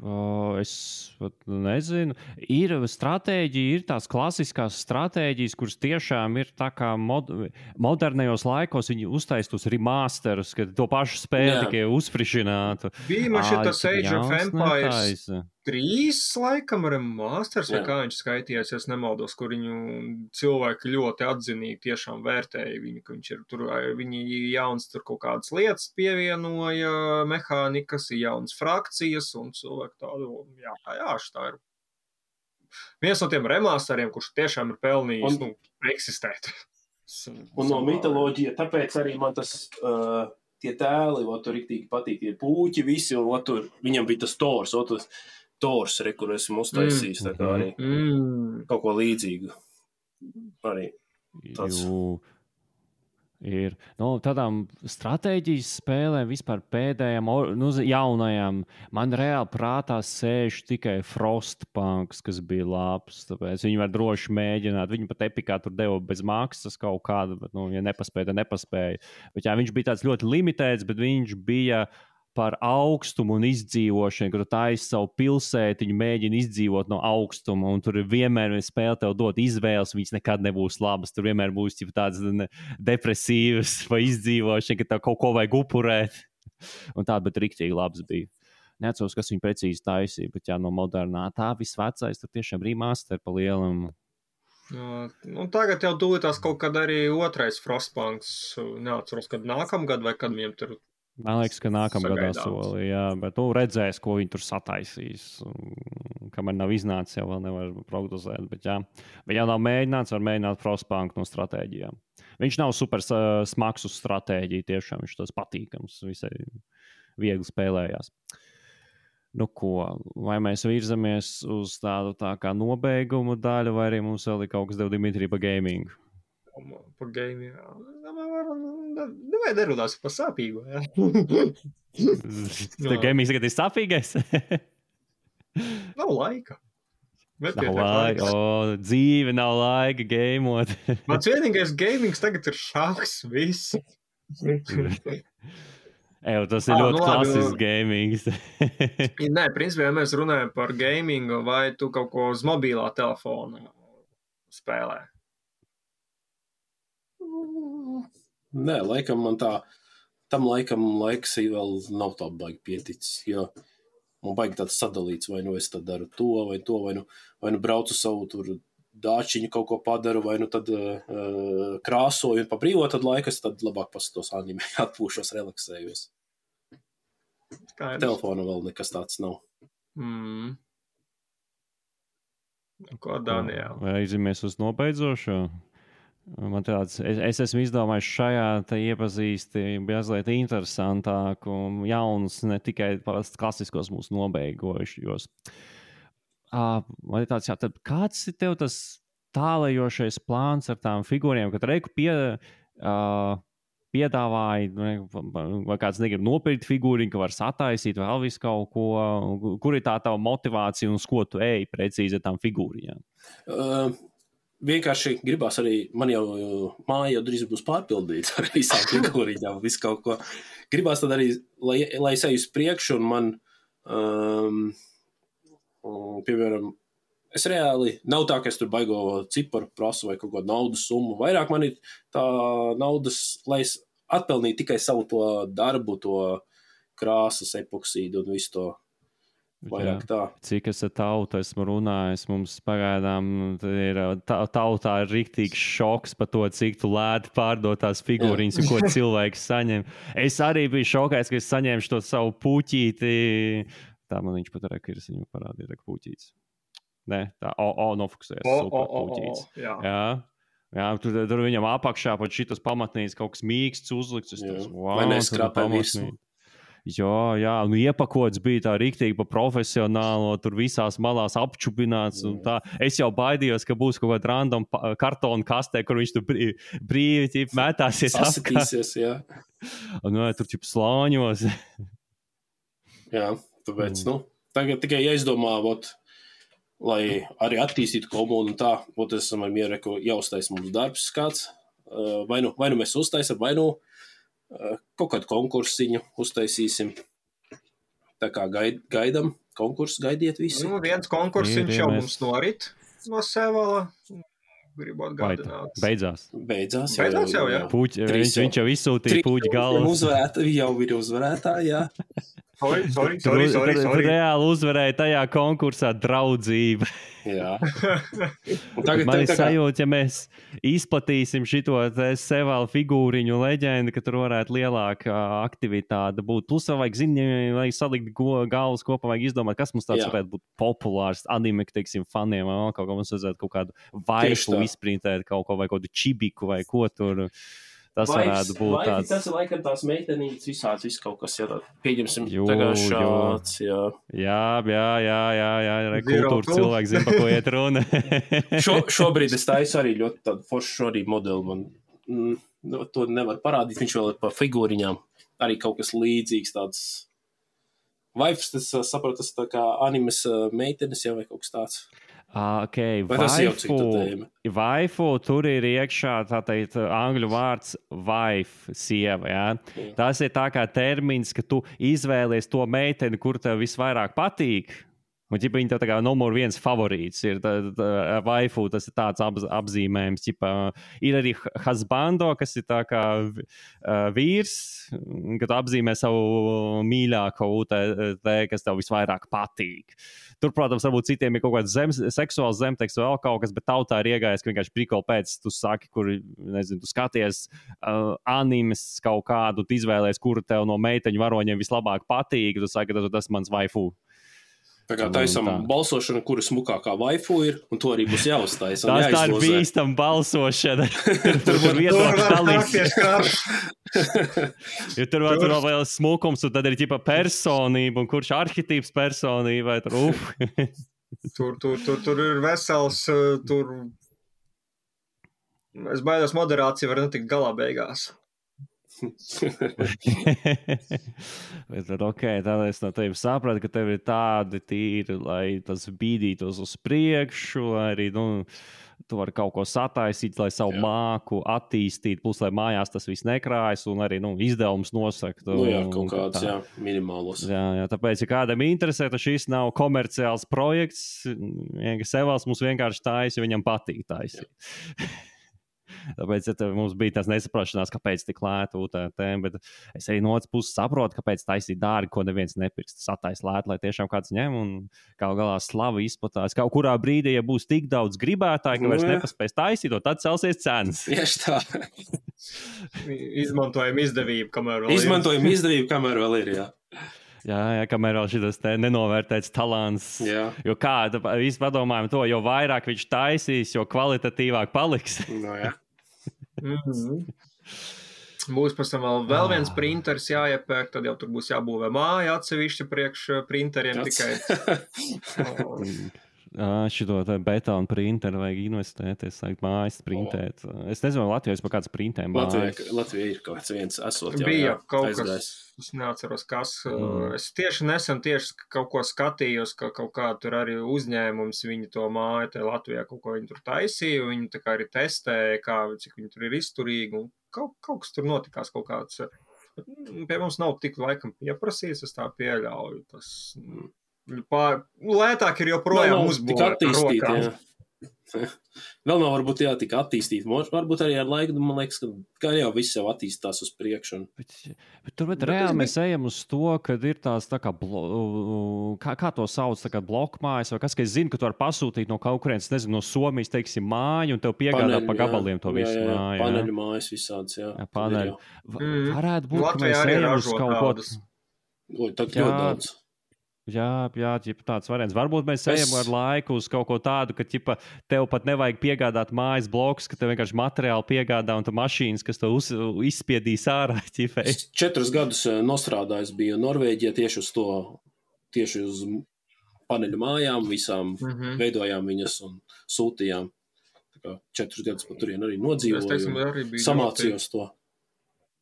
[SPEAKER 1] O, es pat nezinu. Ir stratēģija, ir tās klasiskās stratēģijas, kuras tiešām ir tā kā mod, modernajos laikos viņi uztaisīja tos remasterus, kad to pašu spēli tikai uzfrišinātu.
[SPEAKER 3] Bija man šitas Age of Empires trīs laikam remasters, vai kā viņš skaitījās, es nemaldos, kur viņu cilvēki ļoti atzinīgi tiešām vērtēja viņu, ka viņš ir tur, viņi jauns tur kaut kādas lietas pievienoja, mehānikas, jaunas frakcijas un cilvēki tādu, jā, jā, tā ir viens no tiem remasteriem, kurš tiešām ir pelnījis, un, nu, eksistēt.
[SPEAKER 2] Un no mitoloģija, tāpēc arī man tas, uh, tie tēli, o, tur riktīgi patīk, tie pūķi visi, un o, tur, viņam bija tas tors, o, tas tors, re, kur esmu uztaisījis, tā kā arī mm. kaut ko līdzīgu. Arī tāds.
[SPEAKER 1] Jū, ir, nu, tādām stratēģijas spēlēm vispār pēdējām, nu, jaunajām, man reāli prātā sēž tikai Frostpunks, kas bija labs, tāpēc viņi var droši mēģināt, viņi pat Epikā tur deva bez maksas kaut kādu, bet, nu, ja nepaspēja, tad nepaspēja. Bet, jā, viņš bija tāds ļoti limitēts, bet viņš bija par augstumu un izdzīvošanu, kad tu taisi savu pilsētiņu, mēģini izdzīvot no augstuma, un tur vienmēr spēle tev dot izvēles, viņas nekad nebūs labas, tur vienmēr būs tādas depresīvas vai izdzīvošana, ka tev kaut ko vajag upurēt, un tā, bet riktīgi labs bija. Neatceros, kas viņu precīzi taisīja, bet jā, no modernā tā visvecais, tur tiešām remaster pa lielam.
[SPEAKER 3] Jā, nu, tagad jau tūlītās kaut kad arī otrais Frostpunks, neatceros, kad nākamgad vai kad viņiem tur
[SPEAKER 1] Man liekas, ka nākamā gadā soli, jā, bet tu redzēsi, ko viņi tur sataisīs. Kamēr nav iznācis, jau vēl nevar prognozēt, bet jā. Bet ja nav mēģināts, var mēģināt Frostpunk no stratēģijām. Viņš nav super smags uz stratēģiju, tiešām viņš tas patīkams, visai viegli spēlējās. Nu ko, vai mēs virzamies uz tādu tā kā nobeigumu daļu, vai arī mums vēl ir kaut kas dev Dimitri pa gamingu?
[SPEAKER 3] Pa gaming, jā. Nevajag nerunās par sāpīgu, jā.
[SPEAKER 1] Tev gamings tagad ir sāpīgais?
[SPEAKER 3] Nav laika.
[SPEAKER 1] Nav laika, o, dzīve nav laika gameot.
[SPEAKER 3] Mans vienīgais gamings tagad ir šāks, viss.
[SPEAKER 1] Eju, tas ir ah, ļoti nu, klasisks gamings.
[SPEAKER 3] Nē, principā, ja mēs runājam par gamingu, vai tu kaut ko uz mobilā telefona spēlē?
[SPEAKER 2] Nē, laikam man tā, tam laikam laiks vēl nav tā baigi pieticis, jo man baigi tāds sadalīts, vai nu es tad daru to, vai to, vai nu, vai nu braucu savu tur dāčiņu kaut ko padaru, vai nu tad uh, krāsoju un pa brīvo tad laikas, tad labāk paskatos anime, atpūšos, relaksējos. Telefona vēl nekas tāds nav.
[SPEAKER 3] Mm. Ko, Daniel?
[SPEAKER 1] Vai aizimies uz nobeidzošo? Man tāds, es, es esmu izdomājis šajā te iepazīsti mazliet interesantāku un jaunus, ne tikai klasiskos mūsu nobeigojušos. Uh, man ir tāds, jā, tad kāds ir tev tas tālajošais plāns ar tām figūriem, kad reiku pie, uh, piedāvāji, vai kāds negrib nopirkt figūriņu, ka var sataisīt vēl visu kaut ko, kur ir tā tava motivācija un uz ko tu ej precīzi ar tām figūriņām?
[SPEAKER 2] Uh. Vienkārši gribās arī, man jau māja jau drīz būs pārpildīta ar visām figūriņām, visu kaut ko. Gribās tad arī, lai, lai es eju uz priekšu un man, um, piemēram, es reāli, nav tā, ka es tur baigo ciparu prasu vai kaut ko naudas summu. Vairāk man ir tā naudas, lai es atpelnītu tikai savu to darbu, to krāsas, epoksīdu un visu to. Vairāk tā.
[SPEAKER 1] Cik es ar tautu esmu runājis, mums pagaidām ir ta, tautā ir riktīgs šoks par to, cik tu lēti pārdot tās figūriņas un ko cilvēks saņem. Es arī biju šokais, ka es saņēmu šo savu puķīti. Tā man viņš pat reka ir, es viņu parādīju, reka puķītis. Nē, tā, o, o, nofokusējas, super puķītis. Jā. Jā. Jā, tur, tur viņam apakšā pat šitas pamatnīgs kaut kas mīksts uzlikts. Tas, wow,
[SPEAKER 2] vai neskrapē visu?
[SPEAKER 1] Jā, jā, nu iepakots bija tā riktīgi pa profesionālo, tur visās malās apčupināts un tā. Es jau baidījos, ka būs kaut kāda random kartona kastē, kur viņš tur brīvi, brīvi ķip, mētāsies
[SPEAKER 2] apkārt. Jā.
[SPEAKER 1] Un nu, tur ķip slāņos.
[SPEAKER 2] Jā, tāpēc, nu, tagad tikai jāizdomā, vot, lai arī attīstītu komunu un tā, vot esam ar mieru, ka jāuztais mums darbs kāds, vai nu, vai nu mēs uztaisam, vai nu kaut kādu konkursiņu uztaisīsim. Tā kā gaid, gaidam, konkursu gaidiet visi.
[SPEAKER 3] Nu, viens konkursiņš jau mums norit no Sevala. Gribu atgādināt.
[SPEAKER 1] Beidzās.
[SPEAKER 2] Beidzās,
[SPEAKER 3] jau. Beidzās jau, jā.
[SPEAKER 1] Puķi, viņš, viņš jau izsūtīja puķi galvas.
[SPEAKER 2] Uzvarētā, jau ir uzvarētā, jā.
[SPEAKER 3] Sorry, sorry, sorry, sorry, sorry.
[SPEAKER 1] Reāli uzvarēja tajā konkursā draudzība.
[SPEAKER 2] Jā.
[SPEAKER 1] Tagad, man ir kā... sajūta, ja mēs izplatīsim šito Sevala figūriņu leģendu, ka tur varētu lielāka aktivitāte būt. Plus vēl vajag zini, vajag salikt galvas kopā, vajag izdomāt, kas mums tāds Jā. Varētu būt populārs anime, teiksim, faniem, vai kaut kā mums vajadzētu kaut kādu vaifu izprintēt, kaut ko vai kaut kādu čibiku vai ko tur. Tas Vaips, varētu būt
[SPEAKER 2] Vaipi,
[SPEAKER 1] tāds.
[SPEAKER 2] Tas ir laikam tās meitenītes visāds, viss kaut kas, ja pieņemsim jū, tagad šāds, jā.
[SPEAKER 1] Jā, jā, jā, jā, jā, jā kultūras cilvēki zina, pa ko iet runa.
[SPEAKER 2] Šo, šobrīd es taisu arī ļoti tādu foršu arī modeli, man mm, to nevar parādīt, viņš vēl ir par figūriņām, arī kaut kas līdzīgs tāds. Vaips, tas saprot, tas tā kā animes meitenes jau vai kaut kas tāds.
[SPEAKER 1] Uh, okay. Vaifu, vaifu, tur ir iekšā tā teikt angļu vārds wife, sieva, jā. jā. Tas ir tā kā termins, ka tu izvēlies to meiteni, kur tev visvairāk patīk, Un, ģipa, viņa tā kā numur viens favorīts ir tā, tā, waifu, tas ir tāds ap, apzīmējums. Ģipa, ir arī husbando, kas ir tā kā uh, vīrs, kad apzīmē savu mīļāko U T T, kas tev visvairāk patīk. Tur, protams, varbūt citiem ir kaut kāds zem, seksuāls zemteksts vēl kaut kas, bet tautā ir iegājis, ka vienkārši prikoli pēc tu saki, kur, nezinu, tu skaties uh, animes kaut kādu, tu izvēlēs, kuru tev no meiteņu varoņiem vislabāk patīk, tu saki, ka tas mans waifu.
[SPEAKER 2] Tā kā taisam tā. Balsošana, kura smukākā waifu ir, un to arī būs jāuztaisa.
[SPEAKER 1] Tās tā ir bīstam balsošana. tur tur var viedokļu dalīties. Jo tur vēl, tur vēl smukums, un tad ir ģipa personība, un kurš arhitīps personība, vai tur, uf.
[SPEAKER 3] tur, tur, tur, tur ir vesels, tur, es baidos, moderācija var netikt galā beigās.
[SPEAKER 1] Bet tad, ok, tad es no tevi sapratu, ka tev ir tādi tīri, lai tas bīdītos uz priekšu, lai arī, nu, tu vari kaut ko sataisīt, lai savu jā. Māku attīstīt, plus, lai mājās tas viss nekrājas, un arī, nu, izdevums nosakt.
[SPEAKER 2] Nu jā, kaut kāds, jā, minimālos.
[SPEAKER 1] Jā, jā, tāpēc, ja kādam interesē, tad šis nav komerciāls projekts, Sevals mums vienkārši taisa, jo viņam patīk taisīt. Tāpēc ja mums bija tās nesaprašanās, kāpēc tik lēta U T T, bet es arī no otras puses saprotu, kāpēc taisīt dārgi, ko neviens nepirks. Satais lēt, lai tiešām kāds ņem un kaut galā slava izplatās. Kaut kurā brīdī, ja būs tik daudz gribētāji, ka vairs nepaspēs taisīt, tad celsies cenas.
[SPEAKER 2] Tieši tā.
[SPEAKER 3] Izmantojam izdevību, kamēr vēl ir.
[SPEAKER 2] Izmantojam izdevību, kamēr vēl ir, jā.
[SPEAKER 1] Jā, jā, kamēr vēl šitas te nenovērtēts talants.
[SPEAKER 2] Jā.
[SPEAKER 1] Jo kā, visi padomājam to, jo vairāk viņš taisīs, jo kvalitatīvāk paliks.
[SPEAKER 2] No, jā.
[SPEAKER 3] Mm-hmm. Būs pēc tam vēl, vēl viens printers jāiepērk, tad jau tur būs jābūvē māja atsevišķi priekš printeriem Ats. tikai.
[SPEAKER 1] Oh. Šito betonu printeru vajag investēt, es sāku mājas printēt. Oh. Es nezinu, Latvijā es par kāds printēm mājas.
[SPEAKER 2] Latvijā, Latvijā ir kaut kāds viens esot jau.
[SPEAKER 3] Bija
[SPEAKER 2] jā,
[SPEAKER 3] kaut
[SPEAKER 2] aizgājis.
[SPEAKER 3] kas, es neatceros, kas. Mm. Es tieši nesen tieši kaut ko skatījos, ka kaut kā tur arī uzņēmums, viņi to māju, te Latvijā kaut ko viņi tur taisīja, viņi tā kā arī testēja, kā, cik viņi tur ir izturīgi, un kaut, kaut kas tur notikās kaut kāds. Pie mums nav tik laikam pieprasījis, es tā pieļauju. Tas, pār, lētāk ir joprojām uzbūvēt ar rokām.
[SPEAKER 2] Vēl nav varbūt jā, tik attīstīt. Varbūt arī ar laiku, man liekas, ka, ka jau viss jau attīstās uz priekšu. Un...
[SPEAKER 1] Bet, bet tur bet reāli mēs ejam uz to, kad ir tās tā kā, blo, kā, kā to sauc, tā kā blokmājas, vai kas, ka es zinu, ka tu vari pasūtīt no kaut kurienes, nezinu, no Somijas, teiksim, māju, un tev piegādā Paneļu, pa gabaliem jā, to visu jā, jā, māju.
[SPEAKER 2] Paneļu mājas visāds, jā.
[SPEAKER 1] jā paneļu.
[SPEAKER 3] Mm.
[SPEAKER 1] Varētu būt,
[SPEAKER 3] Latvijā
[SPEAKER 1] ka mēs ejam uz kaut ko...
[SPEAKER 2] Oi, tā ļoti daudz.
[SPEAKER 1] Jā, jā, ģipa, tāds variants. Varbūt mēs es... ejam ar laiku uz kaut ko tādu, ka ģipa, tev pat nevajag piegādāt mājas blokus, ka tev vienkārši materiāli piegādā un tu mašīnas, kas to uz, izspiedīs ārā. Ģipa.
[SPEAKER 2] Es četrus gadus nostrādājis biju Norvēģijā tieši uz to, tieši uz paneļu mājām, visām mm-hmm. veidojām viņas un sūtījām. Tā kā četrus gadus pat turien arī nodzīvoju, teiksim, arī samācījos ļoti... to.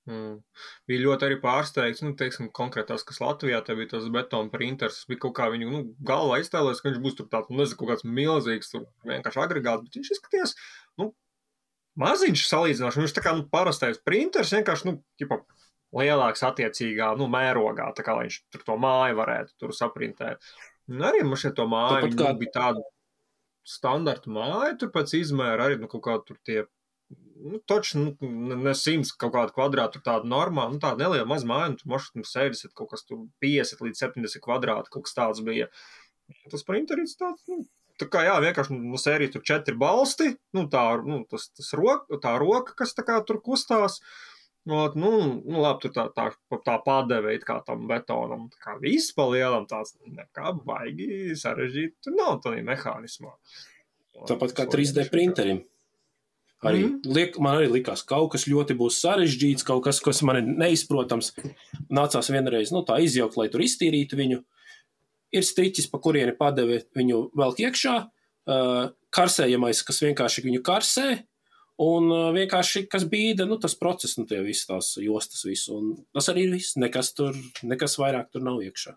[SPEAKER 3] Mm. Bija ļoti arī pārsteigts, nu, teiksim, konkrēt tās, kas Latvijā, te bija tas betona printers, bija kaut kā viņu, nu, galvā iztēlēs, ka viņš būs tur tāds, nu, nezinu, kaut kāds milzīgs, tur vienkārši agregāts, bet viņš izskaties, nu, maziņš salīdzināšu, viņš tā kā, nu, parastais printers, vienkārši, nu, ķipa, lielāks attiecīgā, nu, mērogā, tā kā, lai viņš tur to māju varētu tur saprintēt. Un arī man šeit to māju, viņi kā... bija tāda standarta māja, tur pēc izmēra arī, nu, kaut kā tur tie Nu, toči, nu, ne simts kaut kādu kvadrātu, tur tāda normāla, nu, tāda neliela maz māja, un tur mašķi sēdesiet kaut kas tur piecdesmit līdz septiņdesmit kvadrāti, kaut kas tāds bija. Tas printerīts tāds, nu, tā kā, jā, vienkārši no sērijas tur četri balsti, nu, tā, nu, tas, tas roka, tā roka, kas tā kā tur kustās, nu, nu, nu labi, tur tā, tā, tā padeveit kā tam betonam, tā kā viss pa lielam tāds, nekā baigi sarežģīt, tur nav tādā mehānismā.
[SPEAKER 2] Tāpat kā trīs D printerim. Arī, mm. liek, man arī likās, kaut kas ļoti būs sarežģīts, kaut kas, kas man ir neizprotams. Nācās vienreiz, nu, tā izjaukt, lai tur iztīrītu viņu. Ir striķis, pa kurieni padeve viņu velk iekšā, uh, karsējamais, kas vienkārši viņu karsē, un uh, vienkārši, kas bīda, nu, tas process, nu, tie visi tās jostas visu. Un tas arī ir viss, nekas tur, nekas vairāk tur nav iekšā.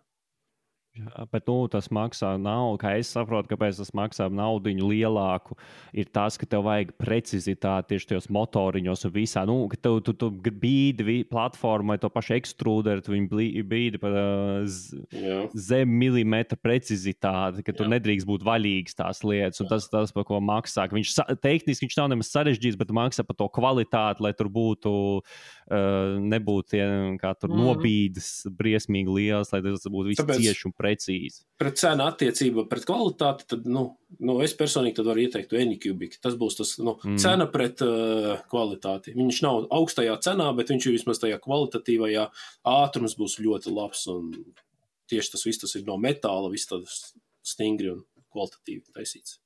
[SPEAKER 1] Jā, bet nu, tas maksā naudu, kā es saprotu, kāpēc tas maksā naudiņu lielāku. Ir tas, ka tev vajag precizitāti tieši tajos motoriņos un visā. Nu, ka tev tu, tu bīdi platformai to pašu ekstrūderu, tu viņu bīdi par uh, zem milimetra precizitāti, ka tu Jā. nedrīkst būt vaļīgs tās lietas. Un tas, tas, par ko maksā. Viņš, tehniski viņš nav nemaz sarežģīts, bet maksā par to kvalitāti, lai tur būtu, uh, nebūtu tie, kā tur mm. nobīdes briesmīgi liels, lai tas būtu viss cieši un precīzi.
[SPEAKER 2] Pret cenu attiecību, pret kvalitāti, tad, nu, nu es personīgi tad varu ieteikt Anycubic. Tas būs tas, nu, mm. cena pret uh, kvalitāti. Viņš nav augstajā cenā, bet viņš ir vismaz tajā kvalitatīvajā. Ātrums būs ļoti labs, un tieši tas viss tas ir no metāla, viss tas stingri un kvalitatīvi taisīts.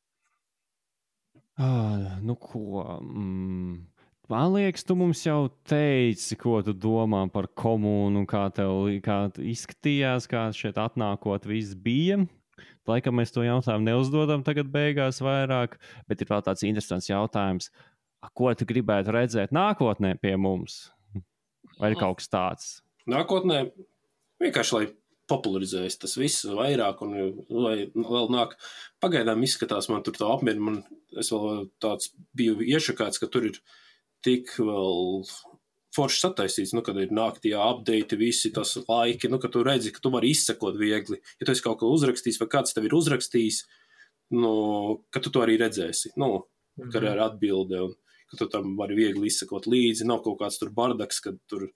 [SPEAKER 1] Ah, nu ko... Mm. Man liekas, tu mums jau teici, ko tu domā par komunu, kā tev kā izskatījās, kā šeit atnākot viss bija. Laikam mēs to jautājumu neuzdodam tagad beigās vairāk, bet ir vēl tāds interesants jautājums. Ko tu gribētu redzēt nākotnē pie mums? Vai ir kaut kas tāds?
[SPEAKER 2] Nākotnē vienkārši, lai popularizējas tas viss vairāk un lai vēl nāk. Pagaidām izskatās, man tur tā apmierina, man es vēl tāds biju iešakāts, ka tur ir tik vēl forši sataisīts, nu, kad ir nāktie update, visi tas laiki, nu, ka tu redzi, ka tu vari izsekot viegli. Ja tu esi kaut ko uzrakstījis vai kāds tev ir uzrakstījis, nu, ka tu to arī redzēsi, nu, mm-hmm. ka ir atbilde un ka tu tam vari viegli izsekot līdzi. Nav kaut kāds tur bardaks, kad tur,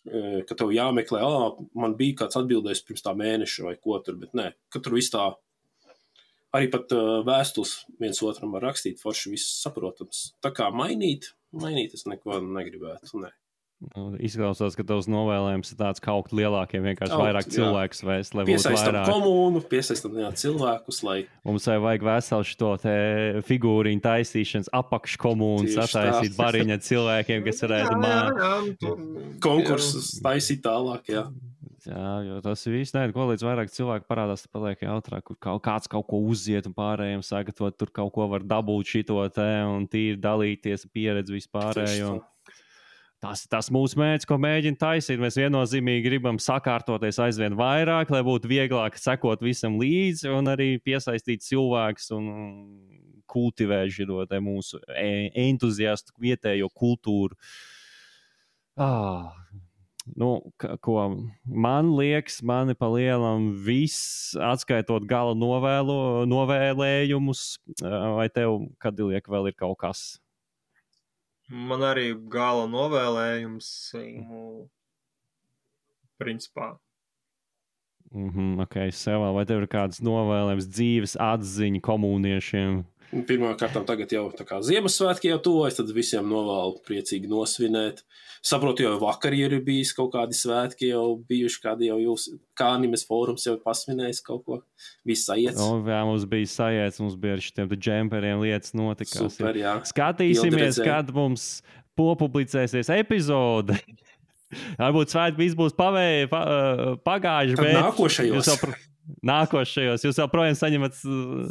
[SPEAKER 2] ka tev jāmeklē, ā, man bija kāds atbildējis pirms tā mēneša vai ko tur, bet nē, ka tur viss tā. Arī pat uh, vēstules viens otram var rakstīt, forši viss saprotams. Tā kā mainīt, mainīt es neko negribētu, ne.
[SPEAKER 1] Nu, izklausās, ka tavs novēlējums ir tāds kaut lielākiem, vienkārši Augt, vairāk cilvēkus vēst, lai būtu vairāk.
[SPEAKER 2] Piesaistam komunu, piesaistam jā, cilvēkus, lai...
[SPEAKER 1] Mums vajag veselu šito te figūriņu taisīšanas apakškomūnu sataisīt bariņa cilvēkiem, kas varētu māt.
[SPEAKER 2] Konkursus taisīt tālāk, jā.
[SPEAKER 1] Jā, jo tas viss, nē, ko līdz vairāk cilvēku parādās, tad paliek jautrāk, kur kaut, kāds kaut ko uziet un pārējiem sagatavot, tur kaut ko var dabūt šito te un tīri dalīties pieredzi vispārējo. Tas ir tas mūsu mērķis, ko mēģina taisīt. Mēs viennozīmīgi gribam sakārtoties aizvien vairāk, lai būtu vieglāk sekot visam līdzi un arī piesaistīt cilvēkus un kultivēt šito te mūsu entuziastu vietējo kultūru. Ah... Nu, ko man liekas, mani pa lielam viss, atskaitot gala novēlo, novēlējumus, vai tev, kad liek, vēl ir kaut kas?
[SPEAKER 3] Man arī gala novēlējums, principā.
[SPEAKER 1] Mhm, ok, sevā, vai tev ir kāds novēlējums dzīves atziņa komūniešiem?
[SPEAKER 2] Pirmkārt, tagad jau tā kā Ziemassvētki jau tuvojas, tad visiem novēlu priecīgi nosvinēt. Saprotu, jau vakar ir bijis kaut kādi svētki, jau bijuši kādi jau jūs, kā Animes fórums jau pasvinējis kaut ko. Viss sajiets.
[SPEAKER 1] O, jā, mums bija sajiets, mums bija ar šitiem džemperiem lietas notikās.
[SPEAKER 2] Super, jā.
[SPEAKER 1] Skatīsimies, kad mums populicēsies epizode. Varbūt svētki viss būs pavēji, pa, pagājuši, bet...
[SPEAKER 2] Nākošajos.
[SPEAKER 1] Nākošajos. Jūs joprojām saņemat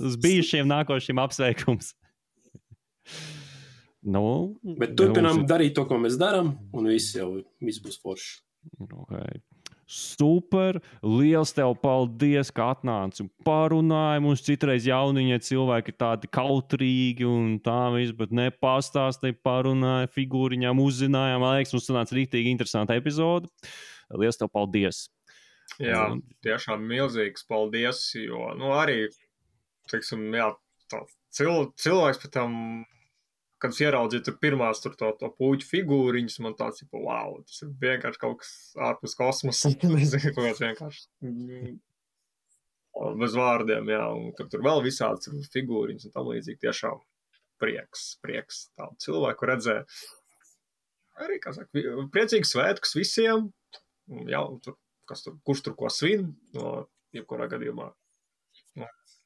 [SPEAKER 1] uz bijušiem nākošiem apsveikums. Nu,
[SPEAKER 2] bet turpinām darīt to, ko mēs darām, un viss jau viss būs forši.
[SPEAKER 1] Okay. Super! Liels tev paldies, ka atnāci un parunāji. Mums citreiz jauniņie cilvēki ir tādi kautrīgi un tā viss, bet nepastāstīja, parunāja, figūriņām uzzināja. Man liekas, mums sanāca rīktīgi interesanta epizode. Liels tev paldies!
[SPEAKER 3] Jā, tiešām milzīgs paldies, jo, nu, arī, teiksim, jā, tā cil, cilvēks pat tam, kad es ieraudzīju tur pirmās tur to, to puķu figūriņas, man tāds, ka, wow, tas ir vienkārši kaut kas ārpus kosmosa, nezinu, kaut kāds vienkārši bez vārdiem, jā, un kad tur vēl visāds figūriņas un tam līdzīgi tiešām prieks, prieks tādu cilvēku redzēt. Arī, kā saka, priecīgs svētkus visiem, jā, tur. Kas tur, kurš tur ko svin, no jebkurā gadījumā.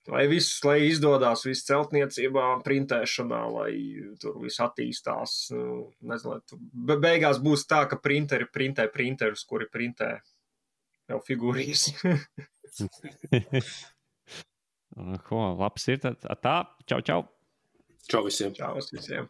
[SPEAKER 3] Lai viss, lai izdodās viss celtniecībā, printēšanā, lai tur viss attīstās. Nezinu, lai tur beigās būs tā, ka printeri printē printerus, kuri printē jau figūrijas.
[SPEAKER 1] Ko, labs ir tad. Tā, čau, čau.
[SPEAKER 2] Čau visiem.
[SPEAKER 3] Čau visiem.